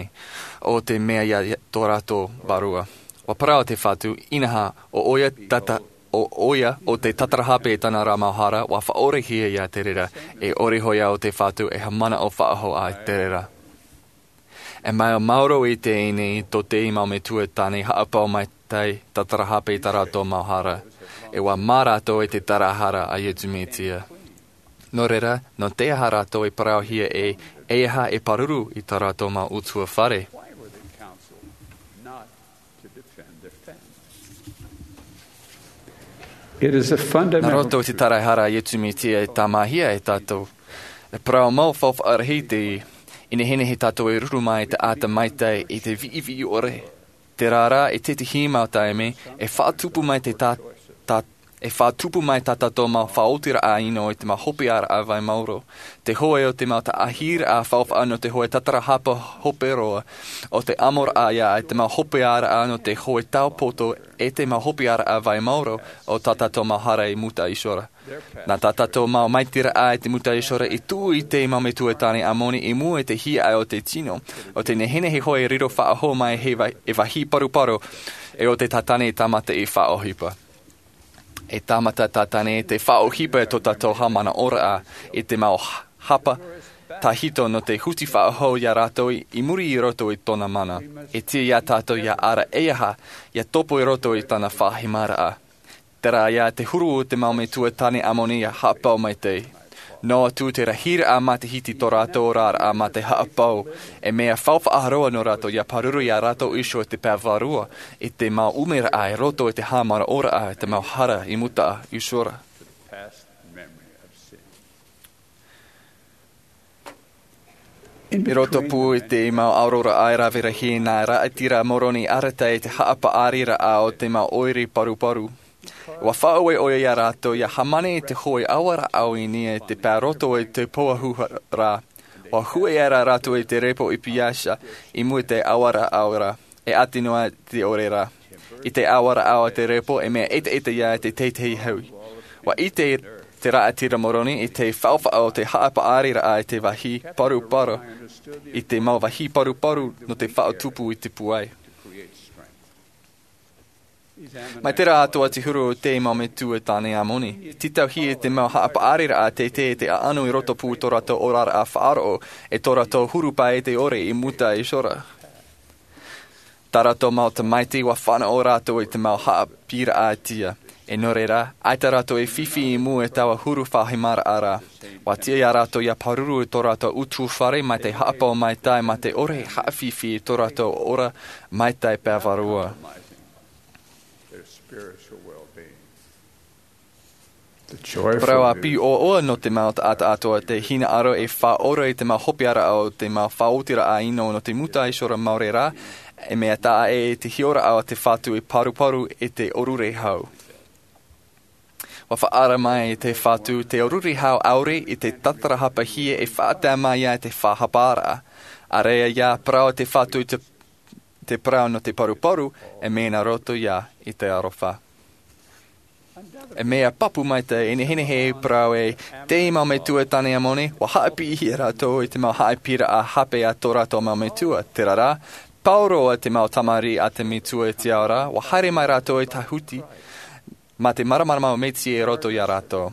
ʻo te mea ia tō rātou vārua. Ua parau te Fatu, inaha, ʻo ʻoia tata-, ʻo ʻoia ʻo te tatarahape i tāna ra mau hara, ua faʻaorehia ia te reira, e ʻore hōʻē ʻo te Fatu e haʻamanaʻo faʻahou i te reira. E mea maoro i teie nei tō te mau metua tāne haʻapaʻo mai te tatarahape i tā rātou mau hara. E ʻua mā rātou i te tāraʻehara a Iesu Mesia. Nō reira, nō te aha rātou e parauhia ē, e aha e pāruru i tā rātou mau ʻutuāfare? Nā roto i te tāraʻehara a Iesu Mesia e tāmāhia e tātou. E parau mau faufaʻa rahi teie, i nehenehe tātou e ruru mai i te taʻata maitaʻi i te viʻiviʻi ʻore. Terā rā, i tētahi mau taime, e faʻatupu mai te tā-, tā-, e faʻatupu mai tā tātou mau faʻaotiraʻa ʻino i te mau hopeʻaraʻa vai maoro. Te hōʻē o te mau taʻahiraʻa faufaʻa nō te hōʻē tatarahape hope roa, ʻo te ʻamoraʻa ia i te mau hopeʻaraʻa nō te hōʻē taupoto e te mau hopeʻaraʻa vai maoro o tā tātou mau hara i mua iho ra. Nā tā tātou mau maitaʻiraʻa i mua iho ra i tuʻu i te mau metua tāne ʻāmoni i mua i te hiaʻai o te tino, ʻo te nehenehe hoʻi e riro faʻahou mai he va-, e vāhi paruparu, e ʻo te tātane e tāmata i faʻaʻohipa. E tāmata tātane te faʻaʻohipa i tō tātou haʻamanaʻoraʻa i te mau h-, hapa tahito nō te huti faʻahou ia rātou i, i muri i roto i tōna mana. E tiʻa ia tātou ia ara e aha, ia topo i roto i tāna faʻahimaraʻa. Terā ia te huru o te mau metua tāne ʻāmoni ia haʻapaʻo maitaʻi. Noa atu te rahiraʻa matahiti tō rātou oraraʻa mā te haʻapaʻo, e mea faufaʻa roa nō rātou ia pāruru ia rātou iho i te pae vārua, i te mau ʻumeraʻa i roto i te haʻamanaʻoraʻa i te mau hara i mua iho ra. I roto pū i te mau aroraʻa e rave rahi nā Raʻatira Moroni arataʻi i te haʻapaʻariraʻa o te mau ʻoire paruparu. ʻUa faʻaue ʻoia ia rātou ia hāmani i te hōʻē ʻāvara ʻāuini i te pae roto i te pouahu ra. ʻUa hōʻē aʻera rātou i te repo i Piatia, i mua i te ʻāvara ʻāuini ra, e ʻati noa te ʻore ra. I te ʻāvara ʻāuini te repo, e mea ʻetaʻeta ia i te teitei hau. ʻUa ʻite te Raʻatira Moroni i te faufaʻa o te haʻapaʻariraʻa i te vāhi paruparu, i te mau vāhi paruparu nō te faʻatupu i te pūai. Mai terā atoʻa te huru o te mau metua tāne ʻāmoni. Tītauhia te mau haʻapaʻariraʻa teitei i te ʻaʻanu i roto pū tō rātou oraraʻa faʻaroʻo, e tō rātou huru paʻi i te ʻore i mua iho ra. Tā rātou mau tamaiti ʻua fānaʻo rātou i te mau haʻapiʻiraʻa tiʻa. E nō reira, ʻaita rātou e fifi i mua i taua huru faʻahimaraʻa ra. ʻUa tiʻa ia rātou ia pāruru i tō rātou ʻutuāfare mai te haʻapaʻo maitaʻi mā te ʻore e haʻafifi i tō rātou ora maitaʻi pae vārua. Parau ʻāpī ʻoaʻoa nō te mau taʻata atoʻa te hinaʻaro e faʻaora i te mau hopeʻaraʻa o te mau faʻaotiraʻa ʻino nō te mūtaʻa iho ra maori rā, e mea taʻa ʻē i te hiʻoraʻa o te Fatu e paruparu i te ʻōrure hau. Ua faʻaara mai te Fatu te ʻōrure hau ʻaore i te tatarahapa hia e faʻatae mai ia i te faʻahaparaʻa. ʻĀreʻa ia parau te Fatu i te, te parau nō te paruparu, e mea nā roto ia i te aroha. E mea pāpū maitaʻi e nehenehe e parau e te mau metua tāne Amoni, ua haʻapiʻihia rātou i te mau haʻapiʻiraʻa hape a tō rātou mau metua. Terā rā, pauroa te mau tamariʻi a te metua i te ao ra, ua haere mai rātou i te huti, mā te māramarama metua i roto ia rātou.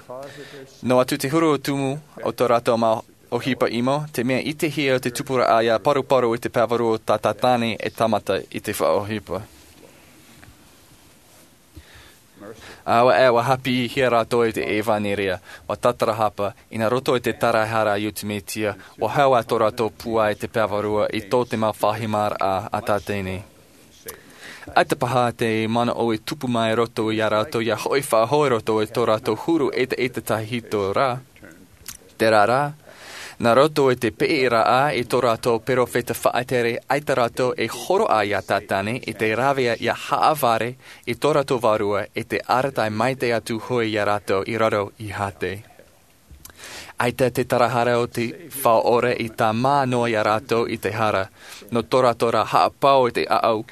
Noa atu te huru o tumu o tō rātou mau ʻohipa ʻimo, te mea ʻitehia o te tupuraʻa ia paruparu i te pae vārua o tā tāne e tāmata i te faʻaʻohipa. ʻĀua ʻē ua haʻapiʻihia rātou i te ʻevaneria, ua tatarahapa, i nā roto i te taraehara a Iesu Mesia, ua hau ā tō rātou pūai i te pae vārua i tō te mau fāhimaraʻa a tā teie nei. ʻAita paha te manaʻo e tupu mai i roto ia rātou ia hoʻi faʻahou i roto i tō rātou huru ʻetaʻeta tahito ra. Terā rā, nā roto i te peʻeraʻa i tō rātou perofeta faʻatere, ʻaita rātou e hōroʻa ia Tātane i te rave ia haʻavare i tō rātou vārua e te arataʻi maitaʻi atu hoʻi ia rātou i raro i hāte. ʻAita te taraehara o te Faʻaora i tāmā noa ia rātou i te hara, nō tō rātou ra haʻapau i te ʻaʻau,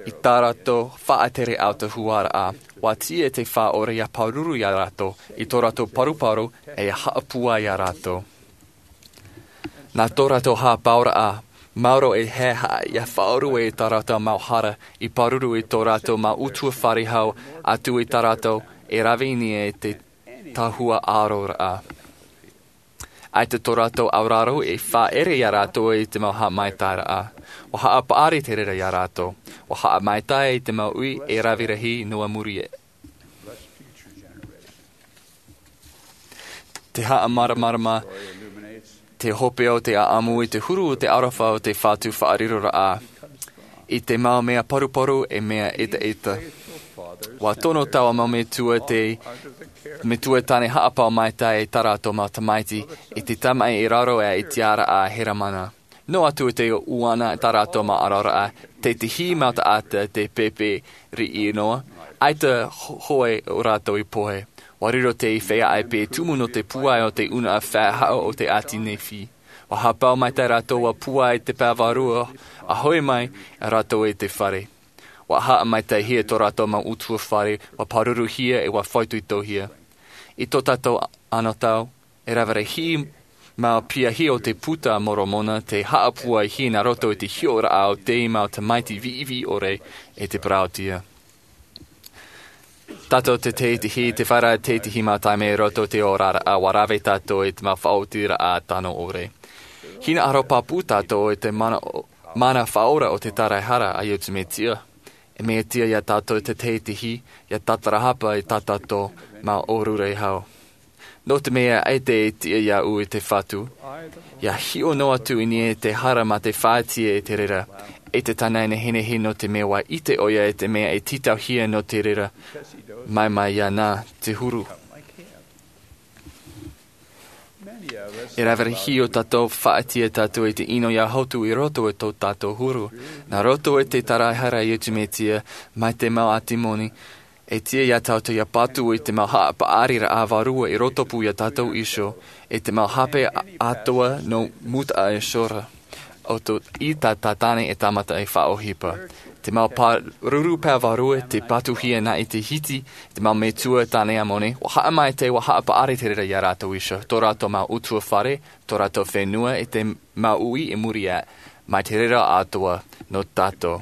i tā rātou faʻatere autahuʻaraʻa, ua tiʻa te Faʻaora ia pāruru ia rātou, i tō rātou paruparu, e ia haʻapūai ia rātou. Nā tō rātou haʻapauraʻa, maoro e haʻehaʻa ia faʻarue i tā rātou mau hara, i pāruru i tō rātou mau ʻutuāfare hau atu i tā rātou e rave i niʻa i te tahua ʻāroraʻa. ʻAita tō rātou auraro e faʻaere ia rātou i te mau haʻamaitaʻiraʻa. Ua haʻapaʻari te reira ia rātou. Ua haʻamaitaʻi i te mau uʻi e rave rahi noa muri aʻe. Te haʻamāramarama te hopeʻa o te ʻaʻamu i te huru o te aroha o te Fatu faʻariroraʻa. I te mau mea paruparu e mea ʻetaʻeta. Ua tono taua mau metua te, metua tāne haʻapau maitaʻi i tā rātou mau tamaiti, i te tamaʻi i raro aʻe i te tiaraʻa a Heremana. Noa atu i te ʻuana tā rātou mau aroraʻa, tētahi mau taʻata te pēpē riʻi noa, ʻaita ho-, hoʻi o rātou i pohe. Ua riro te feiā ʻaipe tumu nō te pūai o te ʻunaʻa faʻahaʻo o te ʻāti Nephi. Ua haʻapau maitaʻi rātou ua pūai i te pae vārua, a hoʻi mai rātou i te fare. Ua haʻamaitaʻihia tō rātou mau ʻutuāfare, ua pāruruhia e ua faʻaitoitohia. I tō tātou anotau, e rave rahi mau piahi o te Buka a Moromona te haʻapūaihia nā roto i te hiʻoraʻa o te mau tamaiti viʻiviʻi ʻore e te parauʻtiʻa. Tātou te tētahi, te fare tētahi mau taime i roto i te oraraʻa, ua rave tātou i te mau faʻaotiraʻa tano ʻore. Hinaʻaro pāpū tātou i te mana, mana faʻaora o te taraehara a Iesu Mesia. E mea tiʻa ia tātou te tētahi, ia tatarahapa i tā tātou mau ʻōrure hau. Nō te mea ʻaita e tiʻa iāʻu i te Fatu, ia hiʻo noa atu i niʻa i te hara mā te faʻaʻite i te reira, e te tana e nehenehe nō te mea ua ʻite ʻoia i te mea e tītauhia nō te reira, mai mai iāna te huru. E rave rahi o tātou faʻaʻite tātou i te ʻino ia hotu i roto i tō tātou huru. Nā roto i te taraehara a Iesu Mesia, mai te mau ʻātīmoni, e tiʻa ia tātou ia patu i te mau haʻapaʻariraʻa vārua i rotopū ia tātou iho, i te mau hape a-, atoʻa nō mūtaʻa iho ra. ʻO tō, i tā Tātane e tāmata e faʻaʻohipa. Te mau pāruru pae vārua te patuhia nā i te hiti, te mau metua tāne Amoni, ua haʻamaitaʻi, ua haʻapaʻari te reira ia rātou iho, tō rātou mau ʻutuāfare, tō rātou fenua, i te mau uʻi i muri aʻe, mai te reira atoʻa nō tātou.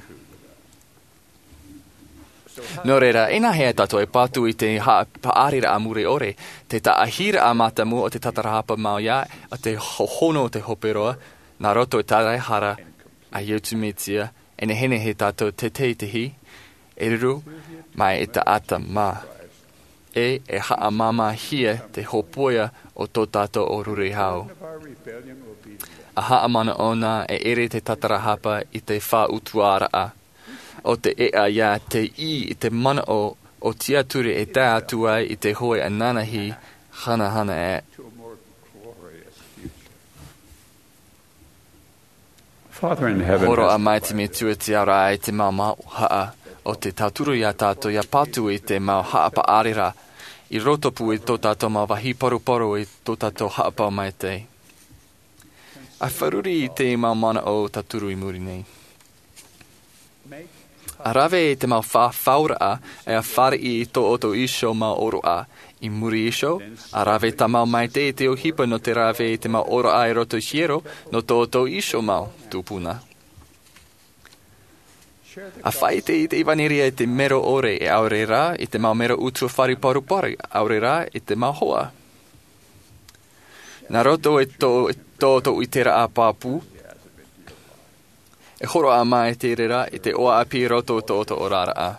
Nō reira, e nāhea tātou e patu i te haʻapaʻariraʻa mure ʻore, te taʻahiraʻa mātāmua o te tatarahapa mau ia, o te hohonu o te hope roa, nā roto i te taraehara a Iesu Mesia, e nehenehe tātou te tētahi, e ruru mai i te taʻata mā. E, e haʻamāmāhia te hōpoiʻa o tō tātou ʻōrure hau. A haʻamanaʻo na e ʻere te tatarahapa i te faʻautuaraʻa. ʻO te ʻēʻa ia te ʻī i te manaʻo ʻO Tiaturi e tae atu ai i te hoe ananahi hanahana ē. Hōroʻa mai te Metua Tiaʻoraʻa i te mau mauhaʻa o te tauturu iā tātou ʻia patu i te mau haʻapaʻari ra, i rotopū i tō tātou mau vāhi paruparu i tō tātou haʻapāpū maitaʻi. ʻA fārerei i te mau manaʻo tauturu i muri nei. ʻA rave i te mau fāfauraʻa ʻe ʻa fāriʻi i tō ʻoutou iho mau ʻōroʻa. I muri iho, ʻa rave tāmau maitaʻi i te ʻohipa nō te rave i te mau ʻōroʻa i roto i te hiero nō tō ʻoutou iho mau tupuna. ʻA faʻaʻite i te ʻevanelia i te mero ʻore ʻaore rā i te mau mero ʻutuāfare paruparu ʻaore rā i te mau hoa. Nā roto i tō, tō ʻoutou ʻiteraʻa pāpū, e hōroʻa mai te reira i te ʻoaʻa ʻāpī i roto i tō ʻoutou oraraʻa.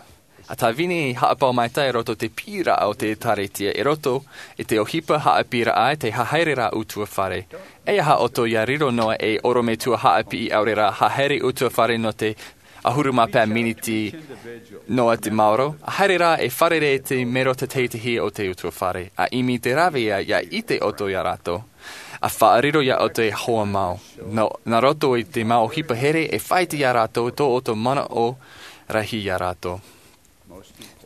ʻA tāvini haʻapaʻo maitaʻi i roto i te piʻiraʻa o te ʻĒkālesia i roto i te ʻohipa haʻapiʻiraʻa i te haʻahaereraʻa ʻutuāfare. ʻEiaha ʻoutou ʻia riro noa ei ʻorometua haʻapiʻi ʻaore rā haʻahaere ʻutuāfare nō te ʻahuru mā pae miniti noa te maoro, ʻa haere rā e fārerei i te mero tētahi o te ʻutuāfare. ʻA ʻimi te rāveʻa ʻia ʻite ʻoutou iā rātou. ʻA faʻariro iā ʻoutou e hoa mau. Nō, nā roto i te mau ʻohipa here e faʻaʻite iā rātou tō ʻoutou manaʻo rahi iā rātou.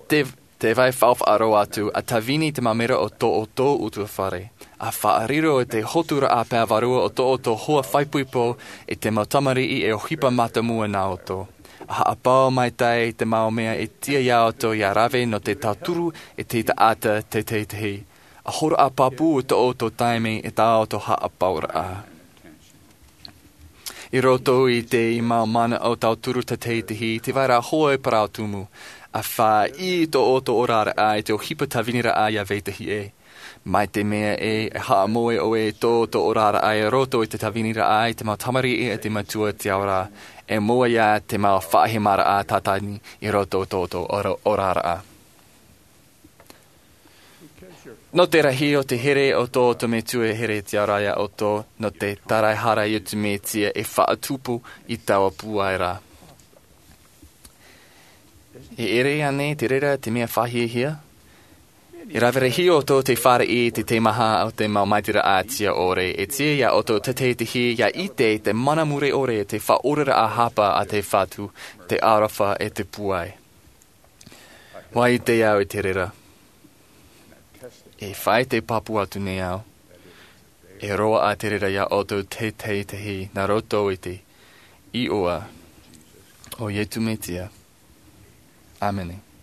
Te, te vai faufaʻa roa atu, ʻa tāvini i te mau mero o tō ʻoutou ʻutuāfare. ʻA faʻariro i te hoturaʻa pae vārua o tō ʻoutou hoa faʻaipoipo i te mau tamariʻi e ʻohipa mātāmua nā ʻoutou. ʻA haʻapaʻo maitaʻi i te mau mea e tiʻa iā ʻoutou ʻia rave nō te tauturu i te taʻata tētahi. ʻA hōroʻa pāpū i tō ʻoutou taime i tā ʻoutou haʻapaʻoraʻa. I roto i te mau manaʻo tauturu tētahi, te vai ra hoʻi e parau tumu. ʻA faʻaʻī i tō ʻoutou oraraʻa i te ʻohipa tāviniraʻa ʻia vetahi ē. Mai te mea ē, e haʻamoe ʻoe i tō ʻoutou oraraʻa i roto i te tāviniraʻa i te mau tamariʻi a te Metua Tiaʻoraʻa, e moe ïa te mau faʻahemaraʻa tātani i roto i tō ʻoutou ora-, oraraʻa. Nō te rahi o te here o tō ʻoutou Metua e here Tiaʻoraʻa iā ʻoutou, nō te tāraehara a Iesu Mesia e faʻatupu i taua pūai ra. E ʻere ānei te reira te mea faʻahiahia? E rave rahi ʻoutou tei fāriʻi i te teimaha o te mau maitaʻiraʻa tiʻa ʻore, e tiʻa iā ʻoutou tētahi ʻia ʻite i te mana mure ʻore, te faʻaoraraʻa hapa a te Fatu, te aroha e te pūai. ʻUa ʻite au i te reira. E faʻaʻite pāpū atu nei au. E roaʻa te reira iā ʻoutou tētahi nā roto i te iʻoa o Iesu Mesia. ʻĀmene.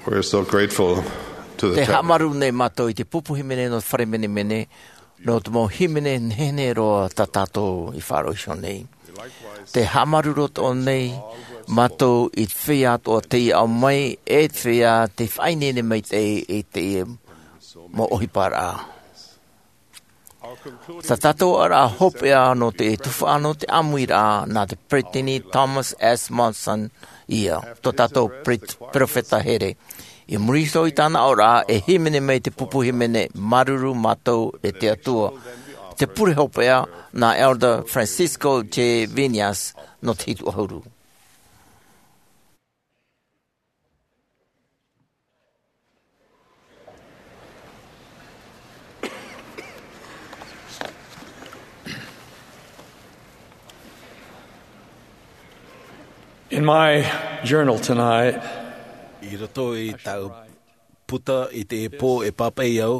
We're so grateful to the Te haʻamāuruuru nei mātou i te pupu hīmene nō te fare menemene, nō te mau hīmene nehenehe roa tā tātou i faʻaroʻo iho nei. Te haʻamāuruuru atoʻa nei mātou i te feiā atoʻa tei ao mai, e te feiā tei faʻaineine maitaʻi i te mau ʻohiparaʻa. Tā tātou ʻāreʻa hopeʻa nō te tuhaʻa nō te ʻāmuiraʻa nā te Peresideni Thomas S. Monson ia, tō tātou pere-, perofeta here. I muri iho i tāna aʻoraʻa, e hīmene mai te pupu hīmene, Māuruuru Mātou e te Atua, te pure hopeʻa nā Elder Francisco J. Viñas nō te hitu ʻahuru. In my journal tonight, I roto i tāʻu puta i teie pō e pāpaʻi au,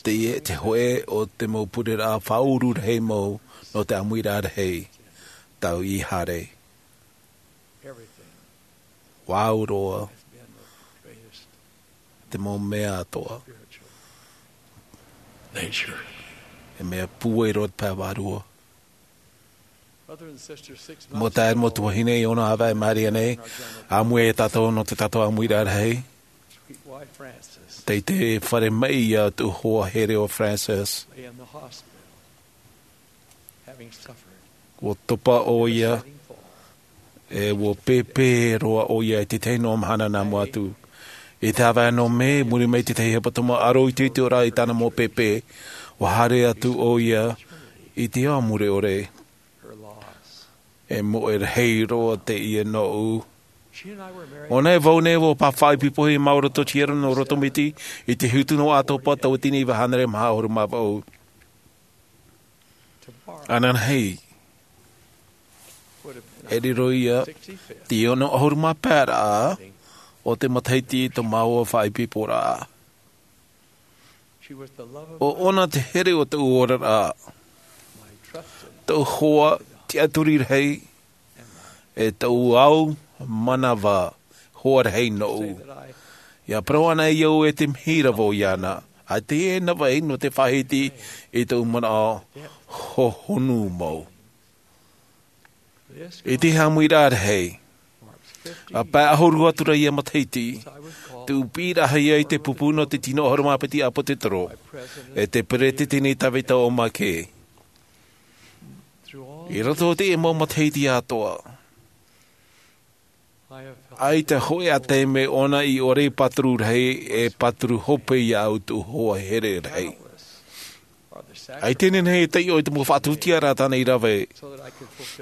teie te hōʻē o te mau pureraʻa faʻaūru rahi mau nō te ʻāmuiraʻa rahi, tāʻu i haere. Vau roa te mau mea atoʻa. Nature. E mea pūai roa te pae vārua. Mau taeaʻe, mau tuahine, ʻia ʻō na ʻāvaʻe mai nei, ʻāmui tātou nō tō tātou ʻāmuiraʻa rahi. Tei te fare maʻi ia tō hoa here ʻo Frances. Ua topa ʻoia, e ua pēpē roa ʻoia i te tahi noa mahana nā mua atu. I te ʻāvaʻe nō Mē, muri mai i te tahi hepetoma, ʻaroʻa i te ʻite ora i tāna mau pēpē, ua haere atu ʻoia i te ao mure ʻore. E moʻe rahi roa teie nōʻu. ʻOia nei, vau nei, ua pāpaʻi pipohia māua i roto i te hiero nō roto miti, i te hitu nō ʻAtopa, tauatini iva hānere maha ʻahuru mā vaʻu. Ananahi, e riro ia te ono ʻahuru mā pae raʻa o te matahiti tō māua faʻaipoiporaʻa. ʻO ʻōna te here o tōʻu oraraʻa, tōʻu hoa tiʻaturi rahi, e tōʻu ao manava hoa rahi nōʻu. ʻIa parau ana au e te mihi ra vau iāna, ʻaita e navaʻi nō te faʻahiti i tōʻu manaʻo hohonu mau. I te ʻāmuiraʻa rahi, ʻa pae ʻahuru atu ra ia matahiti, tē piʻiraʻahia au i te pupu nō te tino ʻahuru mā piti ʻāpōsetolo, e te Peresideni Tavita O. McKay. I roto i te mau matahiti atoʻa, ʻaita hōʻē ā taime ʻōna i ʻore i pāturu rahi, e pāturu hope iāʻu tōʻu hoa here rahi. ʻAita e nehenehe e taiʻo i te mau faʻatuatiaraʻa tāna i rave.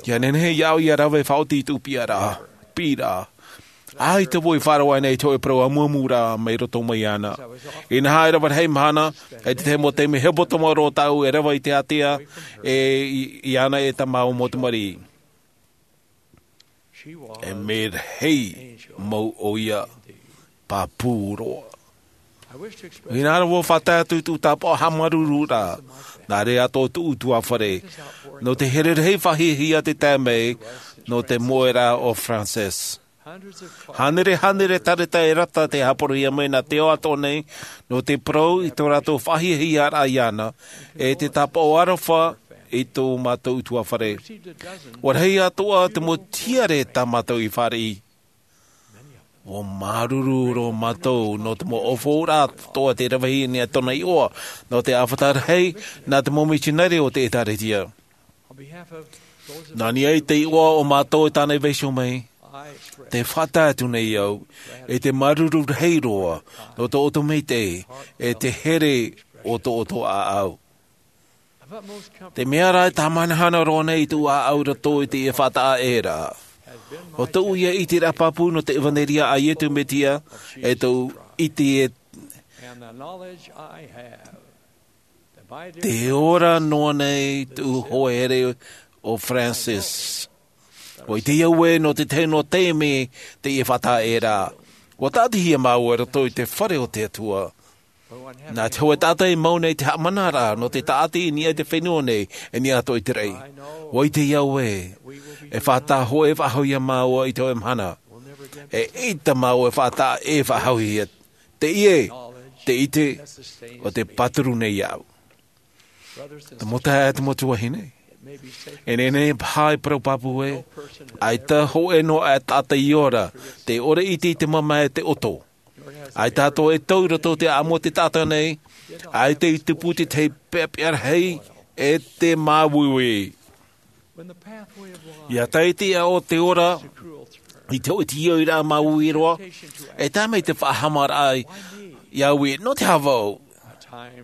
ʻIa nehenehe iāʻu ʻia rave faʻaoti i tōʻu piʻiraʻa, piʻiraʻa. ʻAita vau i faʻaroʻo nei i te hōʻē parau amuamu ra mai roto mai iāna. Inaha, e rave rahi mahana, e te tahi mau taime hepetoma roa tāʻu e rave i te ātea, e i, iāna e tā māua mau tamariʻi. E mea rahi mau ʻoia, pāpū roa. Inaha, vau e faʻatae atu i tōʻu tāpaʻo haʻamāuruururaʻa, nā reira atoʻa tōʻu ʻutuāfare, nō te here rahi faʻahiahia tē tae mai, nō te moʻeraʻa o Frances. Hānere, hānere tareta e rata tei haʻaparauhia mai nā te ao atoʻa nei, nō te parau i tō rātou faʻahiahiaraʻa iāna, e te tāpaʻo aroha i tō mātou ʻutuāfare. ʻUa rahi atoʻa te mau tiare tā mātou i fāriʻi. ʻUa māuruuru roa mātou nō te mau ʻōfaʻoraʻa atoʻa tei ravehia nei e tōna iʻoa, nō te ʻāfata rahi, nā te mau mitionare o te ʻĒtārētia. Nā niʻa i te iʻoa o mātou e tāna i vaiiho mai, tē faʻatae atu nei au, e te māuruuru rahi roa, nō tō ʻoutou maitaʻi, e te here o tō ʻoutou ʻāʻau. Te mea rā e tāmahanahana roa nei i tōʻu ʻāʻau i roto i teie faʻataʻa ʻē ra, ʻo tōʻu ia ʻiteraʻa pāpū nō te ʻevanelia a Iesu Mesia, e tōʻu ʻite e te ora noa nei tōʻu hoa here ʻo Frances. ʻUa ʻite au ē, nō te tahi noa taime teie faʻataʻa ʻē ra, ʻua tāʻatihia māua i roto i te fare o te Atua. Nā te hōʻē taʻata i mau nei te haʻamanaraʻa nō te tāʻati i niʻa i te fenua nei, i niʻa atoʻa i te raʻi. ʻUa ʻite au ē, e faʻataʻa hōʻē faʻahou ia māua i te hōʻē mahana. E ʻaita māua e faʻataʻa e faʻahauhia. Te ʻie, te ʻite, ʻo te pāturu nei iāʻu. Te mau taeaʻe, te mau tuahine, e nehenehe e pāpū ē, ʻaita hōʻē noa e taʻata i ora, tē ʻore ʻite i te mamae e te ʻoto. ʻAita atoʻa e tau i roto i te ʻāʻamu o te taʻata nei, ʻaita i tupu te tahi peʻapeʻa rahi e te māuiui. ʻIa tae i te ʻaʻo o te ora, i te hoʻi te ʻoiraʻa māuiui roa, e tae mai te faʻahaʻamāraʻa iāʻu ē, nō te aha vau?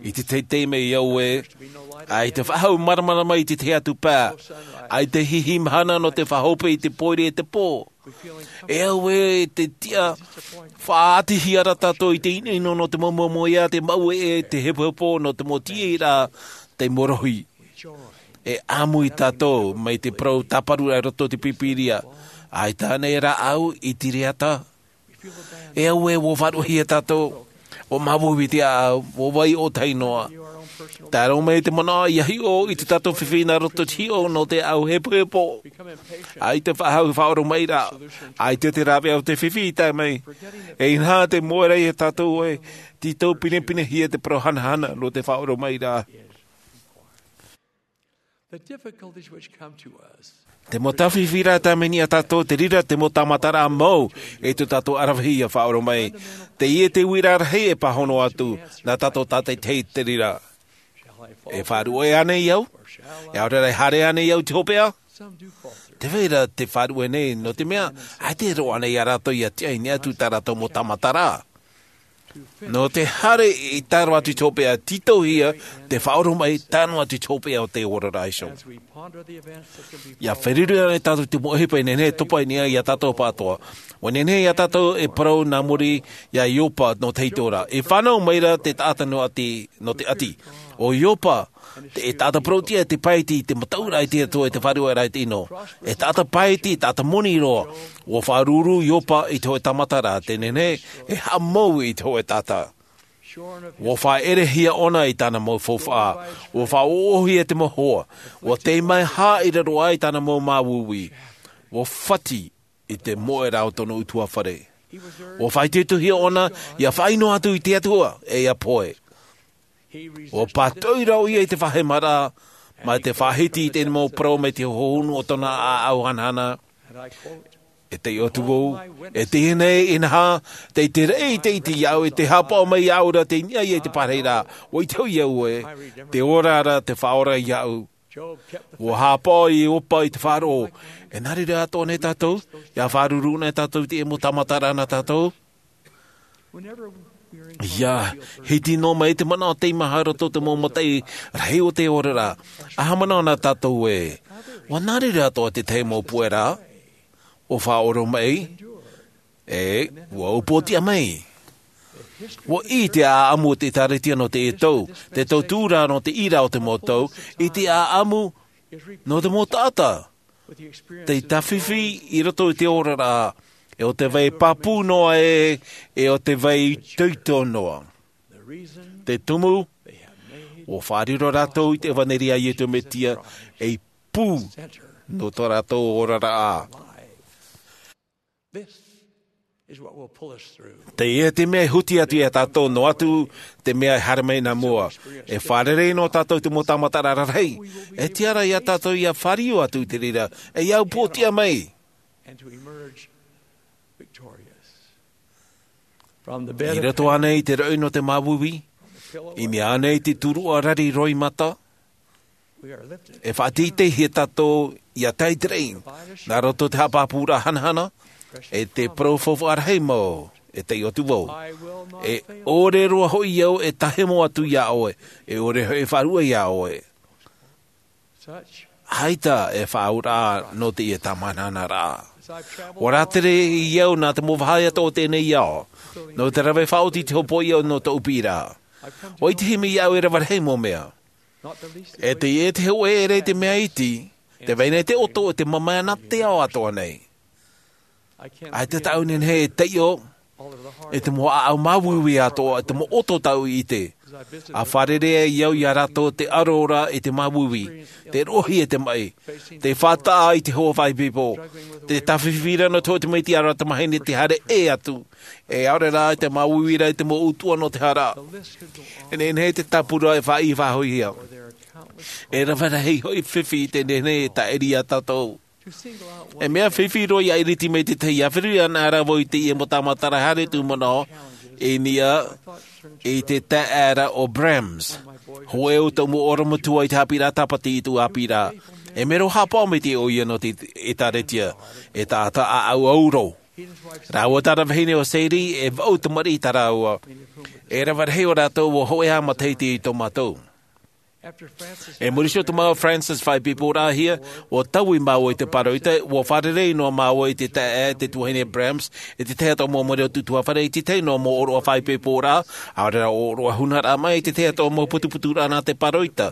I te teitei mai iāʻu ē, ʻaita faʻahou māramarama i te tahi atu pae, ʻaita hihi mahana nō te faʻahope i te pōiri e te pō. E au ē, te tiʻa, faʻaʻitehia rā tātou i te ʻinoʻino nō te mau moemoeā, te mau ʻeʻe, te hepohepo, nō te mau tīaʻiraʻa, te mau rohi. E ʻāmui tātou mai te parau tāparu i roto i te Pīpīria, ʻaita ānei rāʻau i te reira? E au ē, ʻua faʻaruʻehia tātou, ʻua māuiui te ʻāʻau, ʻua vai ʻōtahi noa. Tae roa mai te manaʻo ʻia hiʻo i tō tātou fifi nā roto i te hiʻo nō te ʻāʻau hepohepo. ʻAita faʻahou i faʻaoromaʻiraʻa, ʻaita te rāveʻa o te fifi i tae mai. E inaha te moe ra iā tātou ē, tītau pinepinehia te parau hanahana nō te faʻaoromaʻiraʻa. The difficulties which come to us. Te mau tāfifi ra e tae mai nei iā tātou, te reira te mau tāmataraʻa mau, e tō tātou ʻaravihi ʻia faʻaoromaʻi. Teie te uiraʻa rahi e pāhono atu, nā tātou tātaʻitahi i te reira. E faʻaruʻe ānei au? E ʻaore rā e haere ānei au i te hopeʻa? Te vai ra te faʻaruʻe nei, nō te mea, ʻaita e roaʻa nei iā rātou ʻia tiʻa i niʻa atu tā rātou mau tāmataraʻa. Nō te haere i tae roa atu i te hopeʻa, tītauhia te faʻaoromaʻi, tae noa atu i te hopeʻa o te oraraʻa iho. ʻIa feruri ānei tātou i te mau ʻohipa e nehenehe e topa i niʻa iā tātou pāʻatoʻa? ʻUa nehenehe iā tātou e parau nā muri iā Iopa nō te hītori ra. E fānau maira te taʻata nō ʻati, nō te ʻati. ʻO Iopa, te, e taʻata parauʻtiʻa, te paeti, te mataʻuraʻa i te Atua, e te faʻarueraʻa i te ʻino. E taʻata paeti, taʻata moni roa. ʻUa faʻaruru Iopa i te hōʻē tāmataraʻa, tē nehenehe e haʻamou i te hōʻē taʻata. ʻUa faʻaʻerehia ʻōna i tāna mau faufaʻa. ʻUa faʻaʻoʻohia te mau hoa. ʻUa tei mai hā i raro aʻe i tāna mau māuiui. ʻUa fati i te moeraʻa o tōna ʻutuāfare. ʻUa faʻaitoitohia ʻōna ʻia faʻaʻino atu i te Atua, e ʻia pohe. ʻUa pātoʻi ra ʻoia i te faʻahemaraʻa, mai te faʻahiti i te mau parau mai te hohonu o tōna ʻāʻau hanahana. E taiʻo atu vau, e teie nei, inaha, tei te reʻi te ʻiti iāʻu, e tē haʻapaʻo mai iāʻu ra tei niʻa ia i te pārahiraʻa, ʻua ʻite hoʻi au ē, te ora ra te Faʻaora iāʻu. ʻUa haʻapaʻo Iopa i te faʻaroʻo, e nā reira atoʻa nei tātou, ʻia faʻaruru nei tātou i te mau tāmataraʻa nā tātou. ʻIa hiti noa mai te manaʻo teimaha roto i te mau mataʻi rahi o te oraraʻa. ʻA haʻamanaʻo na tātou ē, ʻua nā reira atoʻa te tahi mau puʻeraʻa, ʻua faʻaoromaʻi, e ʻua upoʻotiʻa mai. ʻUa ʻī te ʻāʻamu o te ʻĒkālesia nō teie tau, te tauturu nō te ʻīrā o te mau tau, i te ʻāʻamu nō te mau taʻata tei tāfifi i roto i te oraraʻa, e ʻo te vai pāpū noa ē, e ʻo te vai itoito noa. Te tumu, ʻua faʻariro rātou i te ʻevaneria a Iesu Mesia, ei pū nō tō rātou oraraʻa. This is what will pull us through. Teie te mea e huti atu ia tātou noa atu te mea e haere mai nā mua. E fārerei noa tātou i te mau tāmataraʻa rarahi. E tiʻa ra ia tātou ʻia fāriu atu i te reira, e ʻia upoʻotiʻa mai. And to emerge victorious. From the bed of I roto ānei i te roʻi nō te māuiui, i mua ānei i te turuʻa rari roimata, e faʻateiteihia tātou ʻia tae i te reira, nā roto i te haʻapāpūraʻa hanahana, e te parau faufaʻa rahi mau, e taiʻo atu vau. E ʻore roa hoʻi au e tāhemo atu ia ʻoe, e ʻore hoʻi e faʻaruʻe ia ʻoe. ʻAita e faʻaauraʻa nō teie tāmāhanahana ra. ʻUa rātere au nā te mau vāhi atoʻa o teie nei ao, nō te rave faʻaoti i te hopoiʻa nō tōʻu piʻiraʻa. ʻUa ʻitehia mai iāʻu e rave rahi mau mea. E te, e te hōʻē ʻere i te mea iti, te vai nei te ʻoto e te mamae nā te ao atoʻa nei. ʻAita tāʻu e nehenehe e taiʻo i te mau ʻāʻau māuiui atoʻa, i te mau ʻoto tāʻu i ʻite. A fārerei ai au iā rātou te aro ra i te māuiui, te roʻohia i te maʻi, te faʻataʻa i te hoa faʻaipoipo, te tāfifi ra nō te hoʻo tamaiti, ʻaore rā tamahine te haere ʻē atu, e ʻaore rā i te māuiui ra i te mau ʻutuʻa nō te hara. E nehenehe te tāpura e faʻaʻī faʻahouhia. E rave rahi hoʻi fifi i te nehenehe e tāʻiri iā tātou. E mea fifi roa ia ʻiriti mai te tahi ia whiri ana rā vau i teie mau tāmataraʻa haere tū manaʻo i niʻa i te taʻata o Brahms. Hōʻē o tōʻu mau ʻorometua i te haʻapiʻiraʻa Tāpati i tōʻu ʻāpī ra. E mero haʻapaʻo mai te ʻoia nō te ʻēkālesia, e taʻata ʻāʻau auro. Rāua tāna vahine o Sadie, e vaʻu tamariʻi tā rāua. E rave rahi o rātou ua hōʻē matahiti i tō mātou. E muri iho te mau Francis faʻaipoiporaʻahia, ua taui māua i te pāroita, ua fārerei noa māua i te taʻata, te tuahine Brahms, i te tahi atoʻa mau moni o te ʻutuāfare, i te tahi noa mau ʻōroʻa faʻaipoiporaʻa, ʻaore rā ʻōroʻa hunaraʻa mai, i te tahi atoʻa mau putuputuraʻa nā te pāroita.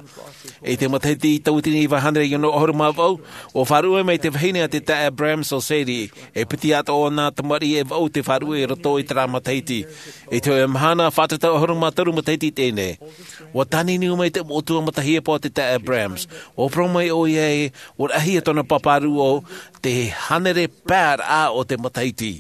I te matahiti tauatini iva hānere iva ono ʻahuru mā vaʻu, ua faʻaruʻe mai te vahine a te taʻata Brahms o Sadie, e piti atoʻa nā tamariʻi e vaʻu te faʻaruʻe i roto i terā matahiti. I te hōʻē mahana, fātata ʻahuru mā toru matahiti teie nei. Ua tāniniu mai te mau ʻutuāfare matahiapo a te taʻata Brahms. Ua parau mai ʻoia ē, ua rahi tōna pāpāruʻo te hānere pae raʻa o te matahiti.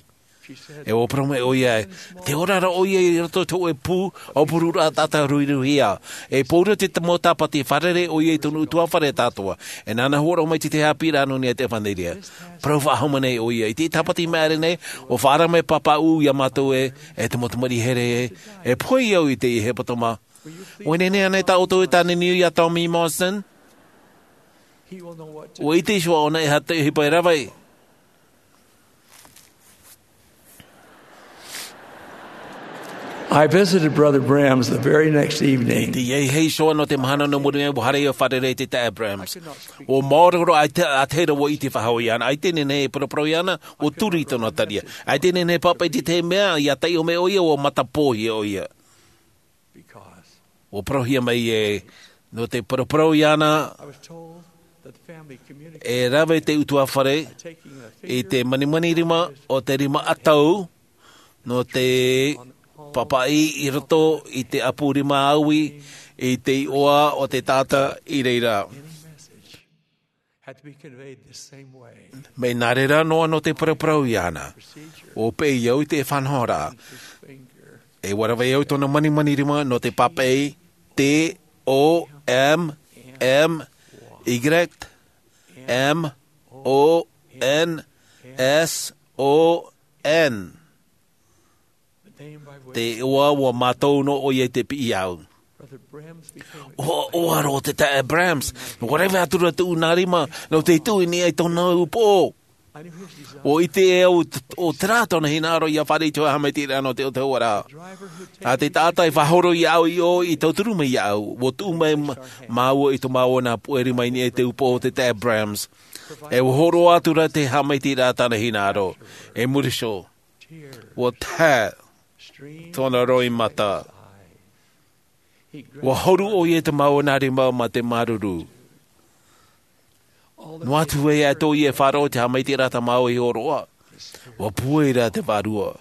E ua parau mai ʻoia ē, tē ora ra ʻoia i roto i te hōʻē pū, ʻaupururaʻa tātau ruiruihia. E pōuri te mau Tāpati, fārerei ʻoia i tōna ʻutuāfare tātou. E nāna hōroʻa mai te haʻapiʻiraʻa nō niʻa i te ʻevanelia. Parau faʻahou mai nei ʻoia, i te Tāpati i maʻiri nei, ua faʻaara mai pāpaʻi iā mātou ē, e te mau tamariʻi here ē, e pohe au i teie hepetoma. ʻUa nehenehe ānei tā ʻoutou e tāniniu iā Tommy Morrison? ʻUa ʻite iho ʻōna e aha te ʻohipa e rave. I visited Brother Brahms the very next evening. Teie hei iho nō te mahana nō muri mai, ua haere au e fārerei i te taʻata Brahms. ʻUa maoro roa, ʻaita, ʻaita e rave ʻite faʻahou iāna, ʻaita e nehenehe e paraparau iāna, ʻua turu i tōna taria. ʻAita e nehenehe e pāpaʻi i te tahi mea, ʻia taiʻo mai ʻoia, ʻua matapōhia ʻoia. ʻUa parauhia mai ē, nō te paraparau iāna, e rave te ʻutuāfare i te manimani rima o te rima ʻatau, nō te pāpaʻi i roto i te ʻapu rima ʻāui, i te iʻoa o te taʻata i reira. Mea nā reira noa nō te paraparau iāna, ʻua peʻe au i te faʻanahoraʻa. E ʻua rave au i tōna manimani rima nō te pāpaʻi T O M M Y M O N S O N. Te iʻoa ua mātau noa ʻoia i te piʻi au. ʻUa, ʻua roa te taʻata Brahms, ʻua rave atu ra tōʻu nā rima, nō te tuʻu i niʻa i tōna upoʻo. ʻUa ʻite au t-, ʻo terā tōna hinaʻaro ʻia fāriʻi i te haʻamaitaʻiraʻa nō te autahuʻaraʻa. ʻA te taʻata i faʻahoro iāʻu i ʻō, i tauturu mai iāʻu, ʻua tuʻu mai mā-, māua i tō māua nā puʻe rima i niʻa i te upoʻo o te taʻata Brahms. E ʻua hōroʻa atu ra te haʻamaitaʻiraʻa tāna hinaʻaro. E muri iho. ʻUa tae tōna roimata. ʻUa horo ʻoia i tō māua nā rima mā te māuruuru. Noa atu ē atoʻa ʻoia e faʻaroʻo i te haʻamaitaʻiraʻa tā māua i hōroʻa. ʻUa pūai ra te vārua.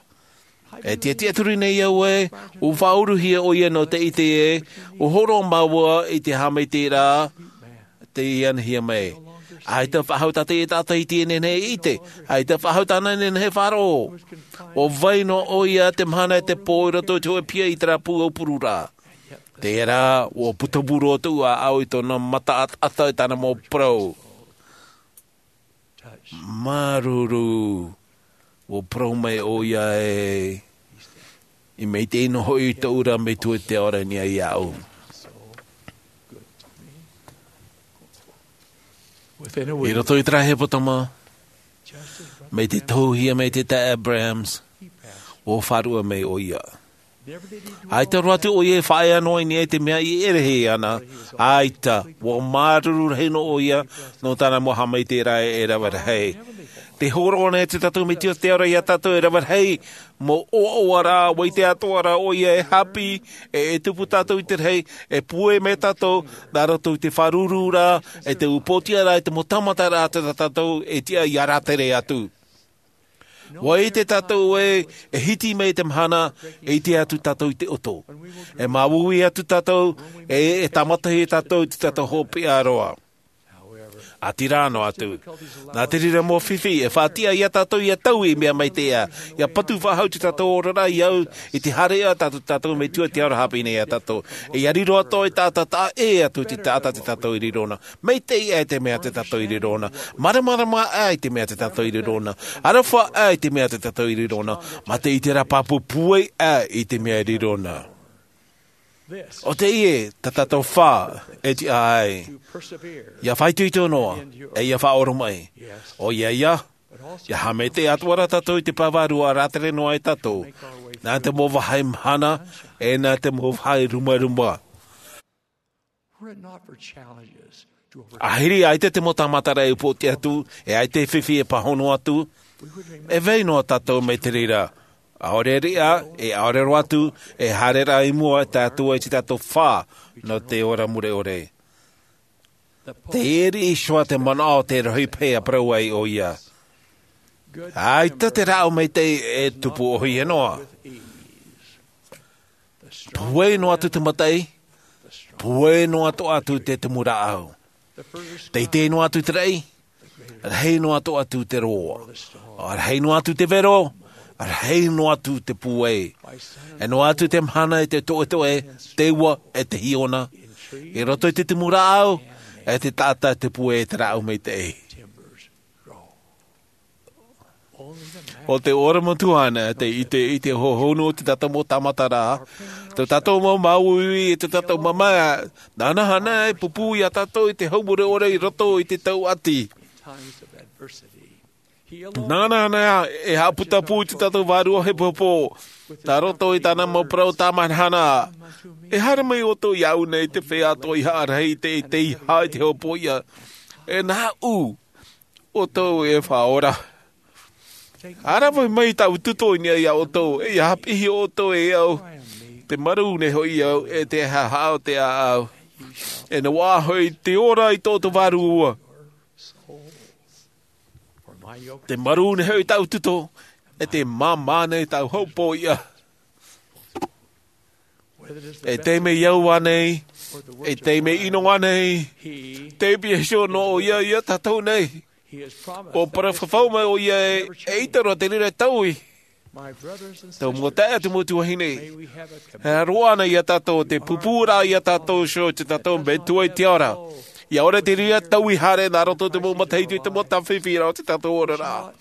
E tiʻatiʻaturi nei au ē, ʻua faʻauruhia ʻoia nō te ʻite ē, ʻua hōroʻa māua i te haʻamaitaʻiraʻa, tei anahia mai. ʻAita faʻahou tā teie taʻata i teie nei e ʻite. ʻAita faʻahou tāna nei e faʻaroʻo. ʻUa vai noa ʻoia te mahana e te pō i roto i te hōʻē piha i terā pū ʻaupururaʻa. Terā, ʻua puta pū roa tōʻu ʻāʻau i tōna mata ʻataʻata i tāna mau parau. Māuruuru, ʻua parau mai ʻoia ē, ʻia maitaʻi noa hoʻi tōʻu ra Metua i te ao ra i niʻa iāʻu. I roto i terā hepetoma, mai te tohuhia mai te taʻata Brahms, ʻua faʻaruʻe mai ʻoia. ʻAita roa atu ʻoia e faʻaea noa i niʻa i te mea i ʻere hia ana, ʻaita, ʻua māuruuru rahi noa ʻoia, nō tāna mau haʻamaitaʻiraʻa e rave rahi. Tē hōroʻa nei te Metua i te ao ra iā tātou e rave rahi, mau ʻoaʻoa ra, ʻua ʻite atoʻa ra ʻoia e haʻapiʻi, e, e tupu tātou i te rahi, e pūai mai tātou, nā roto i te faʻaruruuraʻa, e te upoʻotiʻaraʻa, e te mau tāmataraʻa tā tātou e tiʻa ʻia rātere atu. ʻUa ʻite tātou ē, e hiti mai te mahana, e ʻite atu tātou i te ʻoto. E māuiui atu tātou, e, e tāmata tātou i tō tātou hopeʻa roa. ʻĀtīrā noa atu. Nā te reira mau fifi, e faʻatiʻa ia tātou ʻia taui i mea maitaʻi. ʻIa patu faʻahou tō tātou oraraʻa i au, i te haereʻa tā tō tātou Metua i te ao ra haʻapiʻi nei ia tātou. ʻIa riro atoʻa i te taʻata, taʻa ʻē atu i te taʻata tō tātou i riro na. Maitaʻi aʻe te mea tō tātou i riro na. Māramarama aʻe i te mea tō tātou i riro na. Aroha aʻe i te mea tō tātou i riro na. Mā te ʻite ra pāpū pūai aʻe i te mea i riro na. ʻO teie, tā tātou fā, e tiʻa ai. ʻIa faʻaitoito noa, e ʻia faʻaoromaʻi. ʻOia ia, ʻia haʻamaitaʻi atoʻa ra tātou i te pae vārua e rātere noa ai tātou. Nā te mau vāhi mahana, e nā te mau vāhi rumaruma. Were it not for challenges to overcome, ʻAhiri ʻaita te mau tāmataraʻa e upoʻoti atu, e ʻaita e fifi e pāhono atu, e vai noa tātou mai te reira. ʻAore riʻa, e ʻaore roa atu, e haere ra i mua tā tātou e tō tātou fā, nō te ora mure ʻore. Tei ʻō i Iosua te manaʻo o te rohi paʻi e parau ai ʻoia. ʻAita te rāʻau maitaʻi e tupu ʻōhie noa. Pūai noa atu te mataʻi, pūai noa atoʻa atu te tumu rāʻau. Teitei noa atu te raʻi, rahi noa atoʻa atu te roa. Rahi noa atu te vero, rahi noa atu te pūai. E noa atu te mahana e te toʻetoʻe, te ua e te hiona. I roto i te tumu rāʻau, e te taʻata te pūai e te rāʻau maitaʻi. ʻO te ʻōrama atu ānei, te ʻite, i te hohonu o tō tātou mau tāmataraʻa. Tō tātou mau māuiui, tō tātou mamae, nāna ānei e pūpū ia tātou i te hau mure ʻore i roto i te tau ʻati. Nāna ānei e haʻaputapū i tō tātou vārua hepohepo. Nā roto i tāna mau parau tāmahanahana. E haere mai ʻoutou iāʻu nei te feiā atoʻa i haʻarahi i te, i te, i te hopoiʻa. E nāʻu ʻoutou e faʻaora. ʻA rave mai tāʻu tuto i niʻa iā ʻoutou, e ʻia haʻapiʻi ʻoutou e au. Te marū nei hoʻi au, e te haʻahaʻa o te ʻāʻau. E noaʻa hoʻi te ora i tō ʻoutou vārua. Te marū nei hoʻi tāʻu tuto, e te māmā nei tāʻu hopoiʻa. E te mea au ānei, e te mea ʻino ānei, te pīhaʻi iho nō ʻoia ia tātou nei. ʻUa parau fafau mai ʻoia e, eʻita roa te reira e taui. Tō mau taeaʻe, tō mau tuahine. E roaʻa na ia tātou, te pūpū ra ia tātou iho, tō tātou Metua i te ao ra. ʻIa ʻore te reira taui haere nā roto i te mau matahiti, te mau tāfifi ra o tō tātou oraraʻa.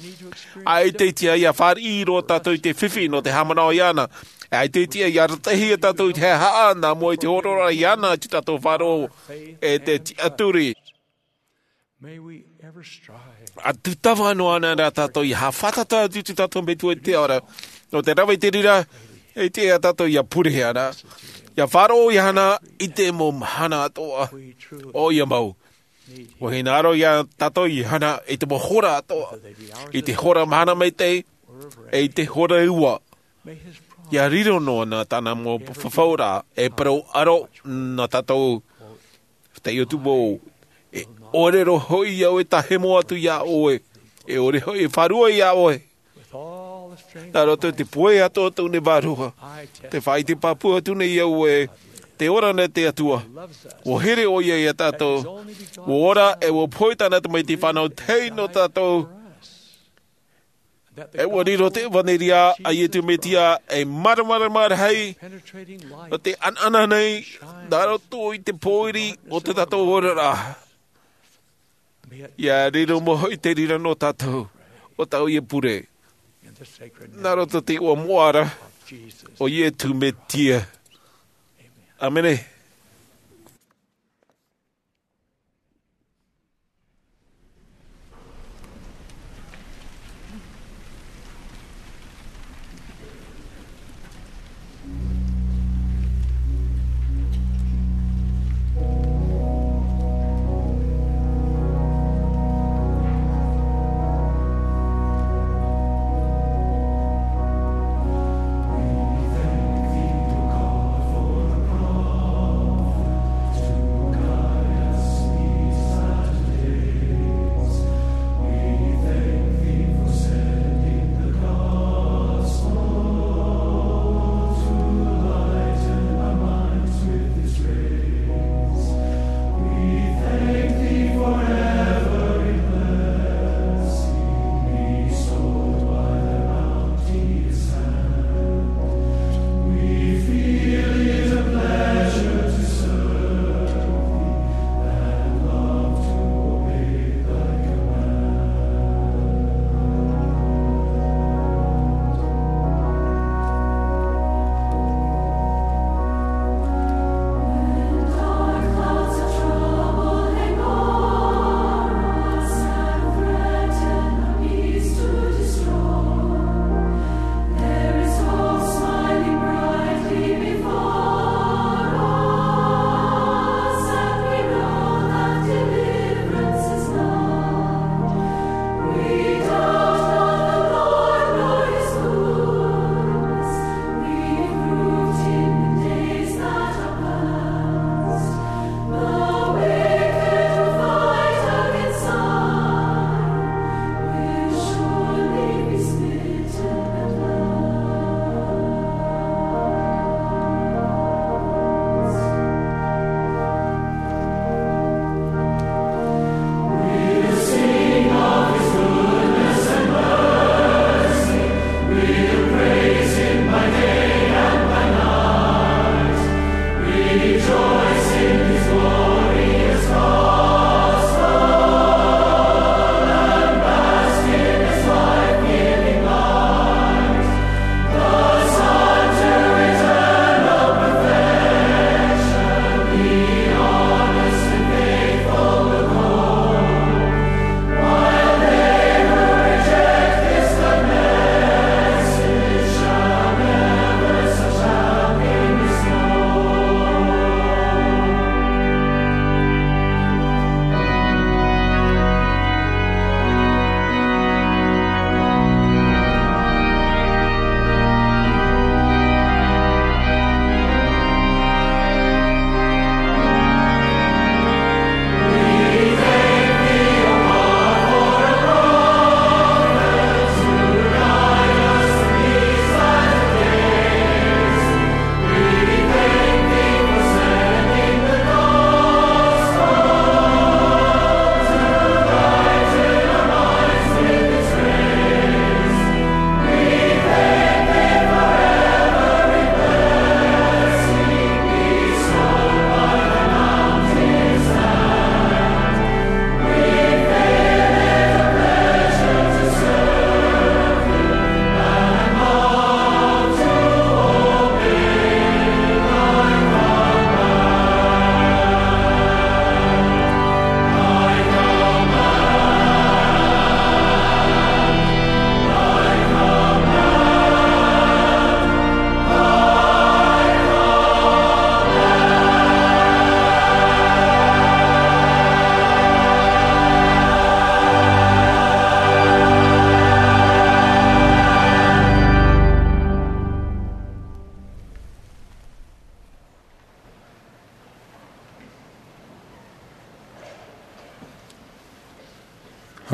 ʻAita e tiʻa ʻia fāriʻi roa tātou i te fifi nō te haʻamanaʻo iāna. ʻAita e tiʻa ʻia arataʻihia tātou i te haʻahaʻa nā mua i te hōroʻaraʻa iāna i tō tātou faʻaroʻo e te tiʻaturi. May we ever strive. ʻA tūtava noa ānei rā tātou ʻia haʻafātata atu i tō tātou Metua i te ao ra. Nō te rave i te reira, e tiʻa ia tātou ʻia pure ānei. ʻIa faʻaroʻo iāna i te mau mahana atoʻa. ʻOia mau. ʻUa hinaʻaro ia tātou iāna i te mau hora atoʻa. I te hora mahana maitaʻi, e i te hora ua. ʻIa riro noa na tāna mau fafauraʻa, e parau aro na tātou. Tei ʻoutou mau, e ʻore roa hoʻi au e tāhemo atu iā ʻoe, e ʻore hoʻi e fārua iā ʻoe. Nā roto i te pūai atoʻa o tōʻu nei vārua, tē faʻaʻite pāpū atu nei au ē, tē ora na te Atua. ʻUa here ʻoia ia tātou. ʻUa ora e ʻua pohe tāna Tamaiti fānau tahi nō tātou. E ʻua riro te ʻevanelia a Iesu Mesia ei māramarama rahi, nō te ʻanaʻana nei, nā roto i te pōiri o tō tātou oraraʻa. ʻIa riro mau hoʻi te reira nō tātou, ʻo tāʻu ia pure. Nā roto i te iʻoa moʻa ra, o Iesu Mesia. ʻĀmene.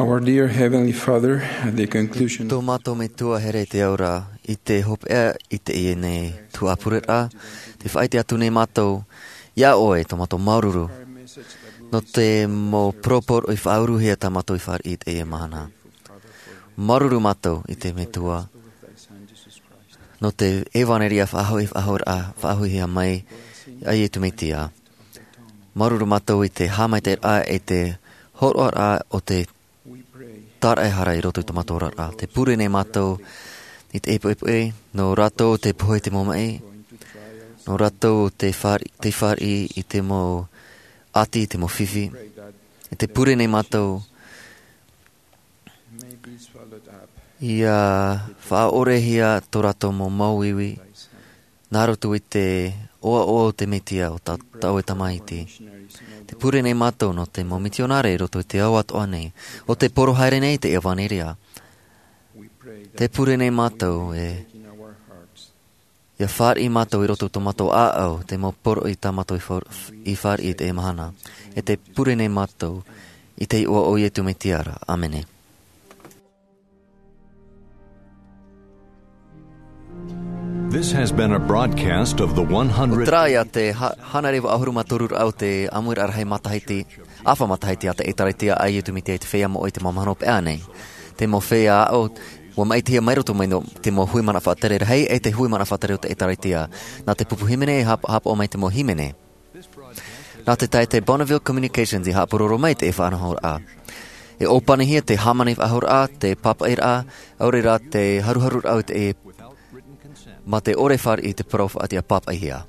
Our dear Heavenly Father, at the conclusion Tō mātou Metua here i te ao ra, i te hopeʻa i teie nei tuhaʻa pureraʻa, tē faʻaʻite atu nei mātou iā ʻoe tō mātou māuruuru nō te mau poroporoʻi faʻauruhia tā mātou i fāriʻi i teie mahana. Māuruuru mātou i te Metua nō te ʻevaneria faʻahoʻi, faʻahoʻiraʻa, faʻahoʻihia mai a Iesu Mesia. Māuruuru mātou i te haʻamaitaʻiraʻa e te hōroʻaraʻa o te tāraʻehara i roto i tō mātou oraraʻa. Tē pure nei mātou i te ʻepoʻepo, nō rātou te pohe i te mau maʻi, nō rātou te fāri-, te fāriʻi i te mau ʻati, i te mau fifi. E tē pure nei mātou ʻia faʻaʻorehia tō rātou mau māuiui, nā roto i te ʻoaʻoa o te Mesia o tā, tā ʻoe Tamaiti. Tē pure nei mātou nō te mau mitionare i roto i te ao atoʻa nei, ʻo tē poro haere nei i te ʻevaneria. Tē pure nei mātou e, ʻia fāriʻi mātou i roto i tō mātou ʻāʻau, te mau poroʻi tā mātou i fā-, i fāriʻi i teie mahana. E tē pure nei mātou i te iʻoa o Iesu Mesia ra. ʻĀmene. This has been a broadcast of the one hundred ʻO terā ia te ha-, hānere vaʻu ʻahuru mā toru raʻa o te ʻāmuiraʻa rahi matahiti, ʻāfa matahiti a te ʻĒtārētia a Iesu Mesia i te Feiā Moʻa i te mau mahana hopeʻa nei. Te mau feiā aʻo, ʻua maʻitihia mai roto mai nō te mau hui mana faʻatere rahi, e te hui mana faʻatere o te ʻĒtārētia. Nā te pupu hīmene e hāp-, hāpaʻo mai te mau hīmene. Nā te taʻata Bonneville Communications i haʻapuroro mai i te faʻanahoraʻa. E ʻōpanihia te hāmani faʻahouraʻa, te pāpaʻiraʻa, ʻaore rā te haruharuraʻa o te, mā te ʻore fāriʻi i te parau faʻatiʻa pāpaʻihia.